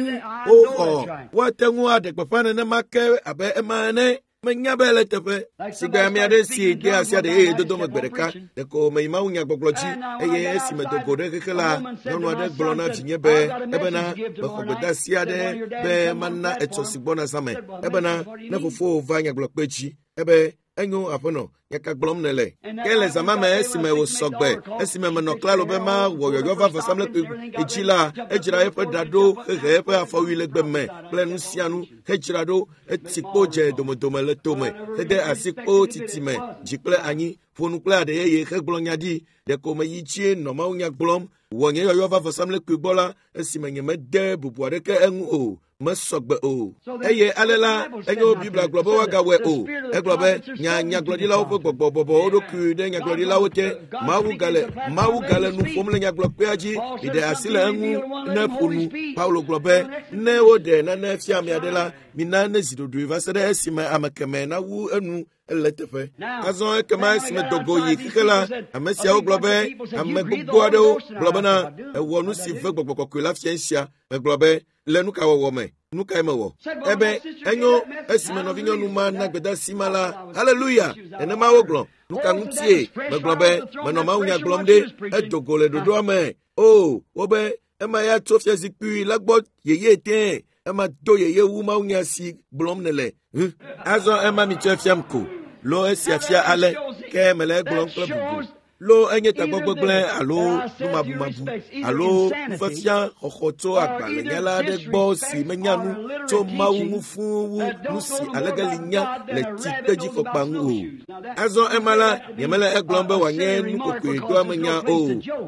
woxɔ woate ŋu aɖe gbeƒã nenema ke abe ema ene. Menya be ele teƒe si gbe ame aɖe si de asi aɖe yeye dodo me gbe ɖeka ɖeko meyi mawunyagbɔgblɔ dzi eye esi medo go ɖe xexe la nyɔnu aɖe gblɔ na vinye be ebena mexɔ gbedeasi aɖe be mana etsɔ si gbɔna zã me ebena ne fofowò va nyagblɔkpe dzi ebe enyo aƒenɔ nyaka gblɔm nèle ke le zã ma me esime wòsɔ gbe esime menɔ klalo be mawɔ yɔyɔ va vɔsamlekpui dzi la edzra eƒe ɖa ɖo hehe eƒe afɔwui le gbe me kple nu sia nu hedzra ɖo etsi kpo dze domedome le tome hede asi kpo titime dzi kple anyi ƒo nu kple aɖe yeye hegblɔ nya ɖi ɖeko meyi dzie nɔ mawunya gblɔm wɔ nye yɔyɔ va vɔsamlekpui gbɔ la esime nyemede bubu aɖeke eŋu o mesɔgbe o eye ale la enyo Biblia gblɔ be woagawɔe o. Egblɔ be nya nyagblɔɖilawo ƒe gbɔgbɔ bɔbɔ wo ɖokui ɖe nyagblɔɖilawo te. Mawu gale nu ƒom le nyagblɔkpea dzi. Miɖe asi le eŋu ne ƒo nu. Paulo gblɔ be ne woɖe nane fia ame aɖe la, mina ne zi ɖoɖoe va se ɖe esime ame kemɛ nawu enu ele teƒe. Azɔ ekema esime dogo yi xexe la, ame siawo gblɔ be ame gbogbo aɖewo gblɔ bena ewɔ nu si ve gbɔgbɔ kɔkɔe la fia sia. Megblɔ be le nu ka wɔwɔ me nu kae mewɔ ebe enyo esime nɔvinyɔnu ma na gbedeasi ma la haleluya nenema wogblɔ nu ka ŋutie megblɔ be menɔ mawunya gblɔm ɖe edo go le ɖoɖoa me o wobe ema ya tso fiazikpui la gbɔ yeye tẽ ema do yeye wu mawunya si gblɔm nèle. Azɔ ema mitsɔe fiam ko lo esia fia ale ke mele egblɔm kple bubu. Lo enye tagbɔ gbegblẽ alo numabumabu alo nufiafia xɔxɔ tso agbalẽnyala aɖe gbɔ si menya nu tso Mawu ŋu fũu wu nu si alegeli nya le tsikpedzifɔkpa ŋu o. Azɔ ema la nyemele egblɔm be wòanye nukokoedoamenya o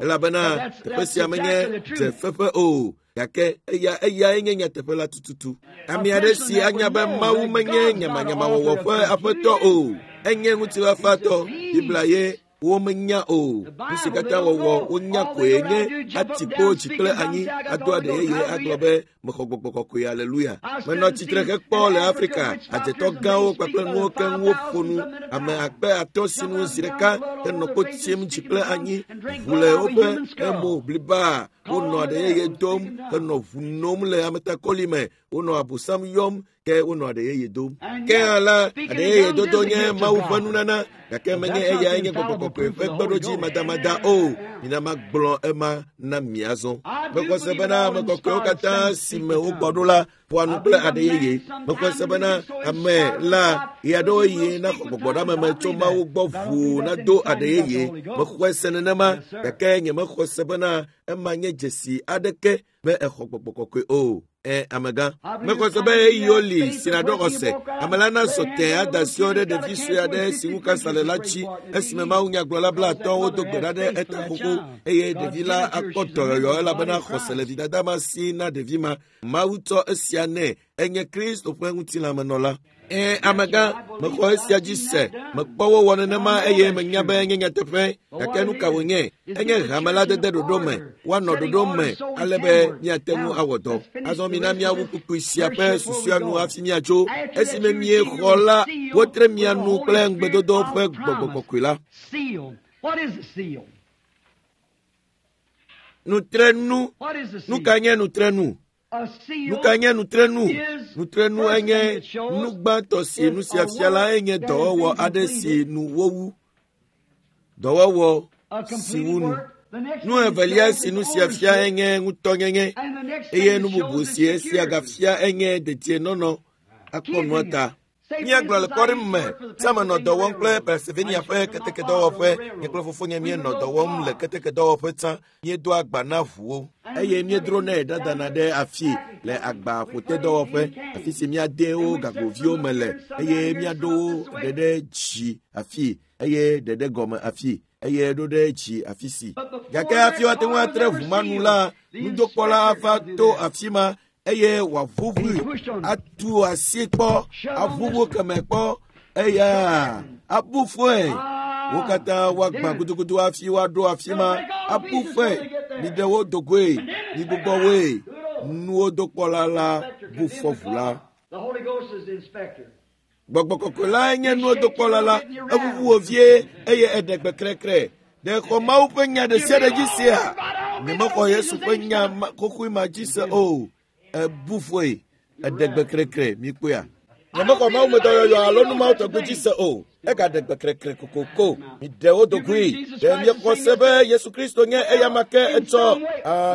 elabena teƒe sia menye dzefeƒe o. Gake eyae nye nyateƒe la tututu. Ame aɖe si anya be Mawu menye nyamanyamawɔwɔ ƒe aƒetɔ o, enye ŋutifafatɔ. Biblia ye womenya o. Nu si katã wɔwɔ wonya koe nye ati kpo dzi kple anyi ado aɖe yeye agblɔ be mexɔ gbɔgbɔ kɔkɔe aleluya. Menɔ tsitre hekpɔ le Afrika adzetɔ gãwo kpakple nuwo keŋ woƒo nu ame akpe atɔ̃ sinu zi ɖeka henɔ kpo tsim dzi kple anyi ʋu le woƒe emo bliba. Wonɔ aɖe yeye dom henɔ ʋu nom le ametakɔli me. Wonɔ abosam yɔm ke wonɔ aɖe yeye dom. Ke hã la aɖe yeye dodo nye Mawu ƒe nunana gake menye eyae nye gbɔgbɔ kɔkɔe ƒe kpeɖodzi madamada o. Mina magblɔ ema na mi azɔ. Mexɔ se bena ame kɔkɔewo katã si me wogbɔ ɖo la ƒoa nu kple aɖe yeye. Mexɔ se bena ame la ɣeaɖewo yi naxɔ gbɔgbɔɖameme tso Mawu gbɔ ʋuu nado aɖe yeye. Mexɔe se nenema gake nyemexɔ se bena ema nye dzesi aɖeke be exɔ gbɔgbɔ kɔkɔe o. Amegã mexɔ se be ɣeyiɣiwo li si naɖo xɔse ame la nazɔ tẽ ada asiwo ɖe ɖevi sue aɖe si ŋu kansa le la dzi esime mawunyagblɔla 50 do gbe ɖa ɖe eta xoxo eye ɖevi la akpɔ dɔyɔyɔ elabena xɔse le vidada ma si na ɖevi ma. Mawu tsɔ esia nɛ enye Kristo ƒe ŋutilãmenɔla. Amegã mexɔ esia dzi se mekpɔ wowɔ nenema eye menya be enye nyateƒe gake nu ka wònye enye hame la dede ɖoɖo me woanɔ ɖoɖo me ale be míate ŋu awɔ dɔ. Azɔ mina míawu kpukpui sia ƒe susua nu hafi míatso. Esime miexɔ la wotre mia nu kple ŋugbedodo ƒe gbɔgbɔ kɔkɔe la. Nutrenu. Nu ka nye nutrenu? Nu ka nye nutrenu? Nutrenu enye nu gbãtɔ si nu sia fia la enye dɔwɔwɔ aɖe si nu wowu. Dɔwɔwɔ si wu nu. Nu evelia si nu sia fia enye ŋutɔnyenye eye nu bubu si esia gafia enye dedienɔnɔ akpɔ nua ta. Míagblɔ le kpɔɖeŋu me tsã menɔ dɔ wɔm kple Pennsylvania ƒe ketekedɔwɔƒe. Nye kple fofonye míenɔ dɔ wɔm le ketekedɔwɔƒe tsã. Míedoa agba na ʋuwo eye míedronɛ ɖadana ɖe afi le agbaƒotedɔwɔƒe afi si míade wo gagoviwo me le eye míaɖo wo ɖe ɖe dzi afi eye ɖe ɖe gɔme afi eye ɖo ɖe dzi afi si. Gake hafi woate ŋu atre ʋu ma nu la, nudokpɔla ava to afi ma eye wòaʋuʋui atu asi kpɔ aʋuʋu keme kpɔ eya abu fɔe. Wo katã woagbã gudugudu hafi woaɖo afi ma abu fɔe. Miɖe wo dogoe, migbugbɔ woe. Nuwo dokpɔla la bu fɔ ʋu la. Gbɔgbɔ kɔkɔe lae nye nuwo dokpɔla la. Eʋuʋu wò vie eye eɖe gbe krekre. Ɖe xɔ Mawu ƒe nya ɖe sia ɖe dzi sea? Nyemexɔ Yesu ƒe nya xoxoe ma dzi se o. Ebu fɔe. Eɖe gbe krekre mikpɔea. Nyemexɔ Mawu me dɔyɔyɔ alo nu mawo tɔgbi dzi se o. Egaɖe gbe krekre kokoko. Miɖe wo dogoe. Ɖe miexɔ se be Yesu Kristo nye eyama ke etsɔ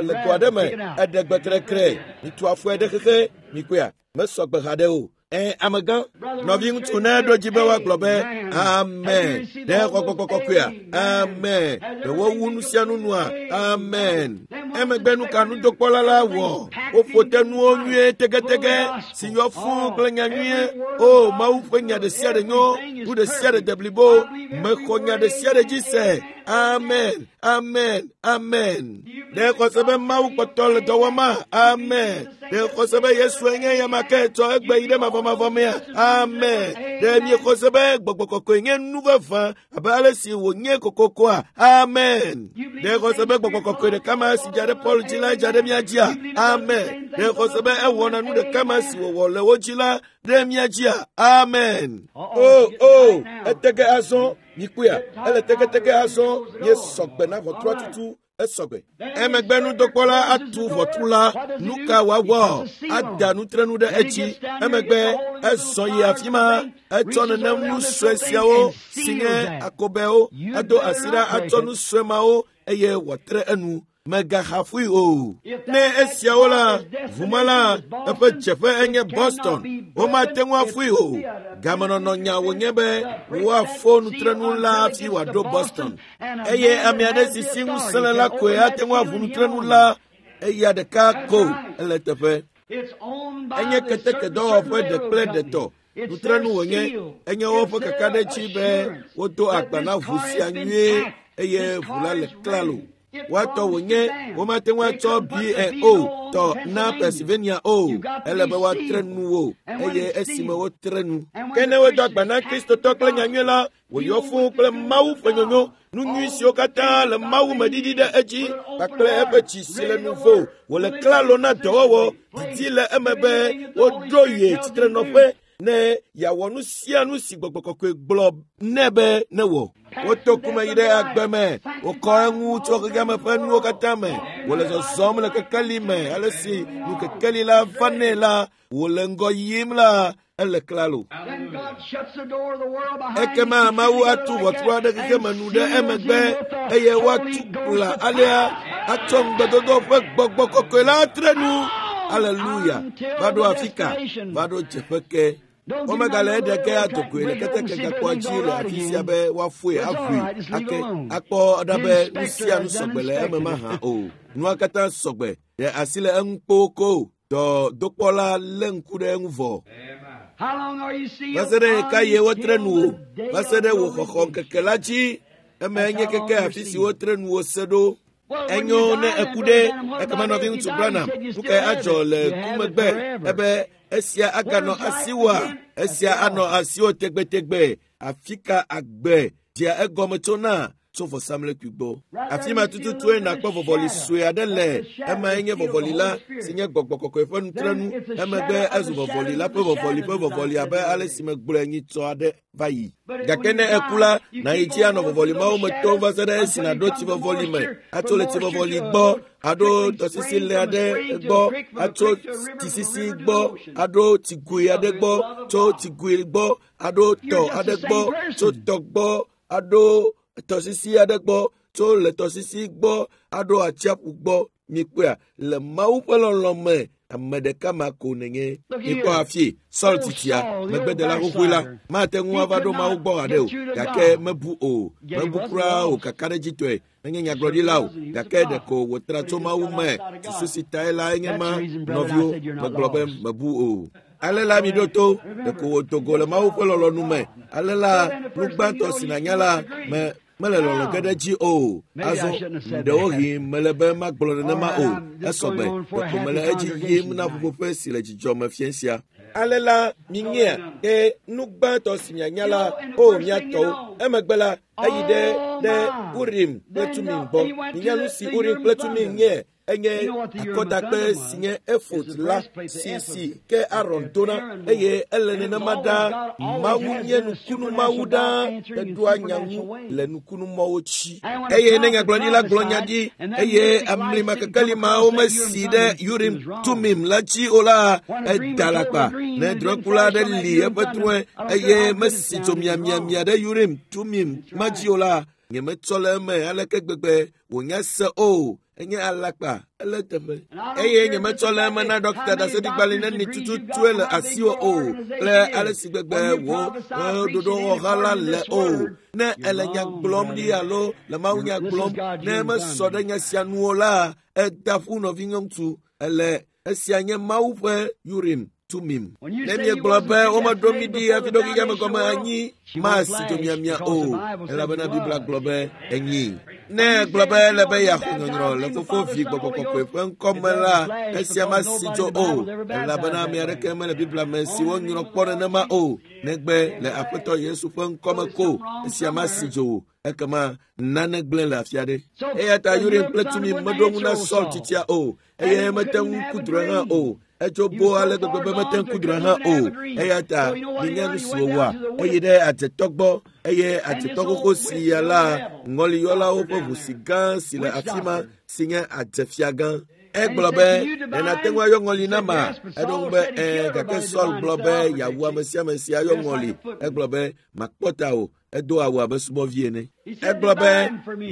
le go aɖe me. Eɖe gbe krekre. Mitu afɔe ɖe xexe. Mikpɔea? Mesɔ gbe haɖe o. Amegã, nɔviŋutsu ne ɖo dzi be woagblɔ be amen. Ɖe xɔ gbɔgbɔ kɔkɔea? Amen. Ɖe wowu nu sia nu nua? Amen. Emegbe nu ka nudokpɔla la wɔ? Woƒo te nuwo nyuie tegetege si yɔ fũu kple nya nyuie. O, Mawu ƒe nya ɖe sia ɖe nyo, nu ɖe sia ɖe de blibo. Mexɔ nya ɖe sia ɖe dzi se. Amen. Amen. Amen. Ɖe xɔse be Mawu kpɔtɔ le dɔ wɔma? Amen. Ɖe xɔse be Yesue nye eyama ke tsɔ egbe yi ɖe mavɔmavɔ mea? Amen. Ɖe miexɔse be gbɔgbɔ kɔkɔe nye nu vavã abe ale si wònye kokokoa? Amen. Ɖe xɔse be gbɔgbɔ kɔkɔe ɖeka ma si dza ɖe Paul dzi la dza ɖe mía dzia? Amen. Ɖe xɔse be ewɔna nu ɖeka ma si wòwɔ le wo dzi la ɖe mía dzia? Amen. O, etege azɔ. Mikpɔea, ele tegetege azɔ. Míesɔ gbe na ʋɔtrua tutu. Esɔgbe. Emegbe nudokpɔla atu ʋɔtru la. Nu ka wòawɔ? Ada nutrenu ɖe edzi. Emegbe ezɔ yi afi ma. Etsɔ nenem nu sue siawo si nye akobɛwo. Edo asi ɖa atsɔ nu sue mawo eye wòatre enu. Mègaxafui o. Ne esiawo la, ʋuma la, eƒe dzeƒe enye Boston. Womate ŋu afui o. Gamenɔnɔ nya wònye be woafo nutrenu la hafi wòaɖo Boston. Eye ame aɖe si si ŋusẽ le la koe ate ŋu aʋu nutrenu la. Eya ɖeka ko ele teƒe. Enye ketekedɔwɔƒe ɖe kple ɖetɔ. Nutrenu wònye. Enye woƒe kakaɖedzi be wodo agba na ʋu sia nyuie eye ʋu la le klalo. Woatɔ wònye womate ŋu atsɔ BNO tɔ na Pennsylvania o. Ele be woatre nu wo eye esime wotre nu. Ke ne wodo agba na Kristotɔ kple nyanyui la, wòyɔ fũu kple Mawu ƒe nyonyo, nu nyui siwo katã le Mawu me ɖiɖi ɖe edzi kpakple eƒe tsi si le nuvo wòle klalo na dɔwɔwɔ didi le eme be woɖo ye tsitrenɔƒe ne yeawɔ nu sia nu si gbɔgbɔ kɔkɔe gblɔ nɛ be newɔ. Woto kume yi ɖe agbe me, wokɔ eŋu tso xexeame ƒe nuwo katã me, wòle zɔzɔm le kekeli me ale si nu kekeli la va nɛ la, wòle ŋgɔ yim la, ele klalo. Ekema Mawu atu ʋɔtru aɖe xexeme nu ɖe emegbe eye woatu kpla alea atsɔ ŋugbedodo ƒe gbɔgbɔ kɔkɔe la atre nu. Aleluya. Va ɖo afi ka? Va ɖo dzeƒe ke. Womegale eɖe ke adogoe le keteke gakpoa dzi le afi sia be woafoe aʋui ake akpɔ ɖa be nu sia nu sɔgbe le eme mahã o. Nua katã sɔgbe. Ɖe asi le eŋu kpoo ko. Dɔdokpɔla lé ŋku ɖe eŋu vɔ. Va se ɖe ɣekaɣie wotre nu wò? Va se ɖe wò xɔxɔ ŋkeke la dzi. Eme nye keke afi si wotre nu wò se ɖo. Enyo ne eku ɖe, ekema nɔviŋutsu Branham, nu kae adzɔ le ku megbe? Ebe esia aganɔ asiwòa? Esia anɔ asiwò tegbetegbe. Afi ka agbe dzea egɔme tsona? Tso vɔsamlekpui gbɔ. Afi ma tututue nakpɔ vɔvɔli sue aɖe le. Emae nye vɔvɔli la, si nye gbɔgbɔ kɔkɔe ƒe nutrenu. Emegbe ezu vɔvɔli la ƒe vɔvɔli ƒe vɔvɔli abe ale si megblɔe nyitsɔ aɖe va yi. Gake ne eku la, nàyi dzi anɔ vɔvɔli mawo me tom va se ɖe esi nàɖo tsivɔvɔli me, atso le tsivɔvɔli gbɔ, aɖo tɔsisi le aɖe gbɔ, atso tsisisi gbɔ, aɖo tsigoe aɖe gbɔ, tso tsigoe gbɔ, aɖo tɔ aɖe gbɔ, tso tɔ gbɔ, aɖo tɔsisi aɖe gbɔ, tso le tɔsisi gbɔ, aɖo atsiaƒu gbɔ. Mikpɔea, le Mawu ƒe lɔlɔ̃ me, ame ɖeka ma ko nènye. Mikpɔ hafi Saul titia, megbedela xoxoe la, mate ŋu ava ɖo Mawu gbɔ haɖe o, gake mebu o, mebu kura o kakaɖedzitɔe. Menye nyagblɔɖila o, gake ɖeko wòtra tso Mawu me. Susu si tae la enye ma, nɔviwo, megblɔ be mebu o. Ale la miɖo to, ɖeko wòdo go le Mawu ƒe lɔlɔ̃nu me. Ale la, nu gbãtɔ si nànya la, me mele lɔlɔ̃ ge ɖe edzi o. Azɔ, ɖewohĩ mele be magblɔ nenema o. Esɔgbe, ɖeko mele edzi yim na ƒuƒoƒe si le dzidzɔ me fiẽ sia. Ale la, minyea, ke nu gbãtɔ si mianya la, o mia tɔwo. Emegbe la, eyi ɖe ɖe Urim kple Tumim gbɔ. Minya nu si Urim kple Tumim nye. Enye akɔdakpe si nye efod la si ke Aron dona eye ele nenema ɖaa. Mawu nye nukunu Mawu ɖaa eɖoa nya ŋu le nukunumɔwo dzi. Eye ne nyagblɔɖila gblɔ nya ɖi eye amlimakekeli mawo mesi ɖe Urim Tumim la dzi o la, eda alakpa. Ne drɔ̃ekula aɖe li eƒe drɔ̃e eye mesi dzo miamiamia ɖe Urim Tumim ma dzi o la, nyemetsɔ le eme aleke gbegbe wònya se o. Enye alakpa, ele teƒe. Eye nyemetsɔ le eme na ɖɔkita ɖaseɖigbalẽ neni tututue le asiwò o kple ale si gbegbe wò ɖoɖowɔha la le o. Ne ele nya gblɔm ɖi alo le Mawu nya gblɔm, ne mesɔ ɖe nya sia nu o la, eda ƒu nɔvinyɔŋutsu. Ele esia nye Mawu ƒe Urim Tumim. Ne miegblɔ be womeɖo mi ɖi hafi ɖo xexea me gɔme anyi, masi dzo miamia o, elabena Biblia gblɔ be enyi. Ne egblɔ be ele be yeaxɔ nyɔnyrɔ le Fofo, Vi, Gbɔgbɔ Kɔkɔe ƒe ŋkɔ me la, esia masi dzo o, elabena ame aɖeke mele Biblia me si wonyrɔ kpɔ nenema o, negbe le Aƒetɔ Yesu ƒe ŋkɔ me ko. Esia masi dzo o, ekema nane gblẽ le afi aɖe. Eya ta Urim kple Tumim meɖo ŋu na Saul tsitsia o, eye mete ŋu ku drɔ̃e hã o. Etso bo ale gbegbe be mete ŋu ku drɔ̃e hã o. Eya ta minya nu si wòwɔa. Eyi ɖe adzetɔ gbɔ eye adzetɔ xoxo sia la ŋɔliyɔlawo ƒe ʋu si gã si le afi ma si nye adzefia gã. Egblɔ be, ɖe nàte ŋu ayɔ ŋɔli na ma? Eɖo ŋu be, ɛ̃, gake Saul gblɔ be yeawu ame sia ame si ayɔ ŋɔli. Egblɔ be, makpɔ ta o. Edo awu abe subɔvi ene. Egblɔ be,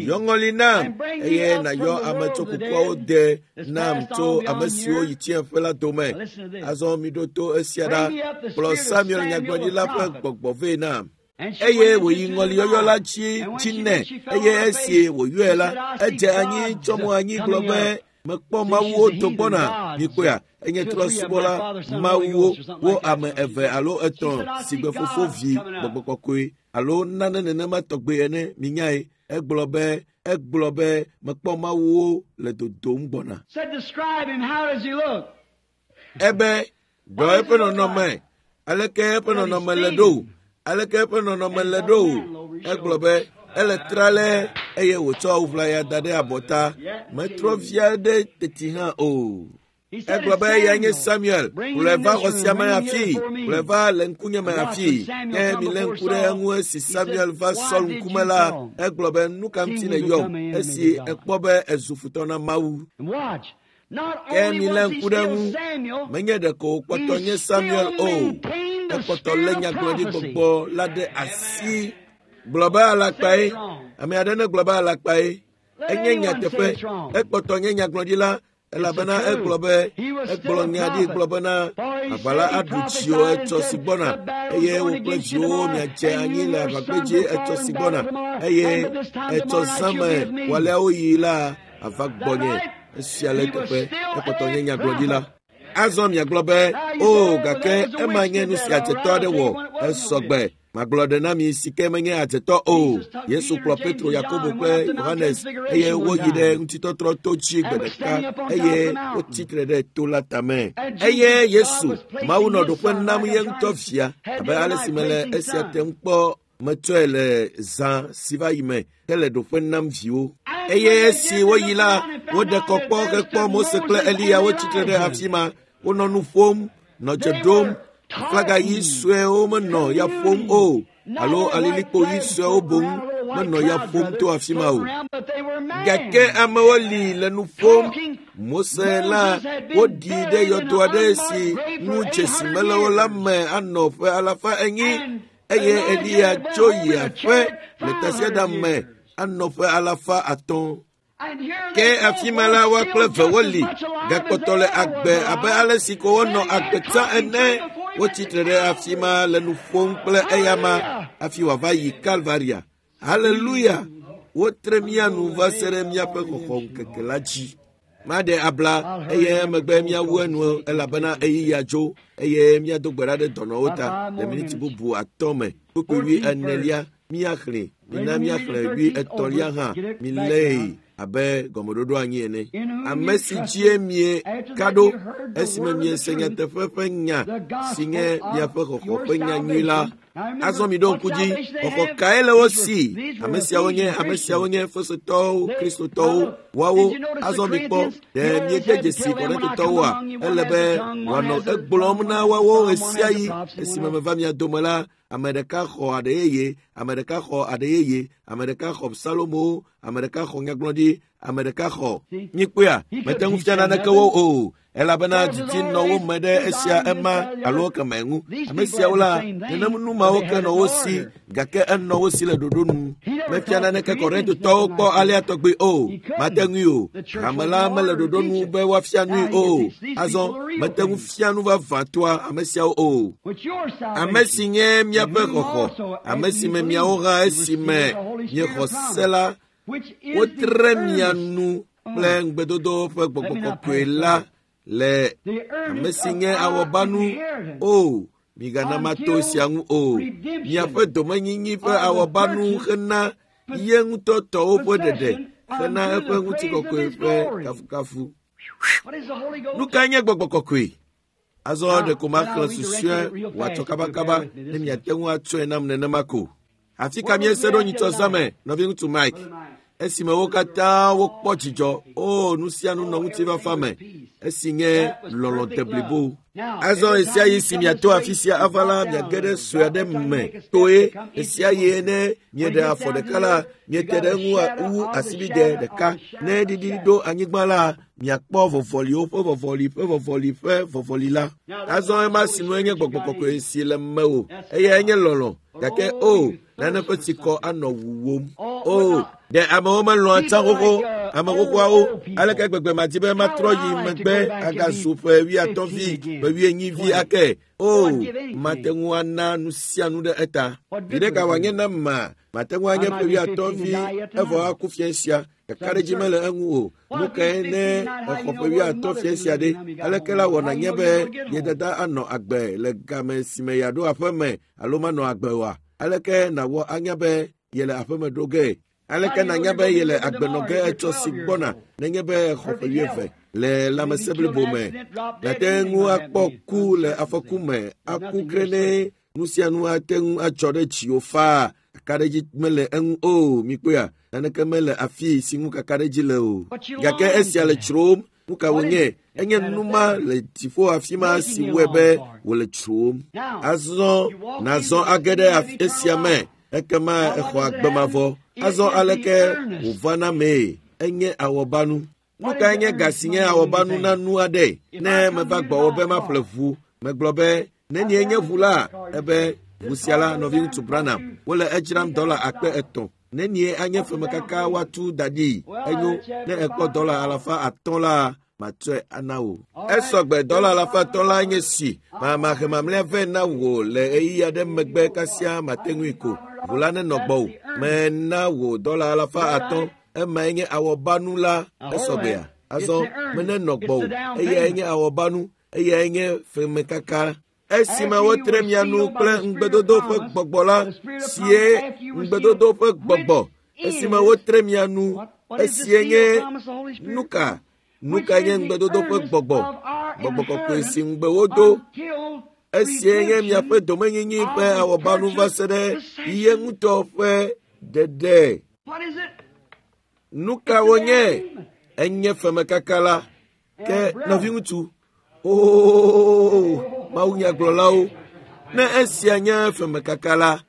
yɔ ŋɔli nam eye nàyɔ ame tso kukuawo de nam tso ame siwo yi tsiẽƒe la dome. Azɔ miɖo to esia ɖa. Kplɔ Samuel nyagblɔɖila ƒe gbɔgbɔ vɛ nam. Eye wòyi ŋɔliyɔyɔ la dzi nɛ eye esi wòyɔe la, edze anyi tsɔ mo anyi gblɔ be, mekpɔ Mawuwo do gbɔna. Mikpɔea, enye trɔ̃subɔla Mawuwo, wo ame eve alo etɔ̃ si gbe Fofo, Vi, Gbɔgbɔ Kɔkɔe alo nane nenema tɔgbe ene. Minyae. Egblɔ be mekpɔ Mawuwo le dodom gbɔna. Ebe ɖɔ eƒe nɔnɔme. Aleke eƒe nɔnɔme le ɖo? Aleke eƒe nɔnɔme le ɖo? Egblɔ be ele tralɛ eye wòtsɔ awu ʋlaya da ɖe abɔta. Metrɔ vi aɖe teti hã o. Egblɔ be eyae nye Samuel. Kplɔe va xɔ sia me afii. Kplɔe va le ŋkunye me afii. Ke milé ŋku ɖe eŋu esi Samuel va Saul ŋkume la, egblɔ be nu ka ŋuti nèyɔm esi ekpɔ be ezu futɔ na Mawu. Ke milé ŋku ɖe eŋu, menye ɖeko wòkpɔtɔ nye Samuel o, ekpɔtɔ lé nyagblɔɖigbɔgbɔ la ɖe asi. Gblɔ be alakpae. Ame aɖe negblɔ be alakpae. Enye nyateƒe. Ekpɔtɔ nye nyagblɔɖila elabena egblɔ be egblɔ nya ɖi gblɔ bena aʋa la aɖu dziwò etsɔ si gbɔna eye wò kple viwòwo miadze anyi le aʋagbedzi etsɔ si gbɔna eye etsɔ zã me wòaleawo yi la ava gbɔnye. Esia le teƒe. Ekpɔtɔ nye nyagblɔɖila. Azɔ miagblɔ be, o, gake ema nye nu si adzetɔ aɖe wɔ. Esɔgbe. Magblɔ ɖe na mi si ke menye adzetɔ o. Yesu kplɔ Petro, Yakobo kple Yohanes eye woyi ɖe ŋutitɔtrɔ to dzi gbe ɖeka eye wotsi tre ɖe to la tame. Eye Yesu, Mawu nɔ ɖoƒe nam ye ŋutɔ via, abe ale si mele esia tem kpɔ metsɔe le zã si va yi me hele ɖoƒe nam viwo. Eye esi woyi la, woɖe kɔ kpɔ hekpɔ Mose kple Eliya wotsi tre ɖe afi ma. Wonɔ nu ƒom, nɔ dze ɖom. Aflaga ɣi suewo menɔ ya ƒom o, alo alilikpo ɣi suewo boŋ menɔ ya ƒom to afi ma o. Gake amewo li le nu ƒom. Mose la woɖi ɖe yɔdo aɖe si ŋu dzesi mele o la me anɔ ƒe 400 eye Eliya tso yi aƒe le tasiaɖam me anɔ ƒe 500. Ke afi ma la woa kple eve woli gakpɔtɔ le agbe abe ale si ko wonɔ agbe tsã ene. Wotsi tre ɖe afi ma le nu ƒom kple eyama hafi wòava yi Kalvaria. Haleluya! Wotre mía nu va se ɖe míaƒe xɔxɔŋkeke la dzi. Maɖe abla eye emegbe míawu enu elabena ɣeyiɣia dzo eye míado gbe ɖa ɖe dɔnɔwo ta le miniti bubu 5 me. Kpukpui 40 míaxlẽ. Mina míaxlẽ 33 hã. Milée. abe gɔmeɖoɖo anyi ene. Ame si dzie mieka ɖo esime miese nyateƒe ƒe nya si nye miaƒe xɔxɔ ƒe nya nyui la. Azɔ mi ɖo ŋku dzi, xɔxɔ kae le wo si? Ame siawo nye ame siawo nye Efesotɔwo, Kristotɔwo, woawo. Azɔ mi kpɔ, ɖe miede dzesi Korintotɔwoa? Ele be wòanɔ egblɔm na woawo ɣesiaɣi esime meva mia dome la, ame ɖeka xɔ aɖe yeye, ame ɖeka xɔ aɖe yeye, ame ɖeka xɔ Salomo, ame ɖeka xɔ nyagblɔɖi, ame ɖeka xɔ. Mikpɔea, mete ŋu fia naneke wo o, elabena didi nɔ wo me ɖe esia ema alo keme ŋu. Ame siawo la, nenem nu mawo ke nɔ wo si, gake enɔ wo si le ɖoɖo nu. Mefia naneke Korintotɔwo kpɔ alea tɔgbi o, mate ŋui o. Hame la mele ɖoɖo nu be woafia nui o. Azɔ mete ŋu fia nu vavãtɔa ame siawo o. Ame si nye míaƒe xɔxɔ, ame si me miawo hã esime miexɔ se la, wotre mia nu kple ŋugbedodo ƒe gbɔgbɔ kɔkɔe la le ame si nye awɔbanu o. Migana mato sia ŋu o. Miaƒe domenyinyi ƒe awɔbanu hena ye ŋutɔ tɔwo ƒe ɖeɖe hena eƒe ŋutikɔkɔe ƒe kafukafu. Nu kae nye gbɔgbɔ kɔkɔe? Azɔ ɖeko maxlẽ susɔe wòatsɔ kabakaba ne miate ŋu atsɔe nam nenema ko. Afi ka míese ɖo nyitsɔ zã me, nɔviŋutsu Mike? Esime wo katã wokpɔ dzidzɔ, o nu sia nu nɔ ŋutifafa me, esi nye lɔlɔ̃ deblibo. Azɔ ɣesiaɣi si miato afi sia ava la, miage ɖe sue aɖe me toe. Ɣesiaɣi ne mieɖe afɔ ɖeka la, miete ɖe eŋu wu asibide ɖeka. Ne ɖiɖi ɖo anyigba la, miakpɔ vɔvɔliwo ƒe vɔvɔli ƒe vɔvɔli ƒe vɔvɔli la. Azɔ ema sinue nye gbɔgbɔ kɔkɔe si le mewò, eyae nye lɔlɔ̃. Gake o, nane ƒe tsikɔ anɔ wuwom. O, ɖe amewo melɔ̃a tsã xoxo, ame xoxoawo. Aleke gbegbe madi be matrɔ yi megbe agazu ƒe wuiatɔ̃ vi, ƒe wuienyi vi ake. O, mate ŋu ana nu sia nu ɖe eta. Viɖe ka wòanye nam ma? Mate ŋu anye ƒe wuiatɔ̃ vi evɔ aku fia sia. Kakaɖedzi mele eŋu o. Nu kae ne exɔ ƒe wuiatɔ̃ fia sia ɖe? Aleke la wɔna nye be ye dada anɔ agbe le game si me yeaɖo aƒe me alo manɔ agbe oa? Aleke nàwɔ anya be yele aƒeme ɖo ge? Aleke nànya be yele agbe nɔ ge etsɔ si gbɔna nenye be exɔ ƒe wuieve le lãmesẽ blibo me? Nàte ŋu akpɔ ku le afɔku me, aku gre ne nu sia nu ate ŋu atsɔ ɖe dziwò faa. Kakaɖedzi mele eŋu o, mikpɔea, naneke mele afi si ŋu kakaɖedzi le o. Gake esia le tsrom. Nu ka wònye? Enye nu ma le dziƒo afi ma si wɔe be wòle tsrom. Azɔ nàzɔ age ɖe esia me, ekema exɔ agbe mavɔ. Azɔ aleke wòvana mee? Enye awɔbanu. Nu kae nye ga si nye awɔbanu na nu aɖe? Ne meva gbɔwò be maƒle ʋu, megblɔ be nenie nye ʋu la? Ebe ʋu sia la, nɔviŋutsu Branham, wole edzram $3,000. Nenie anye femekaka woatu da ɖi? Enyo, ne ekpɔ $500 la, matsɔe ana wò. Esɔgbe $500 la nye si. Mahe mamlɛa vɛ na wò le ɣeyiɣi aɖe megbe kasia mate ŋui ko. Ʋu la nenɔ gbɔwò. Mena wò $500. Emae nye awɔbanu la. Esɔgbea? Azɔ menenɔ gbɔwò. Eyae nye awɔbanu. Eyae nye femekaka. Esime wotre mia nu kple ŋugbedodo ƒe gbɔgbɔ la, sie ŋugbedodo ƒe gbɔgbɔ. Esime wotre mia nu, esie nye nuka? Nuka nye ŋugbedodo ƒe gbɔgbɔ? Gbɔgbɔ kɔkɔe si ŋugbe wodo. Esie nye miaƒe domenyinyi ƒe awɔbanu va se ɖe ye ŋutɔ ƒe ɖeɖe. Nuka wonye? Enye femekaka la. Ke nɔviŋutsu, oo, mawunyagblɔlawo, ne esia nye femekaka la,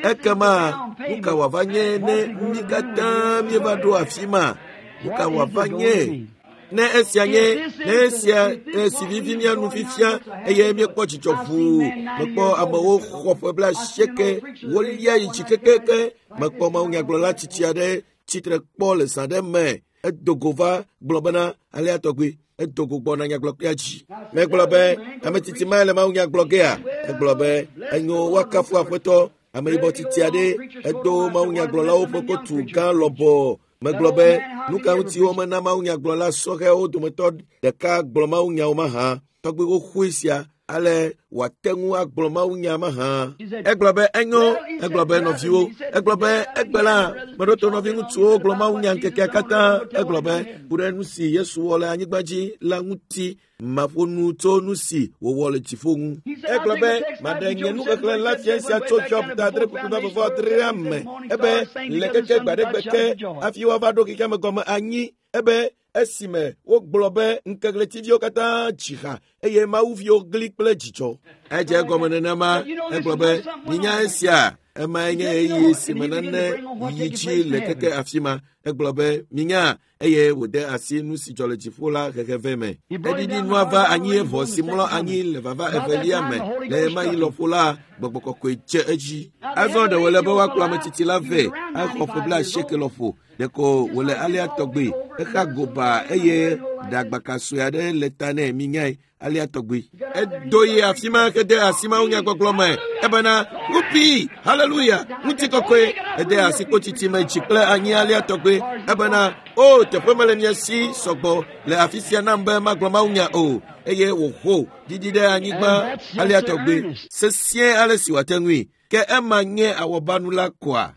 ekema nu ka wòava nye ne mí katã míeva ɖo afi ma? Nu ka wòava nye? Ne esia nye, ne esia si vivi mía nu fifia eye míekpɔ dzidzɔ ʋuu, mekpɔ amewo xɔ ƒe 80, wolia yi dzi kekeke, mekpɔ mawunyagblɔla tsitsi aɖe tsitre kpɔ le zã ɖe me, edo go va gblɔ bena alea tɔgbi. Edo go gbɔna nyagblɔkpea dzi. Megblɔ be ame tsitsi mae le mawunyagblɔ gea? Egblɔ be enyo woakafu aƒetɔ. Ameyibɔ tsitsi aɖe edo mawunyagblɔlawo ƒe kotu gã lɔbɔ. Megblɔ be nu ka ŋuti womena mawunyagblɔla sɔhɛwo dometɔ ɖeka gblɔ mawunyawo mahã? Tɔgbi xoxoe sia ale. wòate ŋu agblɔ mawunya mahã. Egblɔ be enyo, egblɔ be nɔviwo, egblɔ be egbe la, meɖo to nɔviŋutsuwo gblɔ mawunya ŋkekea katã. Egblɔ be ku ɖe nu si Yesu wɔ le anyigba dzi la ŋuti maƒo nu tso nu si wòwɔ le dziƒo ŋu. Egblɔ be maɖe nye nuxexlẽ la fia sia tso Job ta 8.8 me. Ebe le keke gbaɖegbe ke hafi woava ɖo xexeame gɔme anyi. Ebe esime wogblɔ be ŋkeɣletiviwo katã dzi ha eye mawuviwo gli kple dzidzɔ. Edze egɔme nenema. Egblɔ be minya esia. Emae nye ɣeyiɣi si me nane yi dzi le keke afi ma. Egblɔ be minya eye wòde asi nu si dzɔ le dziƒo la hehe vɛ me. Eɖiɖi nua va anyi evɔ si mlɔ anyi le vava evelia me le ɣemaɣi lɔƒo la, gbɔgbɔ kɔkɔe dze edzi. Azɔ ɖe wòle be woakplɔ ame tsitsi la vɛ axɔ ƒe 80 lɔƒo. Ɖeko wòle alea tɔgbe. Exa goba eye ɖagbaka sue aɖe le ta nɛ minyae alea tɔgbe. Edo yi afi ma hede asi mawunyagbɔgblɔ me ebena wupi haleluya ŋutikɔkɔe. Ede asi kpotsitsi me dzi kple anyi alea tɔgbe ebena o teƒe mele mia si sɔgbɔ le afi sia nam be magblɔ mawunya o eye wòho ɖiɖi ɖe anyigba alea tɔgbe sesĩe ale si wòate ŋui. Ke ema nye awɔbanu la koa?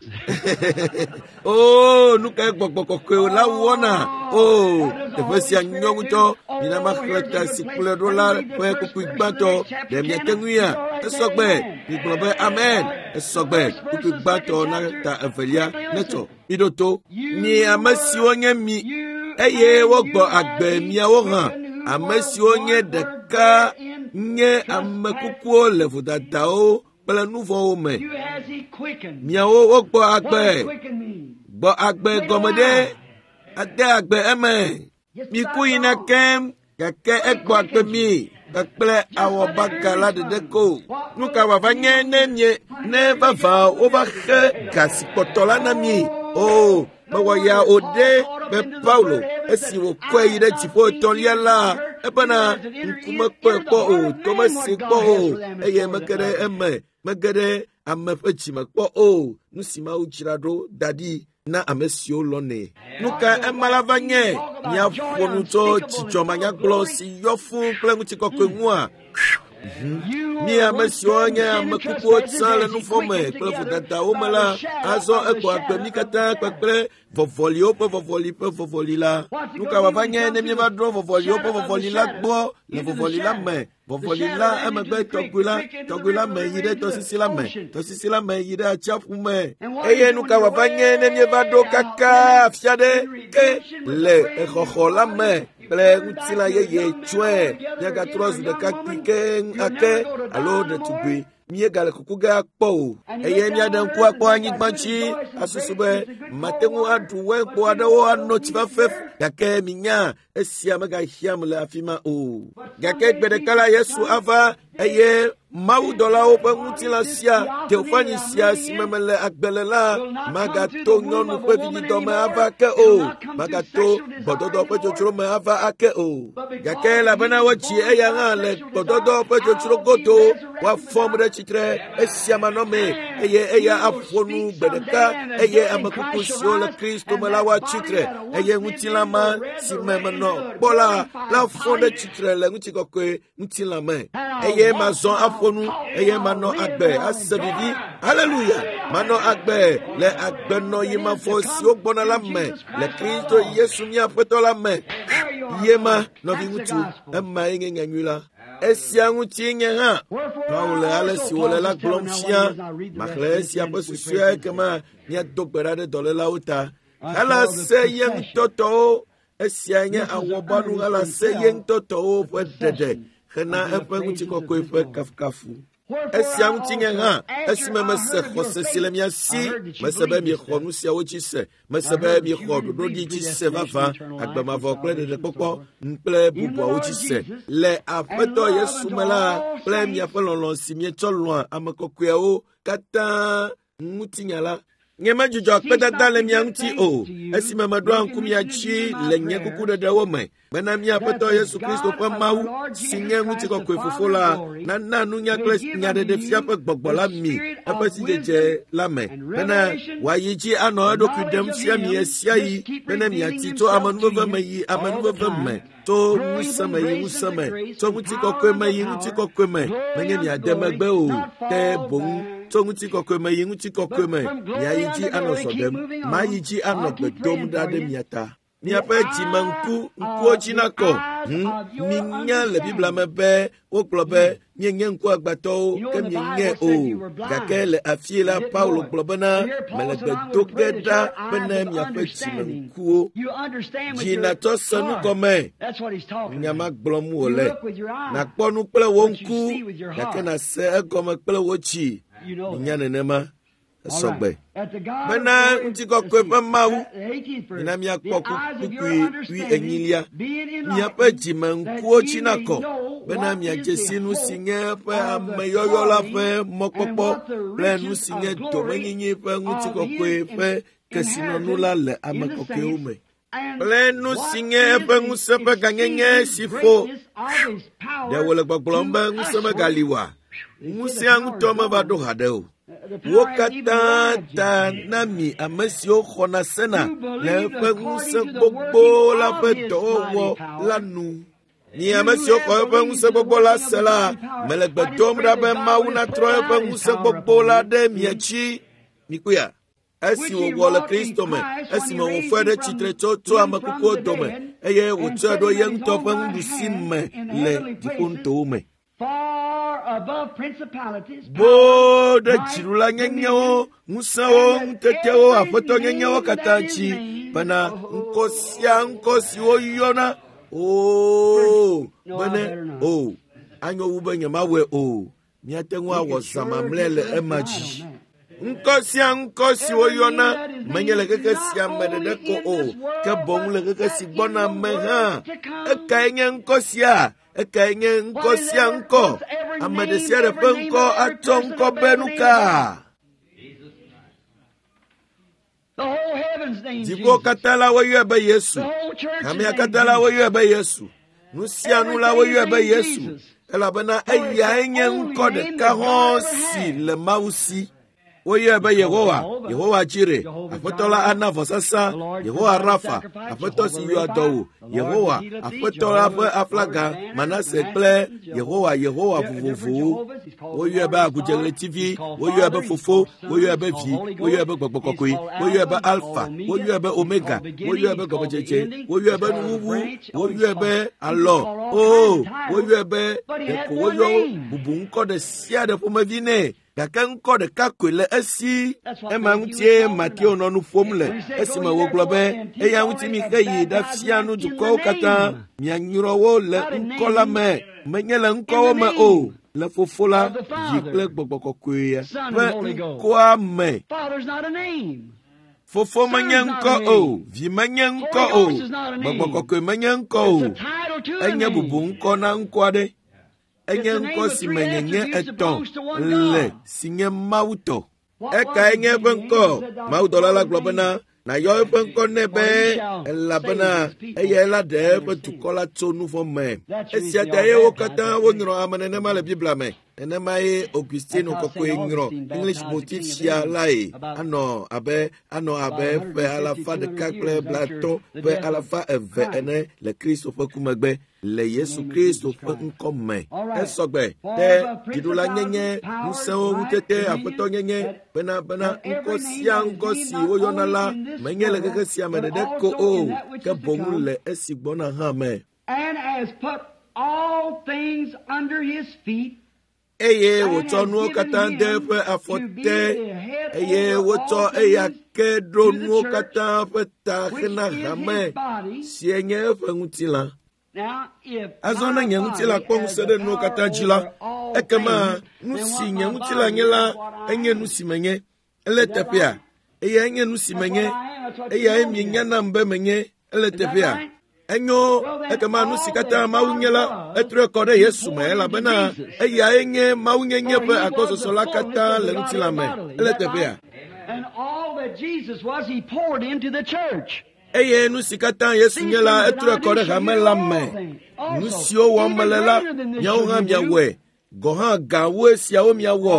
Oo, nu kae gbɔgbɔ kɔkɔe la wɔna? Oo, teƒe sia nyɔ ŋutɔ. Mina maxlẽ ta si kplɔe ɖo la ƒe kpukpui gbãtɔ. Ɖe miate ŋuia? Esɔgbe. Migblɔ be amen. Esɔgbe. Kpukpui gbãtɔ na ta evelia. Netsɔ. Miɖo to. Mi ame siwo nye mi eye wogbɔ agbe miawo hã. Ame siwo nye ɖeka nye ame kukuwo le vodadawo kple nu vɔ̃wo me. Miawo wogbɔ agbe. Gbɔ agbe gɔme ɖe ade agbe eme. Miku yina keŋ gake egbɔ agbe mi kpakple awɔbaga la ɖeɖe ko. Nu ka wòava nye ne mie ne vavã wova xe ga si kpɔtɔ la na mi? O, mewɔ ya o ɖe be Paulo esi wòkɔe yi ɖe dziƒo etɔ̃lia la ebena ŋku mekpɔe kpɔ o, to mese kpɔ o eye mege ɖe eme mege ɖe ame ƒe dzime kpɔ o. Nu si Mawu dzra ɖo da ɖi na ame siwo lɔ̃nɛ. Nu ka ema la va nye? Míaƒo nu tso dzidzɔ manyagblɔ si yɔ fũu kple ŋutikɔkɔe ŋua? Mi ame siwo nye ame kukuwo tsã le nu vɔ̃ me kple vodadawo me la, azɔ egbɔ agbe mí katã kpakple vɔvɔliwo ƒe vɔvɔli ƒe vɔvɔli la. Nu ka wòava nye ne míeva ɖo vɔvɔliwo ƒe vɔvɔli la gbɔ le vɔvɔli la me? Vɔvɔli la emegbe tɔgbi la, tɔgbi la me yi ɖe tɔsisi la me, tɔsisi la me yi ɖe atsiaƒu me. Eye nu ka wòava nye ne míeva ɖo kaka afi aɖe ke le exɔxɔ la me kple ŋutilã yeye tsɔe míagatrɔ zu ɖekakpui keŋ ake alo ɖetugbui míegale kuku ge akpɔ o eye míaɖe ŋku akpɔ anyigba dzi asusu be mate ŋu aɖu wɛnkpo aɖewo ano tsi fafɛ gake minya esia megahiãm le afi ma o. Gake gbe ɖeka la Yesu ava eye mawudɔlawo ƒe ŋutilã sia teofani sia si me mele agbe le la magato nyɔnu ƒe vidzidɔ me ava ke o, magato gbɔdɔdɔ ƒe dzodzro me ava ake o. Gake elabena wodzi eya hã le gbɔdɔdɔ ƒe dzodzro godo, woafɔm ɖe tsitre esia manɔmee eye eya aƒo nu gbe ɖeka eye ame kuku siwo le Kristo me la woatsi tre eye ŋutilã ma si me menɔ kpɔ la la fɔ ɖe tsitre le ŋutikɔkɔe ŋutilã me eye mazɔ aƒo nu eye manɔ agbe ase vivi haleluya manɔ agbe le agbenɔyi mavɔ siwo gbɔna la me le Kristo Yesu mía Aƒetɔ la me. Ye ma nɔviŋutsu emae nye nyanyui la. Esia ŋuti nye hã Paulo le ale si wòle la gblɔm fia. Maxlẽ esia ƒe susɔea ekema míado gbe ɖa ɖe dɔlélawo ta. Helase ye ŋutɔ tɔwo esia nye awɔbanu helase ye ŋutɔ tɔwo ƒe ɖeɖe hena eƒe ŋutikɔkɔe ƒe kafukafu. Esia ŋuti nye hã esime mese xɔse si le mia si, mese be miexɔ nu siawo dzi se, mese be miexɔ ɖoɖoɖi dzi se vavã, agbe mavɔ kple ɖeɖekpɔkpɔ kple bubuawo dzi se. Le Aƒetɔ Yesu me la kple miaƒe lɔlɔ̃ si mietsɔ lɔ̃a ame kɔkɔeawo katã ŋutinya la. Nyemedzudzɔ akpedada le mia ŋuti o, esime meɖoa ŋku mia dzi le nye kukuɖeɖewo me, bena mía Aƒetɔ Yesu Kristo ƒe Mawu, si nye ŋutikɔkɔe Fofo la, nana nunya kple nyaɖeɖefia ƒe gbɔgbɔ la mi eƒe sidzedze la me, bena wòayi dzi anɔ eɖokui ɖem fia mi ɣesiaɣi, bene miatsi tso amenuveve me yi amenuveve me, tso ŋusẽ me yi ŋusẽ me, tso ŋutikɔkɔe me yi ŋutikɔkɔe me, menye miade megbe o, ke boŋ tso ŋutikɔkɔe me yi ŋutikɔkɔe me, miayi dzi anɔ zɔ ɖem, mayi dzi anɔ gbe dom ɖa ɖe mia ta. Miaƒe dzime ŋku ŋkuwo dzi nakɔ. Minya le Biblia me be wogblɔ be mienye ŋkuagbãtɔwo ke mienye o. Gake le afii la, Paulo gblɔ bena mele gbe do ge ɖa bene miaƒe dzime ŋkuwo dzi natsɔ se nu gɔme. Nya ma gblɔm wòle. Nàkpɔ nu kple wò ŋku gake nàse egɔme kple wò dzi. Minya nenema. Esɔgbe. Bena ŋutikɔkɔe ƒe Mawu, mina míakpɔ kpukpui wuienyilia. Miaƒe dzime ŋkuwo dzi nakɔ, bena miadze si nu si nye eƒe ameyɔyɔ la ƒe mɔkpɔkpɔ kple nu si nye domenyinyi ƒe ŋutikɔkɔe ƒe kesinɔnu la le ame kɔkɔewo me. Kple nu si nye eƒe ŋusẽ ƒe gãnyenye si ƒo. Ɖe wòle gbɔgblɔm be ŋusẽ megali oa? Ŋusẽa ŋutɔ meva ɖo haɖe o. Wo katã ta na mi ame siwo xɔna sena le eƒe ŋusẽ gbogbo la ƒe dɔwɔwɔ la nu. Mi ame siwo xɔ eƒe ŋusẽ gbogbo la se la, mele gbe dom ɖa be Mawu natrɔ eƒe ŋusẽ gbogbo la ɖe mia dzi. Mikpɔea? Esi wòwɔ le Kristo me, esime wòfɔe ɖe tsitre tso ame kukuwo dome, eye wòtsɔe ɖo ye ŋutɔ ƒe nuɖusi me le dziƒonutowo me. Boo ɖe dziɖulanyenyewo, ŋusẽwo, ŋutetewo, aƒetɔnyenyewo katã dzi bena ŋkɔ sia ŋkɔ si woyɔna oo bene o anyo wu be nyemawɔe o. Míate ŋu awɔ zã mamlɛ le ema dzi. Ŋkɔ sia ŋkɔ si woyɔna menye le xexe sia me ɖeɖe ko o, ke boŋ le xexe si gbɔna me hã. Ekae nye ŋkɔ sia? Ekae nye ŋkɔ sia ŋkɔ? Ame ɖe sia ɖe ƒe ŋkɔ atsɔ ŋkɔ be nu ka? Dziƒo katã la woyɔe be Yesu. Hamea katã la woyɔe be Yesu. Nu sia nu la woyɔe be Yesu. Elabena eyae nye ŋkɔ ɖeka hɔ̃ si le Mawu si. Woyɔe be Yehowa, Yehowa Jire, Aƒetɔ la ana vɔsasa, Yehowa Rafa, Aƒetɔ si yɔa dɔ wò, Yehowa, Aƒetɔ la ƒe aflaga, Manase kple Yehowa, Yehowa vovovowo. Woyɔe be agudzeɣletivi, woyɔe be Fofo, woyɔe be Vi, woyɔe be Gbɔgbɔ Kɔkɔe, woyɔe be Alfa, woyɔe be Omega, woyɔe be Gɔmedzedze, woyɔe be Nuwuwu, woyɔe be Alɔ, oo, woyɔe be ɖeko woyɔ bubu ŋkɔ ɖe sia ɖe ƒomevi nɛ. Gake ŋkɔ ɖeka koe le esi. Ema ŋutie Mateo nɔ nu ƒom le esime wògblɔ be eya ŋuti mixe yi ɖafia nu dukɔwo katã, mianyrɔ wo le ŋkɔ la me, menye le ŋkɔwo me o, le Fofo la, Vi kple Gbɔgbɔ Kɔkɔe ƒe ŋkɔa me. Fofo menye ŋkɔ o, Vi menye ŋkɔ o, Gbɔgbɔ Kɔkɔe menye ŋkɔ o. Enye bubu ŋkɔ na ŋkɔ aɖe. Enye ŋkɔ si me nyenye etɔ̃ le si nye Mawu tɔ. Ekae nye eƒe ŋkɔ? Mawudɔla la gblɔ bena nàyɔ eƒe ŋkɔ nɛ be elabena eyae la ɖe eƒe dukɔ la tso nu vɔ̃ me. Esia ta ye wo katã wonyrɔ ame nenema le Biblia me. Nenemae Augustino kɔkɔe nyrɔ English motif sia lae anɔ abe ƒe 150 ƒe 200 ene le Kristo ƒe ku megbe. Le Yesu Kristo ƒe ŋkɔ me. Esɔgbe ɖe dziɖulanyenye, ŋusẽwo, ŋutete, aƒetɔnyenye, bena ŋkɔ sia ŋkɔ si woyɔna la menye le xexe sia me ɖeɖe ko o, ke boŋ le esi gbɔna hã me. Eye wòtsɔ nuwo katã de eƒe afɔ te, eye wotsɔ eya ke ɖo nuwo katã ƒe ta hena hame si nye eƒe ŋutilã. Azɔ ne nye ŋutilã kpɔ ŋusẽ ɖe nuwo katã dzi la, ekema nu si nye ŋutilã nye la enye nu si menye. Ele teƒea, eyae nye nu si menye. Eyae mienya nam be menye. Ele teƒea. Enyo, ekema nu si katã Mawu nye la, etrɔe kɔ ɖe Yesu me elabena eyae nye Mawunyenye ƒe agbɔsɔsɔ la katã le ŋutilã me. Ele teƒea. Eye nu si katã Yesu nye la, etrɔe kɔ ɖe hame la me. Nu siwo wɔm mele la, miawo hã miawɔe. Gɔ̃ hã gãwoe siawo miawɔ,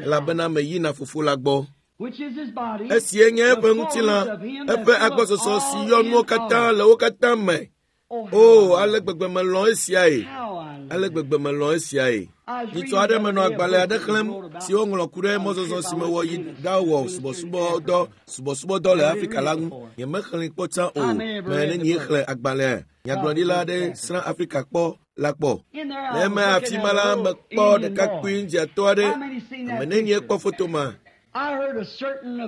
elabena meyina Fofo la gbɔ. Esie nye eƒe ŋutilã, eƒe agbɔsɔsɔ si yɔ nuwo katã le wo katã me. O, ale gbegbe melɔ̃ esiae! Ale gbegbe melɔ̃ esiae! Nyitsɔ aɖe menɔ agbalẽ aɖe xlẽm si woŋlɔ ku ɖe mɔzɔzɔ si mewɔ yi ɖawɔ subɔsubɔdɔ le Afrika la ŋu. Nyemexlẽe kpɔ tsã o. Me nenie xlẽ agbalẽa? Nyagblɔɖila aɖe srã Afrika kpɔ la kpɔ. Le eme afi ma la, mekpɔ ɖekakpui ŋdziatɔ aɖe. Ame nenie kpɔ foto ma?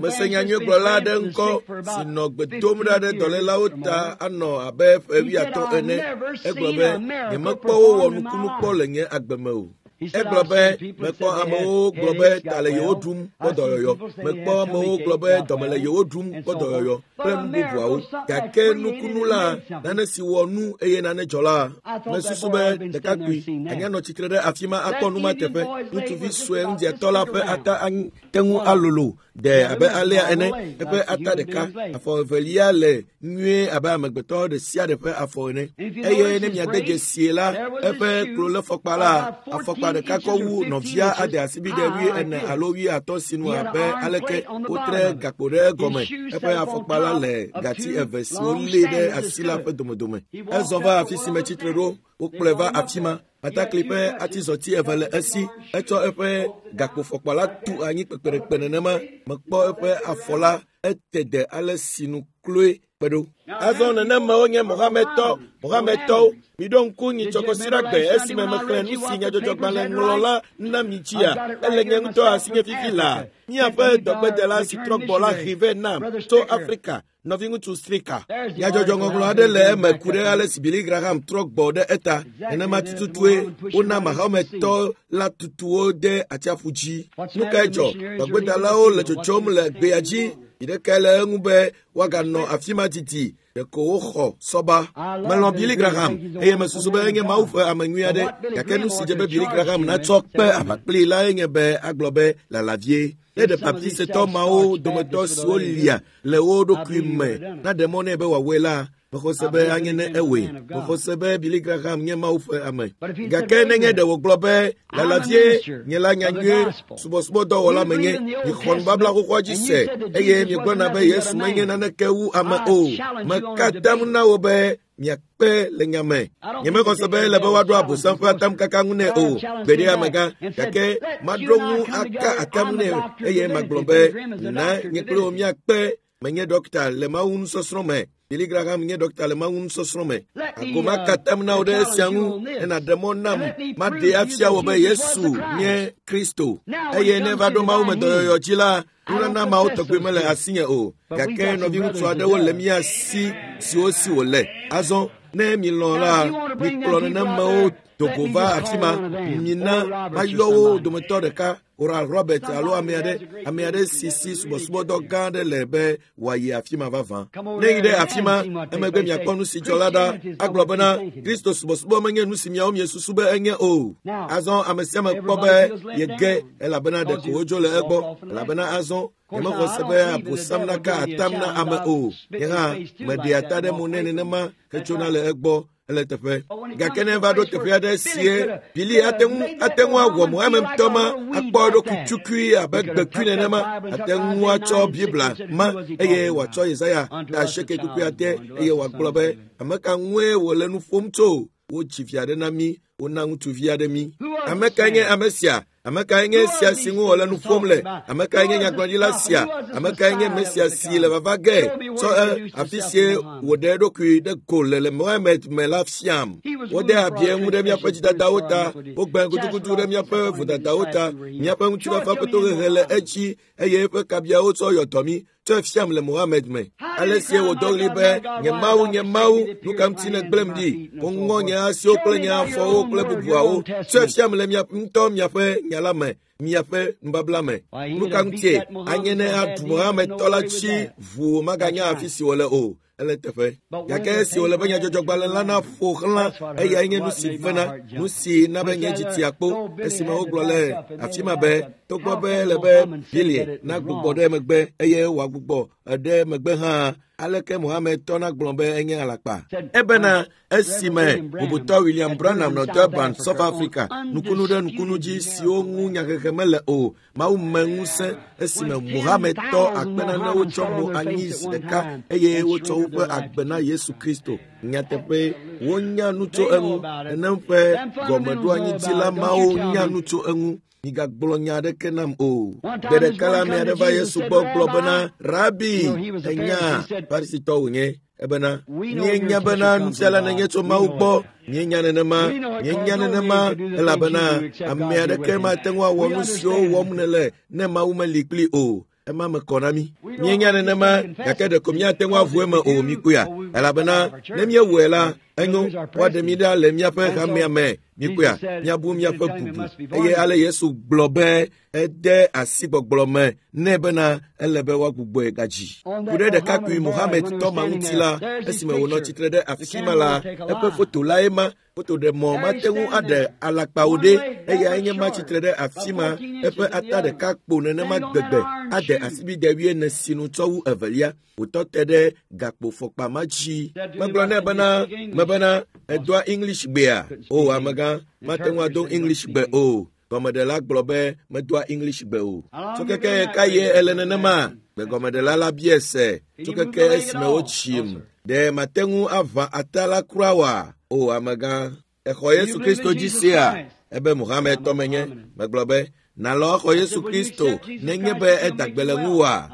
Mese nyanyuigblɔla aɖe ŋkɔ si nɔ gbe dom ɖa ɖe dɔlélawo ta anɔ abe ƒe 50 ene. Egblɔ be, nyemekpɔ wowɔ nukunu kpɔ le nye agbe me o. Egblɔ be, mekpɔ amewo gblɔ be ta le yewo ɖum kpɔ dɔyɔyɔ. Mekpɔ amewo gblɔ be dɔme le yewo ɖum kpɔ dɔyɔyɔ kple nu bubuawo. Gake nukunu la, nane si wɔ nu eye nane dzɔ la, mesusu be ɖekakpui anya nɔ tsitre ɖe afi ma akpɔ nu ma teƒe. Ŋutsuvi sue ŋudziatɔ la ƒe ata te ŋu alolo ɖe abe alea ene. Eƒe ata ɖeka, afɔ evelia le nyuie abe amegbetɔ ɖe sia ɖe ƒe afɔ ene. Eye ne miade dzesie la, eƒe klolefɔkpa la, afɔkpa ɖeka kɔ wu nɔvia ade asibide 40 alo 50 sinu abe aleke wotre gakpo ɖe egɔme. Eƒe afɔkpa la le gati eve siwo lée ɖe asi la ƒe domedome. Ezɔ va afi si metsitre ɖo, wokplɔe va afi ma. Atakli ƒe atizɔti eve le esi. Etsɔ eƒe gakpofɔkpa la tu anyi kpekpeɖekpe nenema. Mekpɔ eƒe afɔ la ete de ale si nu kloe kpe ɖo. Azɔ nenemawo nye Mohamedtɔwo. Miɖo ŋku nyitsɔkɔsiɖagbe esime mexlẽ nu si nyadzɔdzɔgbalẽ ŋlɔla na mi dzia. Ele nye ŋutɔ asinye fifi laa. Míaƒe dɔgbedela si trɔ gbɔ la hee vɛ nam tso Afrika. Nɔviŋutsu Strika. Nyadzɔdzɔŋɔŋlɔ aɖe le eme ku ɖe ale si Billy Graham trɔ gbɔ ɖe eta. Nenema tututue wona Mahometɔ la tutuwo de atsiaƒu dzi. Nu kae dzɔ? Dɔgbedalawo le tsotsom le gbea dzi. Yi ɖekae le eŋu be woaganɔ afi ma didi. Ɖeko woxɔ sɔba. Melɔ̃ Billy Graham eye mesusu be enye Mawu ƒe ame nyui aɖe. Gake nu si dze be Billy Graham natsɔ kpe aʋa kplii lae nye be agblɔ be lala vie. Ne ɖe Baptistetɔ mawo dometɔ siwo lia le wo ɖokui me naɖe mɔ nɛ be wòawɔe la, mexɔ se be anye ne ewɔe. Mexɔ se be Billy Graham nye Mawu ƒe ame. Gake nenye ɖe wògblɔ be lala vie, nye la nyanyui subɔsubɔdɔwɔla menye, mixɔ nubabla xoxoa dzi se eye miegblɔna be Yesu menye naneke wu ame o. Meka atam na wò be miakpe le nya me. Nyemexɔ se be ele be woaɖo Abosam ƒe atamkaka ŋu nɛ o. Gbeɖe amegã, gake maɖo ŋu aka atam nɛ eye magblɔ be na nye kple wò miakpe. Menye ɖɔkta le Mawu nusɔsrɔ̃ me. Billy Graham nye ɖɔkta le Mawu nusɔsrɔ̃ me. Ago maka atam na wò ɖe esia ŋu ne nàɖe mɔ nam maɖee afia wò be Yesu nye Kristo. Eye ne va ɖo Mawu me dɔyɔyɔ dzi la, nunana mawo tɔgbi mele asinye o. Gake nɔviŋutsu aɖewo le mía si siwo si wòle. Azɔ ne milɔ̃ la, mikplɔ nenemewo do go va afi ma. Mina mayɔ wo dometɔ ɖeka. Oral Robert alo ame aɖe si si subɔsubɔdɔ gã aɖe le be wòayi afi ma vavã. Ne yi ɖe afi ma, emegbe miakpɔ nu si dzɔ la ɖa. Agblɔ bena, Kristo subɔsubɔ menye nu si miawo miesusu be enye o. Azɔ ame sia ame kpɔ be yege elabena ɖeko wodzo le egbɔ. Elabena azɔ nyemexɔ se be Abosam naka atam na ame o. Nye hã meɖea ta ɖe mo nɛ nenema hetsona le egbɔ. Ele teƒe. Gake ne va ɖo teƒe aɖe sie Billy ate ŋu awɔ Mohammed ŋutɔ ma akpɔ eɖokui tukui abe gbekui nenema. Ate ŋu atsɔ Biblia ma eye wòatsɔ Yesaya ta asieke kpukpui ade eye wòagblɔ be ame ka ŋue wòle nu ƒom tso. Wodzi vi aɖe na mí, wona ŋutsuvi aɖe mí. Ame kae nye ame sia? Ame kae nye sia si ŋu wòle nu ƒom le? Ame kae nye nyagblɔɖila sia? Ame kae nye Mesia si le vava ge? Tsɔ afi sie wòɖe eɖokui ɖe go le le Mohammed me la fiam. Wode abi eŋu ɖe míaƒe dzidadawo ta, wogbã gudugudu ɖe míaƒe vodadawo ta. Míaƒe ŋutifafa ƒe tohehe le edzi eye eƒe kabiawo tsɔ yɔ dɔ mí. Tsɔe fiam le Mohammed me. Ale sie wòdɔ ɣli be, nye Mawu, nye Mawu, nu ka ŋuti nègblẽm ɖi? Woŋɔ nye asiwo kple nye afɔwo kple bubuawo. Tsɔe fiam le mia ŋutɔ miaƒe nya la me, miaƒe nubabla me. Nu ka ŋutie anye ne aɖu Mohammed tɔ la dzi ʋuu maganya afi si wòle o? Ele teƒe. Gake esi wòle be nyadzɔdzɔgbalẽ la naƒo xlã, eyae nye nu si vena, nu si na be nye dzi tia kpo esime wogblɔ le afi ma be togbɔ be ele be Billy nagbugbɔ ɖe megbe eye wòagbugbɔ ɖe megbe hã, aleke Mohamedtɔ nagblɔ be enye alakpa? Ebena esime bubutɔ William Branham nɔ Durban, South Africa, nukunu ɖe nukunu dzi siwo ŋu nyahehe mele o, Mawu me ŋusẽ esime Mohamedtɔ akpe nanewo tsɔ mo anyi zi ɖeka eye wotsɔ woƒe agbe na Yesu Kristo. Nyateƒe, wonya nu tso eŋu. Nenem ƒe gɔmeɖoanyitsila mawo nya nu tso eŋu. Migagblɔ nya aɖeke nam o. Gbe ɖeka la, ame aɖe va Yesu gbɔ gblɔ bena, Rabi, ènya Farisitɔ wònye. Ebena, míenya bena nufiala nènye tso Mawu gbɔ. Míenya nenema, míenya nenema, elabena ame aɖeke mate ŋu awɔ nu siwo wɔm nèle ne Mawu meli kpli o. Ema me kɔ na mí. Míenya nenema, gake ɖeko míate ŋu aʋu eme o, míkpɔea? Elabena ne míewɔe la, enyo, woaɖe mí ɖa le míaƒe hamea me, míkpɔea? Míabu míaƒe bubu. Eye ale Yesu gblɔ be ede asi gbɔgblɔ me nɛ bena ele be woagbugbɔe gadzi. Ku ɖe ɖekakpui Mohammed tɔ ma ŋuti la, esime wònɔ tsitre ɖe afi ma la, eƒe foto lae ma. Fotoɖemɔ mate ŋu aɖe alakpawo ɖe, eyae nye ma tsitre ɖe afi ma, eƒe ata ɖeka kpo nenema gbegbe ade asibide wuiene sinu tsɔ wu evelia. Wòtɔ te ɖe gakpofɔkpa ma dzi. Megblɔ nɛ bena, mebena, èdoa English gbea? O, amegã, mate ŋu ado English gbe o. Gɔmeɖela gblɔ be medoa English gbe o. Tso keke ɣekaɣie ele nenema? Gbegɔmeɖela la biae se. Tso keke esime wotsim. Ɖe mate ŋu aʋã ata la kura oa? O, amegã. Èxɔ Yesu Kristo dzi sea? Ebe Mohamedtɔ menye. Megblɔ be, Nàlɔ̃ axɔ Yesu Kristo nenye be eda gbe le ŋuwòa?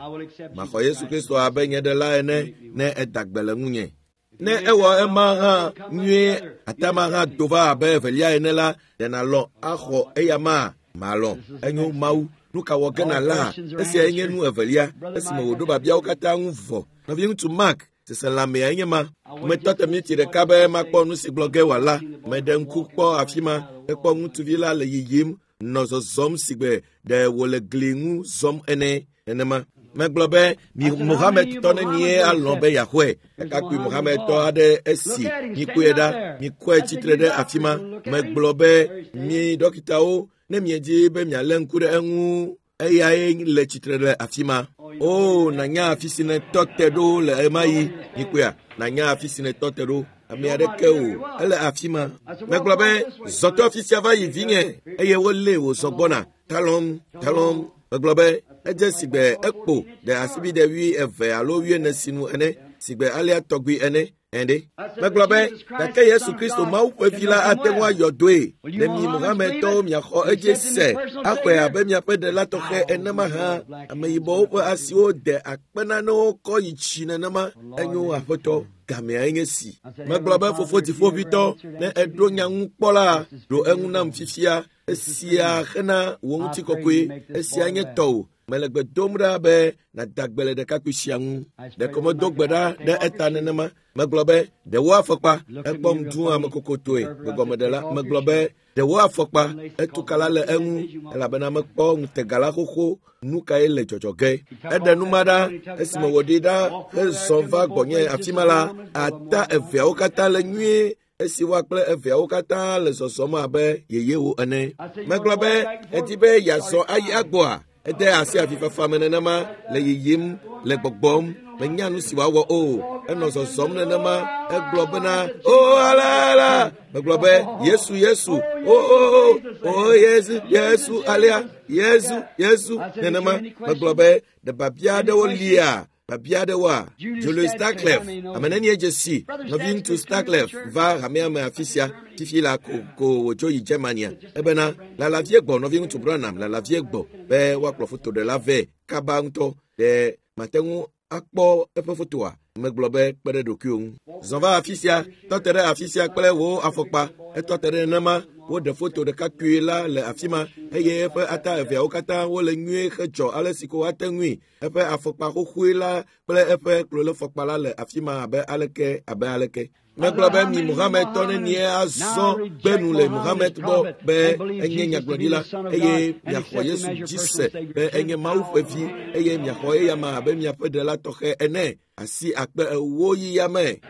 Maxɔ Yesu Kristo abe nye ɖela ene ne eda gbe le ŋunye. Ne ewɔ ema hã nyuie, atama hã do va abe evelia ene la, ɖe nàlɔ̃ axɔ eya ma? Malɔ̃. Enyo Mawu. Nu ka wɔ ge nàla? Esiae nye nu evelia esime wòɖo biabiawo katã ŋu vɔ. Nɔviŋutsu Mark, seselãmea nye ma. Metɔ te miniti ɖeka be makpɔ nu si gblɔ ge wòala. Meɖe ŋku kpɔ afi ma hekpɔ ŋutsuvi la le yiyim nɔ zɔzɔm sigbe ɖe wòle gli ŋu zɔm ene. Nenema. Megblɔ be mi Mohamedtɔ nenie alɔ̃ be yeaxɔe. Ɖekakpui Mohamedtɔ aɖe esi mikpɔe ɖa, mikɔe tsitre ɖe afi ma. Megblɔ be mi ɖɔkitawo, ne miedi be mialé ŋku ɖe eŋu, eyae le tsitre le afi ma. O, nànya afi si nètɔ te ɖo le ɣemaɣi. Mikpɔea? Nànya afi si nètɔ te ɖo. Ame aɖeke o, ele afi ma. Megblɔ be, zɔ to afi sia va yi vinye, eye wolée wòzɔ gbɔna. Talɔm, talɔm. Megblɔ be, edze sigbe ekpo ɖe asibide 20 alo 40 sinu ene, sigbe alea tɔgbi ene. Ɛ̃ɖe. Megblɔ be, gake Yesu Kristo Mawu ƒe vi la ate ŋu ayɔ dɔe. Ne mi Mohamedtɔwo miaxɔ edzi se, axɔe abe miaƒe ɖela tɔxɛ ene mahã. Ameyibɔwo ƒe asiwo de akpe nanewo kɔ yi tsi nenema. Enyo aƒetɔ, gameae nye si. Megblɔ be, fofo dziƒoʋĩtɔ, ne èɖo nya ŋu kpɔ la, ɖo eŋu nam fifia. Esia hena wò ŋutikɔkɔe. Esia nye tɔwò. Mele gbe dom ɖa be nàda gbe le ɖekakpui sia ŋu. Ɖeko medo gbe ɖa ɖe eta nenema. Megblɔ be, ɖe wò afɔkpa. Ekpɔm dũ amekokotoe. Gbegɔmeɖela, megblɔ be, ɖe wò afɔkpa. Etukala le eŋu elabena mekpɔ ŋutega la xoxo. Nu kae le dzɔdzɔ ge? Eɖe nu ma ɖa esime wòɖi ɖa hezɔ va gbɔnye afi ma la, ata eveawo katã le nyuie esi woa kple eveawo katã le zɔzɔm abe yeyewo ene. Megblɔ be, èdi be yeazɔ ayi agbɔa? Ede asi avifafa me nenema le yiyim, le gbɔgbɔm. Menya nu si wòawɔ o. Enɔ zɔzɔm nenema. Egblɔ bena, o ala ala. Megblɔ be, Yesu, Yesu. O o o. O Yesu, Yesu alea. Yesu, Yesu nenema. Megblɔ be, ɖe biabia aɖewo lia? Biabia aɖewoa? Julius Starclef, ame nenie dze si nɔviŋutsu Starclef va hamea me afi sia fifi la ko ko wòdzo yi Germania. Ebena, lala vie gbɔ nɔviŋutsu Branham lala vie gbɔ be woakplɔ fotoɖela vɛ kaba ŋutɔ. Ɖe mate ŋu akpɔ eƒe fotoa? Megblɔ be kpe ɖe ɖokuiwò ŋu. Zɔ va afi sia, tɔ te ɖe afi sia kple wò afɔkpa. Etɔ te ɖe nenema. Woɖe foto ɖekakpui la le afi ma eye eƒe ata eveawo katã wole nyuie hedzɔ ale si ko woate ŋui. Eƒe afɔkpa xoxoe la kple eƒe klolefɔkpa la le afi ma abe aleke abe aleke. Megblɔ be mi Mohamedtɔ nenie azɔ gbe nu le Mohamed gbɔ be enye nyagblɔɖila eye miaxɔ Yesu dzi se be enye Mawu ƒe vi eye miaxɔ eyama abe miaƒe ɖela tɔxɛ ene. Asi akpe ewo yi yame.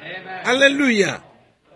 Aleluya!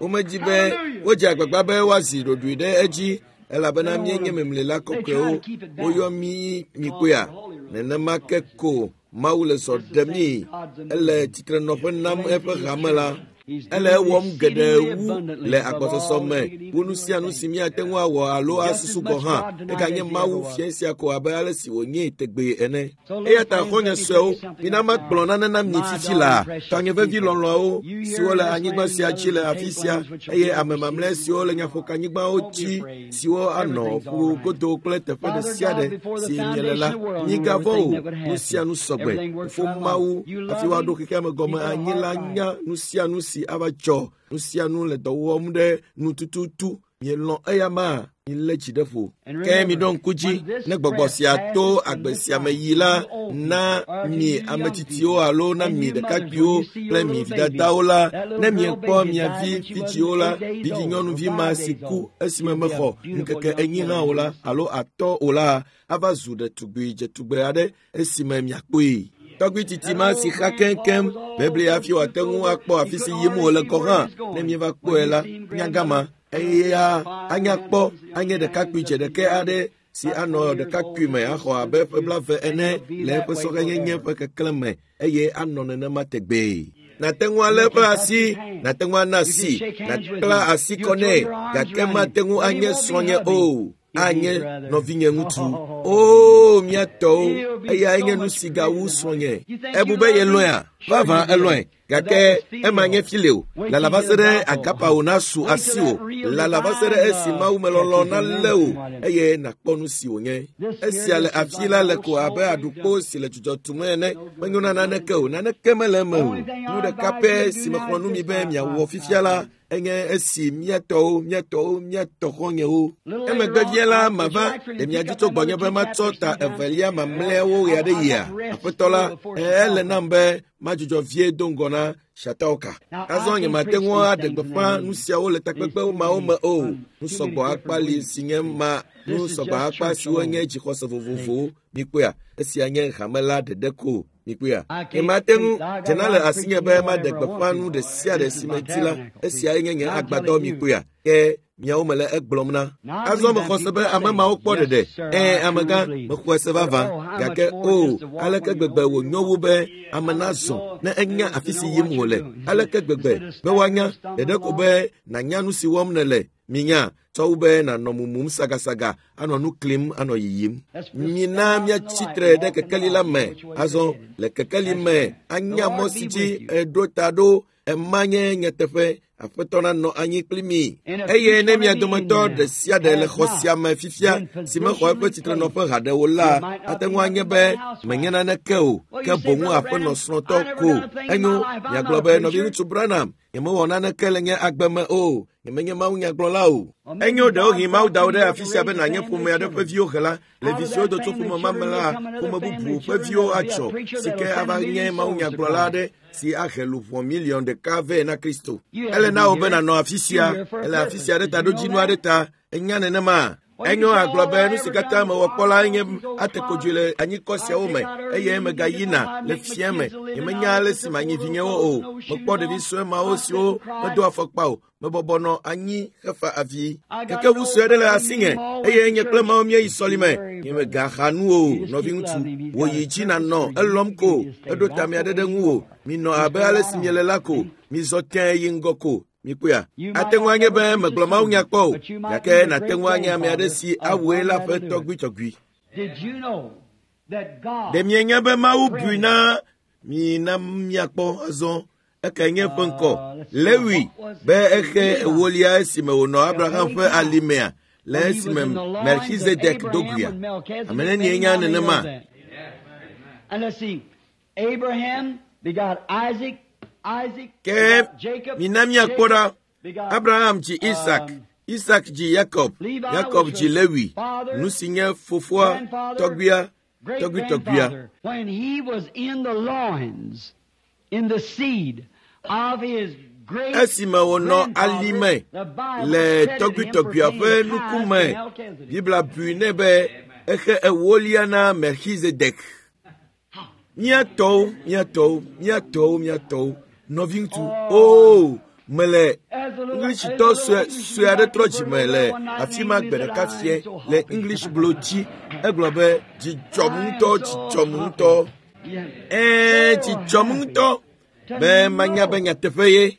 Womedzi be wodze agbagba be woazi ɖoɖoe ɖe edzi elabena míenye memlela kɔkɔewo. Woyɔ mí mikpɔea? Nenema ke ko Mawu le zɔ ɖem mí. Ele tsitrenɔƒe nam eƒe hame la. Ele ewɔm geɖe wu le agbɔsɔsɔ me wu nu sia nu si míate ŋu awɔ alo asusu gɔ̃ hã. Eganye Mawu fia sia ko abe ale si wònyee tegbee ene. Eya ta xɔ̃nye suewo, mina magblɔ nane na mi fifi laa. Tɔnye vevi lɔlɔ̃awo siwo le anyigba sia dzi le afi sia eye ame mamlɛ siwo le nyaƒokanyigbawo dzi siwo anɔ ƒu godo kple teƒe ɖe sia ɖe si miele la, migavɔ̃ o. Nu sia nu sɔgbe. Fofo Mawu hafi woaɖo xexea me gɔme anyi la nya nu sia nu si ava dzɔ. Nu sia nu le dɔ wɔm ɖe nu tututu. Mielɔ̃ eya ma? Milé dzi ɖe ƒo. Ke miɖo ŋku dzi ne gbɔgbɔ sia to agbe sia me yi la na mi ame tsitsiwo alo na mi ɖekakpuiwo kple mi vidadawo la, ne miekpɔ mia vi vidziwo la, vidzinyɔnuvi ma si ku esime mexɔ ŋkeke enyi hã o la alo atɔ o la, ava zu ɖetugbui dzetugbe aɖe esime miakpɔe. Tɔgbui tsitsi ma si xa keŋkeŋ bebli hafi wòate ŋu akpɔ afi si yim wòle gɔ̃ hã ne mieva kpɔe la, nyagama eya anya kpɔ anye ɖekakpui dzeɖekɛ aɖe si anɔ ɖekakpui me axɔ abe ƒe blaeve ene le eƒe sɔhɛnyenye ƒe keklẽ me eye anɔ nenema tegbee. Nàte ŋu alé eƒe asi, nàte ŋu ana asi, nàkpla asi kɔ nɛ, gake mate ŋu anye srɔ̃nye o. Anye nɔvinye ŋutsu. Oo, mía tɔwo, eyae nye nu si gawu srɔ̃nye. Ebu be yelɔ̃ea? Vavã elɔ̃e. Gake ema nye file o. Lala va se ɖe agapawo nasu asiwò. Lala va se ɖe esi mawumelɔlɔ̃ nalé wò eye nàkpɔ nu si wònye. Esia le afi la le ko abe aɖukpo si le dzudzɔ tum ene. Menyo na naneke o. Naneke mele eme o. Nu ɖeka pɛ si mexlɔ̃ nu mi be miawɔ fifia la enye esi mía tɔwo, mía tɔwo, mía tɔ xɔ̃nyewo. Emegbe vie la mava ɖe mia dzi tso gbɔnye be matsɔ ta evelia mamlɛawo ɣe aɖe yia. Aƒetɔ la, ele nam be madzudzɔ vie do ŋgɔ na Shatauka. Azɔ nyemate ŋu aɖe gbeƒã nu siawo le takpekpe mawo me o. Nu sɔgbɔ akpa li si nye ma, nu sɔgbɔ akpa siwo nye dzixɔse vovovowo. Mikpɔea? Esia nye hame la ɖeɖe ko. Mikpɔea? Nyemate ŋu dzena le asinye be maɖe gbeƒã nu ɖe sia ɖe si medi la. Esiae nye nye agbadɔ. Mikpɔea? Ke miawo mele egblɔm na. Azɔ mexɔ se be ame mawo kpɔ ɖeɖe. Ɛ̃, amegã, mexɔe se vavã. Gake o, aleke gbegbe wònyo wu be ame nazɔ ne enya afi si yim wòle. Aleke gbegbe be woanya ɖeɖe ko be nànya nu si wɔm nèle. Minya, tsɔ wu be nànɔ mumum sagasaga, anɔ nu klim, anɔ yiyim. Mina míatsi tre ɖe kekeli la me. Azɔ le kekeli me anya mɔ si dzi eɖo ta ɖo. Ema nye nyateƒe. Aƒetɔ nanɔ anyi kpli mi. Eye ne mia dometɔ ɖe sia ɖe le xɔ sia me fifia si mexɔ eƒe tsitrenɔƒe haɖe o la, ate ŋu anye be menye naneke o, ke boŋ aƒenɔ srɔ̃tɔ ko. Enyo, miagblɔ be nɔviŋutsu Branham, nyemewɔ naneke le nye agbe me o. Nyemenye mawunyagblɔla o. Enyo, ɖewohĩ Mawu da wò ɖe afi sia be nànye ƒome aɖe ƒe viwo hela. Le vi siwo do tso ƒome ma me la, ƒome bubu ƒe viwo atsɔ si ke ava nye mawunyagblɔla aɖe si ahe luʋɔ miliɔn ɖeka vɛ na Kristo. Ele na wò be nànɔ afi sia. Ele afi sia ɖe taɖodzinu aɖe ta. Ènya nenema? Enyo agblɔ be nu si katã mewɔ kpɔ la nye ate kodzoe le anyikɔ siawo me eye megayina le fia me. Nyemenya ale si manyi vinyewo o. Mekpɔ ɖevi sue mawo siwo medo afɔkpa o. Mebɔbɔ nɔ anyi hefa avi. Kekeʋu sue aɖe le asinye eye nye kple Mawu míeyi sɔlime. Nyemegaxa nu o, nɔviŋutsu. Wò yi dzi nànɔ elɔm ko. Eɖo tame aɖe ɖe ŋuwò. Minɔ abe ale si miele la ko. Mizɔ tẽe yi ŋgɔ ko. Mikpɔea? Ate ŋu anye be megblɔ mawunya kpɔ o, gake nàte ŋu anye ame aɖe si awɔe la ƒe tɔgbuitɔgbui. Ɖe mienya be Mawu bui na mi na miakpɔ azɔ ekae nye eƒe ŋkɔ? Lewi be exe ewolia esime wònɔ Abraham ƒe alimea le esime Melchizedek do guia. Ame nenie nya nenema? Abraham begot Isaac, Isaac Ke begot Jacob, mina míakpɔ ɖa. begot Abraham dzi Isak, Isak dzi Yakob, Yakob dzi Lewi, nu si nye fofoa, tɔgbuia, tɔgbuitɔgbuia. Esime wònɔ alime le tɔgbuitɔgbuia ƒe nukume, Biblia bui nɛ be exe ewolia na Melchizedek. Mía tɔwo, mía tɔwo, mía tɔwo, mía tɔwo, nɔviŋutsu, oo, mele Englishitɔ sue aɖe trɔ dzime le afi ma gbe ɖeka fie le English blo dzi. Egblɔ be dzidzɔm ŋutɔ, dzidzɔm ŋutɔ. Ɛɛ, dzidzɔm ŋutɔ be manya be nyateƒe ye.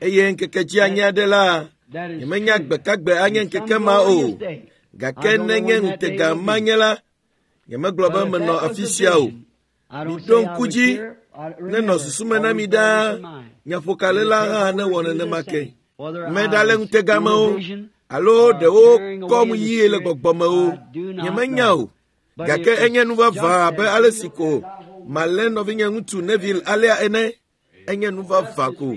Eye ŋkeke dzi anye aɖe la, nyemenya gbekagbe anye ŋkeke ma o. Gake nenye ŋutega ma nye la, nyemegblɔ be menɔ afi sia o. Miɖo ŋku dzi nenɔ susu me na mi ɖaa. Nyaƒokalela hã newɔ nenema ke. Meɖale ŋutega me o alo ɖewo kɔm yie le gbɔgbɔ me o, nyemenya o. Gake enye nu vavã abe ale si ko malé nɔvinye ŋutsu Neville alea ene. Enye nu vavã ko.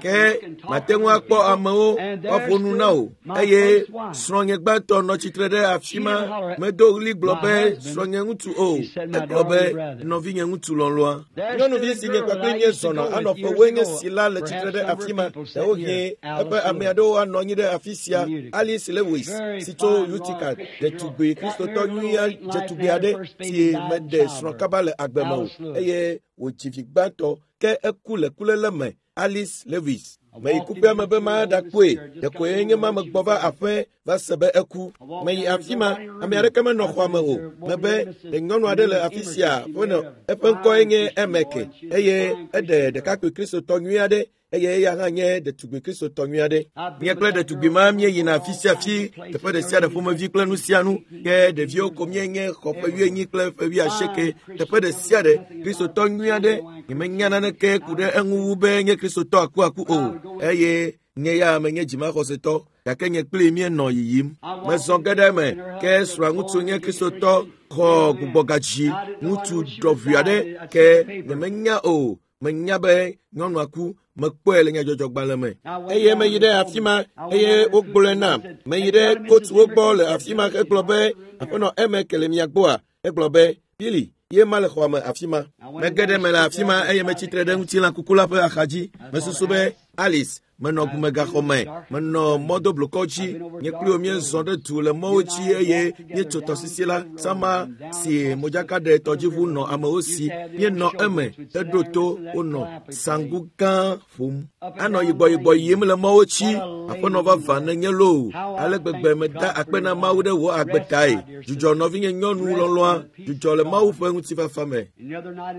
Ke mate ŋu akpɔ amewo woaƒo nu na wò. Eye srɔ̃nye gbãtɔ nɔ tsitre ɖe afi ma medo ɣli gblɔ be srɔ̃nye ŋutsu o. Egblɔ be nɔvinye ŋutsu lɔlɔ̃a. Nyɔnuvi si nye kpakple nye zɔna anɔ ƒewoe nye si la le tsitre ɖe afi ma. Ɖewohĩ eƒe ame aɖewo anɔ anyi ɖe afi sia. Alice Lewis si tso Utica, ɖetugbui kristotɔ nyui dzetugbe aɖe si meɖe srɔ̃ kaba le agbe me o eye wòdzi vi gbãtɔ ke eku le kuléle me. Alice Lewis. Meyi kuƒea me be maɖakpɔe. Ɖekoe nye ma megbɔ va aƒe va se be eku. Meyi afi ma, ame aɖeke menɔ xɔa me o. Mebe ɖe nyɔnu aɖe le afi sia ƒe eƒe ŋkɔe nye Emeke eye eɖe ɖekakpui kristotɔ nyui aɖe eye eya hã nye ɖetugbui kristotɔ nyui aɖe. Mía kple ɖetugbui ma míeyina afi sia afi, teƒe ɖe sia ɖe ƒomevi kple nu sia nu. Ke ɖeviwo ko míenye xɔ ƒe wuienyi kple ƒe wuiasieke. Teƒe ɖe sia ɖe kristotɔ nyui aɖe. Nyemenya naneke ku ɖe eŋu wu be nye kristotɔ akuaku o eye nye ya menye dzimaxɔsetɔ gake nye kpli míenɔ yiyim. Mezɔ ge ɖe eme ke srɔ̃a ŋutsu nye kristotɔ xɔ gbugbɔgadzi ŋutsu ɖɔʋui aɖe ke nyemenya o. Menya be nyɔnua ku, mekpɔe le nyadzɔdzɔgbalẽ me. Eye meyi ɖe afi ma eye wogblɔe nam. Meyi ɖe kotuwo gbɔ le afi ma hegblɔ be aƒenɔ Emeke le mia gbɔa? Egblɔ be Billy ye ma le xɔa me afi ma. Mege ɖe me le afi ma eye metsitre ɖe ŋutilã kuku la ƒe axadzi. Mesusu be Alice, menɔ gumegaxɔ me, menɔ mɔdoblukɔ dzi. Nye kpli wò míezɔ ɖe du le mɔwo dzi eye míetso tɔsisi la sama si modzakaɖetɔdziʋu nɔ amewo si. Míenɔ eme heɖo to wonɔ sangu gã ƒom. Anɔ yigbɔyigbɔ yim le mɔwo dzi. Aƒenɔ vavã nenye loo. Ale gbegbe meda akpe na Mawu ɖe wò agbe tae. Dzudzɔ nɔvinye nyɔnu lɔlɔ̃a, dzudzɔ le Mawu ƒe ŋutifafa me.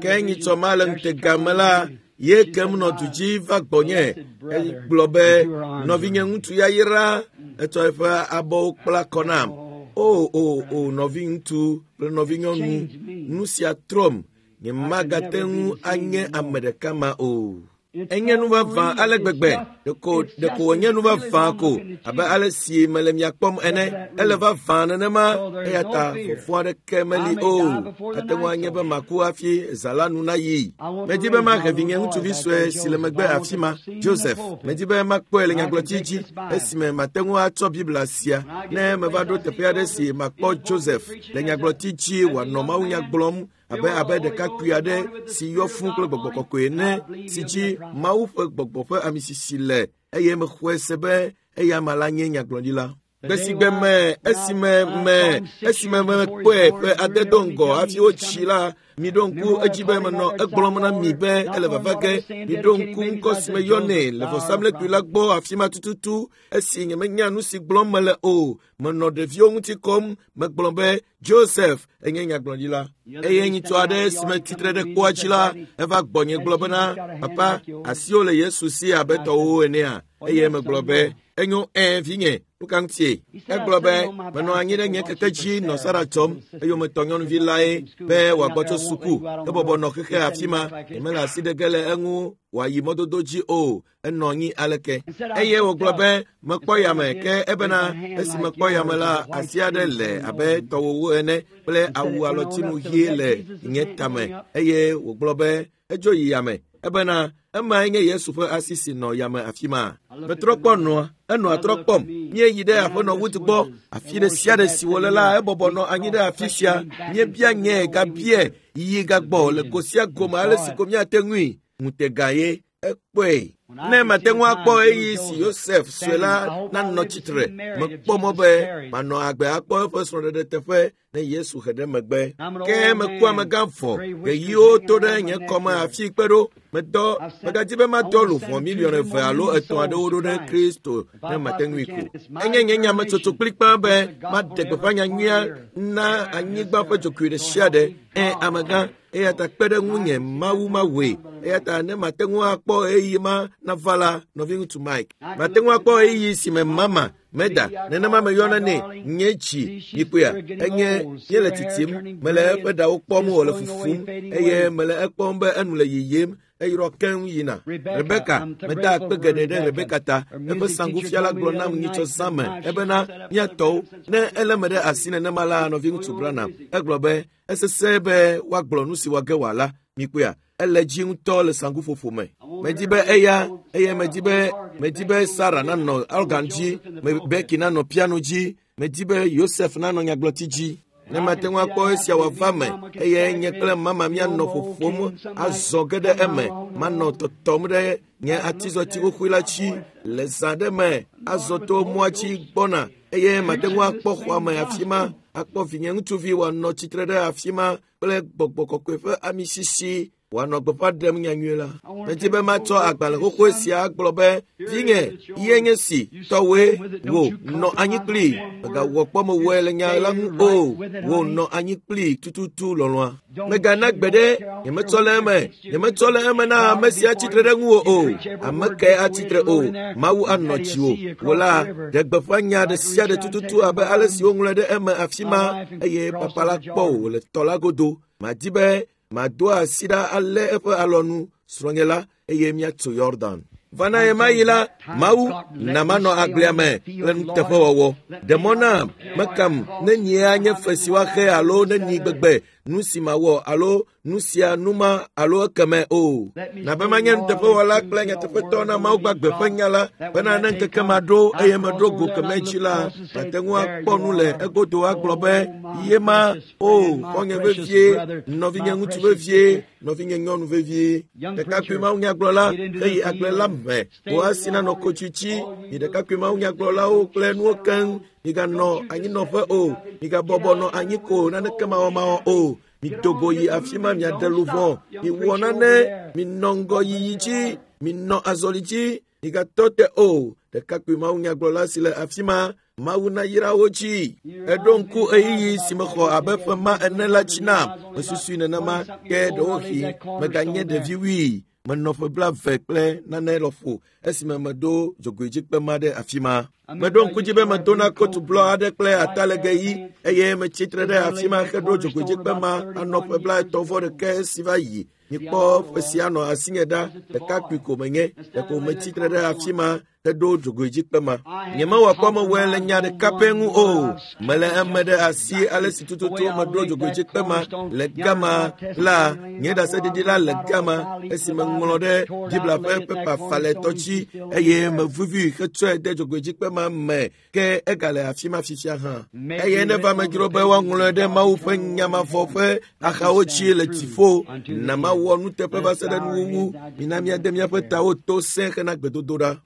Ke nyitsɔ ma le ŋutega me la, ye kem nɔ du dzi va gbɔnye egblɔ be nɔvinye ŋutsu yayra etsɔ eƒe abɔwo kpla kɔ nam. O o o nɔviŋutsu kple nɔvinyɔnu, nu sia trɔm. Nyemagate ŋu anye ame ɖeka ma o. Enye nu vavã ale gbegbe. Ɖeko wònye nu vavã ko abe ale si mele mia kpɔm ene. Ele vavã nenema eya ta vɔvɔ̃ aɖeke meli o. Ate ŋu anye be maku hafi zã la nu nayi. Medi be mahe vinye ŋutsuvi sue si le megbe afi ma, Joseph. Medi be makpɔe le nyagblɔti dzi esime mate ŋu atsɔ Biblia sia ne meva ɖo teƒe aɖe si makpɔ Joseph le nyagblɔti dzi wòanɔ mawunya gblɔm abe ɖekakpui aɖe si yɔ fũ kple gbɔgbɔ kɔkɔe ene si dzi Mawu ƒe gbɔgbɔ ƒe amisisi le eye mexɔe se be eya ama la nye nyagblɔɖila. Gbe si gbe me esime mekpɔe ƒe ade do ŋgɔ hafi wotsi la, miɖo ŋku edzi be menɔ egblɔm na mi be ele vava ge. Miɖo ŋku ŋkɔ si meyɔnɛ le vɔsamlekpui la gbɔ afi ma tututu esi nyemenya nu si gblɔm mele o. Menɔ ɖeviwo ŋuti kɔm, megblɔ be Joseph enye nyagblɔɖila. Eye nyitsɔ aɖe si me tsitre ɖe kpoa dzi la, eva gbɔnye gblɔ bena, Papa, asiwò le Yesu si abe tɔwòwo enea? Eye megblɔ be, enyo vinye, nu ka ŋutie? Egblɔ be, menɔ anyi ɖe nye keke dzi nɔ Sara tsɔm, eyometɔ nyɔnuvi lae be wòagbɔ tso suku. Ebɔbɔ nɔ xexe afi ma, nyemele asi ɖe ge le eŋu wòayi mɔdodo dzi o. Enɔ anyi aleke? Eye wògblɔ be, mekpɔ yame ke ebena esi mekpɔ yame la, asi aɖe le abe tɔwòwo ene kple awu alɔtinu ɣie le nye tame. Eye wògblɔ be, edzo yi yame. Ebena emae nye Yesu ƒe asi si nɔ yame afi ma. Metrɔ kpɔ nɔa, enɔa trɔ kpɔm. Míeyi ɖe aƒenɔ Wood gbɔ. Afi ɖe sia ɖe si wòle la, ebɔbɔ nɔ anyi ɖe afi sia. Míebia nyee gabie yiyi gagbɔ le go sia gome ale si ko míate ŋui. Ŋutega ye ekpɔe. Ne mate ŋu akpɔ ɣeyiɣi si Yosef sue la nanɔ tsitre, mekpɔ mɔ be manɔ agbe akpɔ eƒe srɔ̃ɖeɖe teƒe ne Yesu he ɖe megbe. Ke meku amegã vɔ, ɣeyiwo to ɖe nye kɔme afi kpe ɖo. Medɔ, megadzi be madɔ luʋɔ miliɔn 2 alo 3 aɖewo ɖo ɖe Kristo ne mate ŋui ko. Enye nye nyametsotso kplikpaa be maɖe gbeƒã nyanyuia na anyigba ƒe dzokui ɖe sia ɖe. Amegã, eya ta kpe ɖe ŋunye Mawu mawɔe. Eya ta ne mate ŋu akpɔ ɣeyiɣi ma nava la, nɔviŋutsu Mike, mate ŋu akpɔ ɣeyiɣi si me mama meda nenema meyɔna nɛ nye dzi mikpɔea enye míele tsitsim mele eƒe ɖawo kpɔm wòle fufum eye mele ekpɔm be enu le yiyim eyrɔ keŋ yina. Rebeka, meda akpe geɖe ɖe Rebeka ta. Eƒe saŋgufiala gblɔ nam nyitsɔ zã me ebena míatɔwo ne ele me ɖe asi nenema la nɔviŋutsu Branham. Egblɔ be esesẽ be woagblɔ nu si wòage wòala. Mikpɔea ele dzi ŋutɔ le saŋguƒoƒo me. Medi be eya eye medi be Sarah nanɔ organ dzi, Becky nanɔ piano dzi, medi be Yosef nanɔ nyagblɔti dzi. Ne mate ŋu akpɔ esia wòava me eye nye kple mama míanɔ ƒoƒom azɔ ge ɖe eme, manɔ tɔtɔm ɖe nye atizɔti xoxoe la dzi le zã ɖe me azɔ to mɔa dzi gbɔna eye mate ŋu akpɔ xɔa me afi ma, akpɔ vinye ŋutsuvi wòanɔ tsitre ɖe afi ma kple gbɔgbɔ kɔkɔe ƒe amisisi wòanɔ gbeƒã ɖem nyanyui la. Medi be matsɔ agbalẽ xoxoe sia agblɔ be, vinye, ye nye si, tɔwoe, wò nɔ anyi kplii. Mègawɔ kpɔ mewɔe le nya la ŋu o. Wò nɔ anyi kplii tututu lɔlɔ̃a. Mègana gbe ɖe, nyemetsɔ le eme, nyemetsɔ le eme na ame si atsitre ɖe ŋuwò o. Ame kae atsitre o? Mawu anɔ dziwò. Wò la, ɖe gbeƒã nya ɖe sia ɖe tututu abe ale si woŋlɔe ɖe eme afi ma eye papa la kpɔ wò le tɔ la godo. Madi be mado asi ɖa alé eƒe alɔnu srɔ̃nye la eye míatso Yordan. Vana ɣemaɣi la, Mawu na manɔ agblea me kple nuteƒewɔwɔ. Ɖe mɔ nam mekam ne nyia nye fe si woaxe alo ne nyi gbegbe nu si mawɔ alo nu sia nu ma alo ekeme o. Nabe manye nuteƒewɔla kple nyateƒetɔ na Mawu gbagbe ƒe nya la bena ne ŋkeke ma ɖo eye meɖo go keme dzi la, mate ŋu akpɔ nu le egodo agblɔ be ye ma o xɔnye vevie, nɔvinye ŋutsu vevie, nɔvinye nyɔnu vevie. Ɖekakpui Mawu nyagblɔla heyi agble la me, wò asi nanɔ kotsui dzi. Mi ɖekakpui Mawu nyagblɔlawo kple nuwo keŋ, miganɔ anyinɔƒe o, migabɔbɔ nɔ anyi ko naneke mawɔmawɔ o. Mido go yi afi ma miaɖe luʋɔ, miwɔ nane, minɔ ŋgɔyiyi dzi, minɔ azɔli dzi, migatɔ te o. Ɖekakpui Mawu nyagblɔla si le afi ma, Mawu nayra wo dzi. Eɖo ŋku ɣeyiɣi si mexɔ abe ƒe ma ene la dzi nam. Mesusui nenema ke ɖewohĩ meganye ɖevi wui. Menɔ ƒe 20 kple nane lɔƒo esime meɖo dzogoedzikpe ma ɖe afi ma. Meɖo ŋku dzi be medona kotu blɔ aɖe kple atalege ɣi eye metsi tre ɖe afi ma heɖo dzogoedzikpe ma anɔ ƒe 31 esi va yi. Mikpɔ ƒe sia nɔ asinye ɖa, ɖekakpui ko menye. Ɖeko metsi tre ɖe afi ma heɖo dzogoedzikpe ma. Nyemewɔ kpɔ mewɔe le nya ɖeka pɛ ŋu o. Mele eme ɖe asi ale si tututu meɖo dzogoedzikpe ma le gama la, nye ɖaseɖiɖi la le gama esi meŋlɔ ɖe Biblia ƒe pepa falɛtɔ dzi eye mevuvi hetsɔe de dzogoedzikpe ma me ke egale afi ma fifia hã. Eye neva medzro be woaŋlɔe ɖe Mawu ƒe nya mavɔ ƒe axawo dzi le dziƒo. Na mawɔ nuteƒe va se ɖe nuwuwu. Mina míade míaƒe tawo to sẽ hena gbedodoɖa.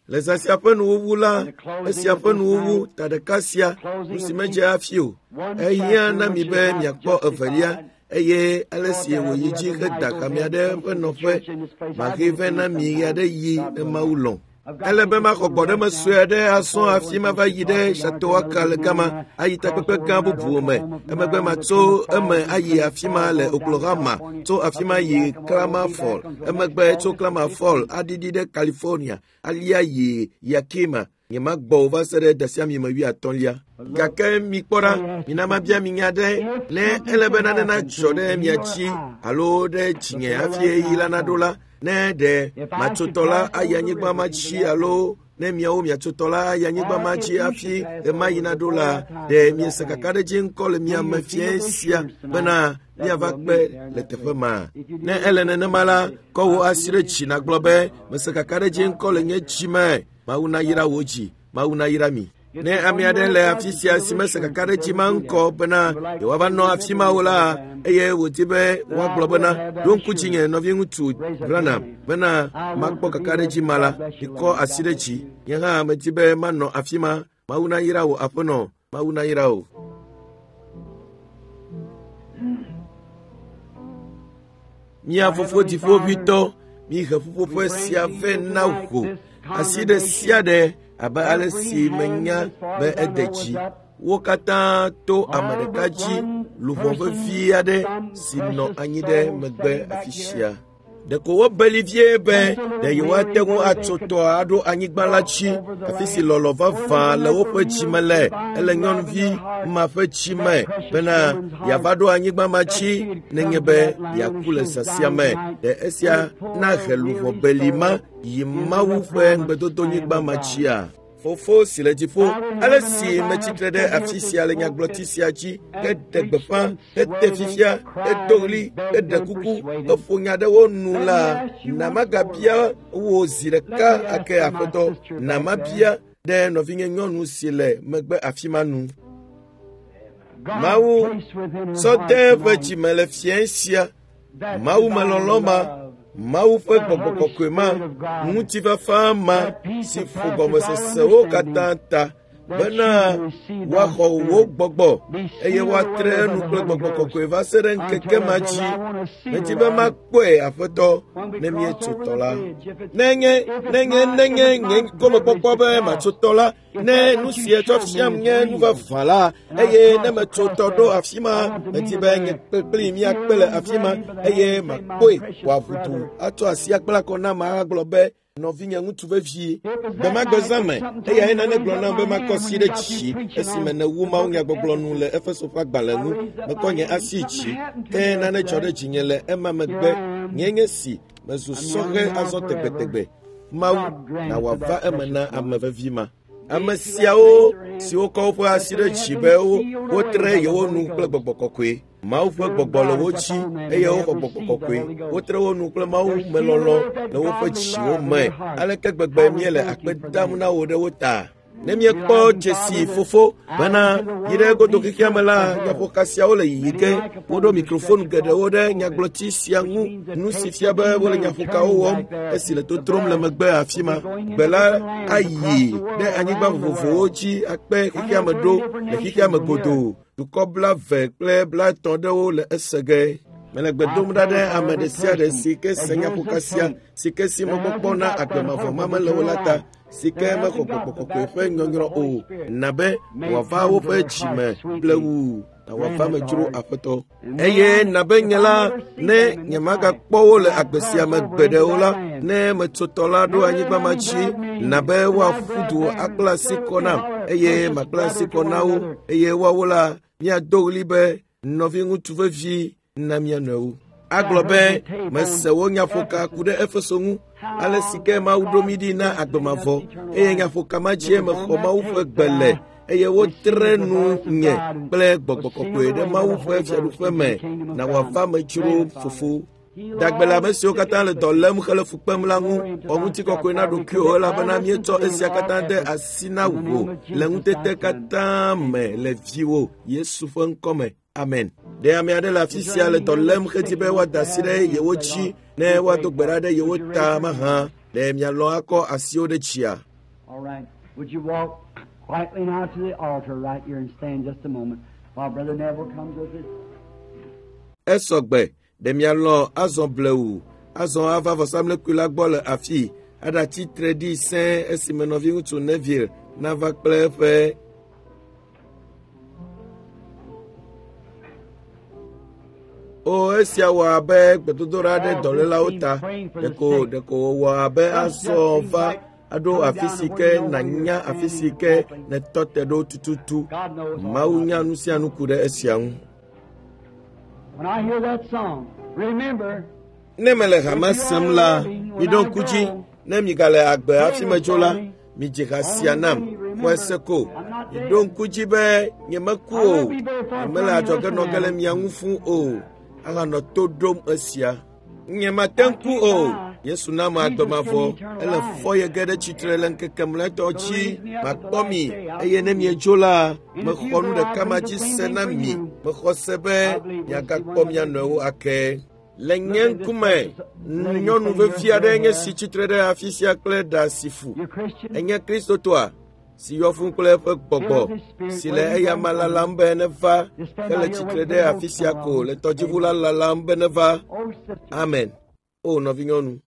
Le zã sia ƒe nuwuwu la, esia ƒe nuwuwu ta ɖeka sia, nu si medze hafi o. Ehiã na mi be miakpɔ evelia eye ale si wòyi dzi heda hamea ɖe eƒe nɔƒe. Mahe vɛ na mi ɣeaɖeɣi ne Mawu lɔ̃. Ele be maxɔ gbɔɖeme sue aɖe asɔ hafi mava yi ɖe Chautauqua le gama ayi takpekpe gã bubuwo me. Emegbe matso eme ayi afi ma le Oklahoma, tso afi ma yi Klamath Falls. Emegbe tso Klamath Falls aɖiɖi ɖe California, alia yi Yakima. Nyemagbɔ o va se ɖe dasiami me 80lia. Gake mikpɔ ɖa, mina mabia mi nya ɖe, ne ele be nane nadzɔ ɖe mia dzi alo ɖe dzinye hafi ɣeyiɣi la naɖo la, ne ɖe matsotɔ la ayi anyigba ma dzi alo Ne miawo miatso tɔ la ayi anyigba ma dzi hafi ɣemaɣi naɖo la, ɖe miese kakaɖedzi ŋkɔ le mia me fiẽ sia bena míava kpe le teƒe ma. Ne ele nenema la, kɔ wò asi ɖe dzi nàgblɔ be, mese kakaɖedzi ŋkɔ le nye dzi me. Mawu nayra wò dzi, Mawu nayra mi. Ne ame aɖe le afi sia si mese kakaɖedzi ma ŋkɔ bena yewoava nɔ afi ma o la, eye wòdi be woagblɔ bena, ɖo ŋku dzinye nɔviŋutsu Branham bena makpɔ kakaɖedzi ma la, mikɔ asi ɖe dzi. Nye hã medi be manɔ afi ma. Mawu nayra wò aƒenɔ, Mawu nayra wò. Mía fofo dziƒoʋĩtɔ, mihe ƒuƒoƒe sia vɛ na wò. Asi ɖe sia ɖe abe ale si menya be ede dzi. Wo katã to ame ɖeka dzi luʋɔ vevi aɖe si nɔ anyi ɖe megbe afi sia. Ɖeko wobeli vie be ɖe yewoate ŋu atso tɔa aɖo anyigba la dzi, afi si lɔlɔ̃ vavã le woƒe dzime le. Ele nyɔnuvi ma ƒe dzime bena yeava ɖo anyigba ma dzi nenye be yeaku le zã sia me. Ɖe esia nahe luʋɔ beli ma yi Mawu ƒe ŋugbedodonyigba ma dzia? Fofo si le dziƒo, ale si metsitre ɖe afi sia le nyagblɔti sia dzi heɖe gbeƒã, hete fifia, hedo ɣli, heɖe kuku, heƒo nya ɖe wo nu la, na magabia wò zi ɖeka ake Aƒetɔ, na mabia ɖe nɔvinye nyɔnu si le megbe afi ma nu. Mawu sɔ de eƒe dzime le fiẽ sia. Mawu melɔlɔ̃ ma, Mawu ƒe gbɔgbɔ kɔkɔe ma, ŋutifafa ma si ƒo gɔmesesewo katã ta bena woaxɔ wò gbɔgbɔ eye woatre enu kple gbɔgbɔ kɔkɔe va se ɖe ŋkeke ma dzi. Medi be makpɔe Aƒetɔ ne míetso tɔ la. Nenye nenye nye gomekpɔkpɔ be matso tɔ la, ne nu si etsɔ fiam nye nu vavã la, eye ne metso tɔ ɖo afi ma, medi be nye kpli míakpe le afi ma, eye makpɔe wòaʋu du atsɔ asi akpla kɔ nam agblɔ be, nɔvinye ŋutsu vevie, gbemagbe zã me, eyae nane gblɔ nam be makɔ asi ɖe dzi esime nèwu mawunyagbɔgblɔ nu le Efeso ƒe agbalẽ ŋu. Mekɔ nye asi dzi, ke nane dzɔ ɖe dzinye le ema megbe. Nye nye si mezu sɔhɛ azɔ tegbetegbe. Mawu, na wòava eme na ame vevi ma. Ame siawo siwo kɔ woƒe asi ɖe dzi be wotre yewo nu kple gbɔgbɔ kɔkɔe. Mawu ƒe gbɔgbɔ le wo dzi eye woxɔ gbɔgbɔ kɔkɔe. Wotre wo nu kple Mawu melɔlɔ̃ le woƒe dziwo me. Aleke gbegbe míele akpe dam na wò ɖe wo ta? Ne míekpɔ dzesi fofo bena yi ɖe godo xexea me la, nyaƒoka siawo le yiyi ge. Woɖo mikrofon geɖewo ɖe nyagblɔti sia ŋu, nu si fia be wole nyaƒokawo wɔm esi le totrom le megbe afi ma. Gbe la ayi ɖe anyigba vovovowo dzi akpe xexea me ɖo le xexea me godoo. Dukɔ 20 kple 50 ɖewo le ese ge. Mele gbe dom ɖa ɖe ame ɖe sia ɖe si ke se nyaƒoka sia, si ke si mɔkpɔkpɔ na agbe mavɔ ma mele o la ta, si ke mexɔ gbɔgbɔ kɔkɔe ƒe nyɔnyrɔ o, na be wòava woƒe dzime blewu, na wòava me dzro Aƒetɔ. Eye na be nye la, ne nyemagakpɔ wo le agbe sia me gbeɖe o la, ne metso tɔ la ɖo anyigba ma dzi, na be woaƒu du akpla asi kɔ nam, eye makpla asi kɔ na wo, eye woawo la, míado ɣli be, nɔviŋutsu vevi na mía nɔewo. Agblɔ be, mese wò nyaƒoka ku ɖe Efeso ŋu, ale si ke Mawu ɖo mí ɖi na agbe mavɔ, eye nyaƒoka ma dzie mexɔ Mawu ƒe gbe le, eye wotre nu nye kple gbɔgbɔ kɔkɔe ɖe Mawu ƒe fiaɖuƒe me, na wòava me dzro fofo. Dagbe le ame siwo katã le dɔ lém hele fu kpem la ŋu, xɔ ŋutikɔkɔe na ɖokuiwò elabena míetsɔ esia katã de asi na wò le ŋutete katã me le viwò Yesu ƒe ŋkɔ me. Amen. Ɖe ame aɖe le afi sia le dɔ lém hedi be woada asi ɖe yewo dzi ne woado gbe ɖa ɖe yewo ta mahã? Ɖe mialɔ̃ akɔ asiwo ɖe dzia? All right. Would you walk quietly now to the altar right here and stand just a moment while Brother Neville comes with it? Esɔgbe, ɖe mialɔ̃ azɔ blewu, azɔ ava vɔsamlekpui la gbɔ le afii, aɖatsi tre ɖi sẽe esime nɔviŋutsu Neville nava kple eƒe O, esia wɔ abe gbedodoɖa ɖe dɔlélawo ta. Ɖeko wòwɔ abe azɔ va aɖo afi si ke nànya afi si ke nètɔ te ɖo tututu. Mawu nya nu sia nu ku ɖe esia ŋu. When I hear that song, remember, Ne mele hame sem la, miɖo ŋku dzi, ne migale agbe hafi medzo la, Midzi ha sia nam. Xɔe se ko. Miɖo ŋku dzi be nyemeku o. Nyemele adzɔge nɔ ge le mia ŋu fũu o. Ahanɔ to ɖom esia. Nyemate ŋu ku o. Yesu na ame agbe mavɔ. Ele fɔ ye ge ɖe tsitre le ŋkeke mlɔetɔ dzi. Makpɔ mi eye ne miedzo la, mexɔ nu ɖeka ma dzi se na mi. Mexɔ se be miagakpɔ mia nɔewo ake. Le nye ŋkume, nyɔnu vevi aɖe nye si tsitre ɖe afi sia kple ɖa si fu. Enye Kristotɔa si yɔ fũu kple eƒe gbɔgbɔ si le eyama lalam be neva hele tsitre ɖe afi sia ko le tɔdziʋu la lalam be neva. Amen. O nɔvinyɔnu.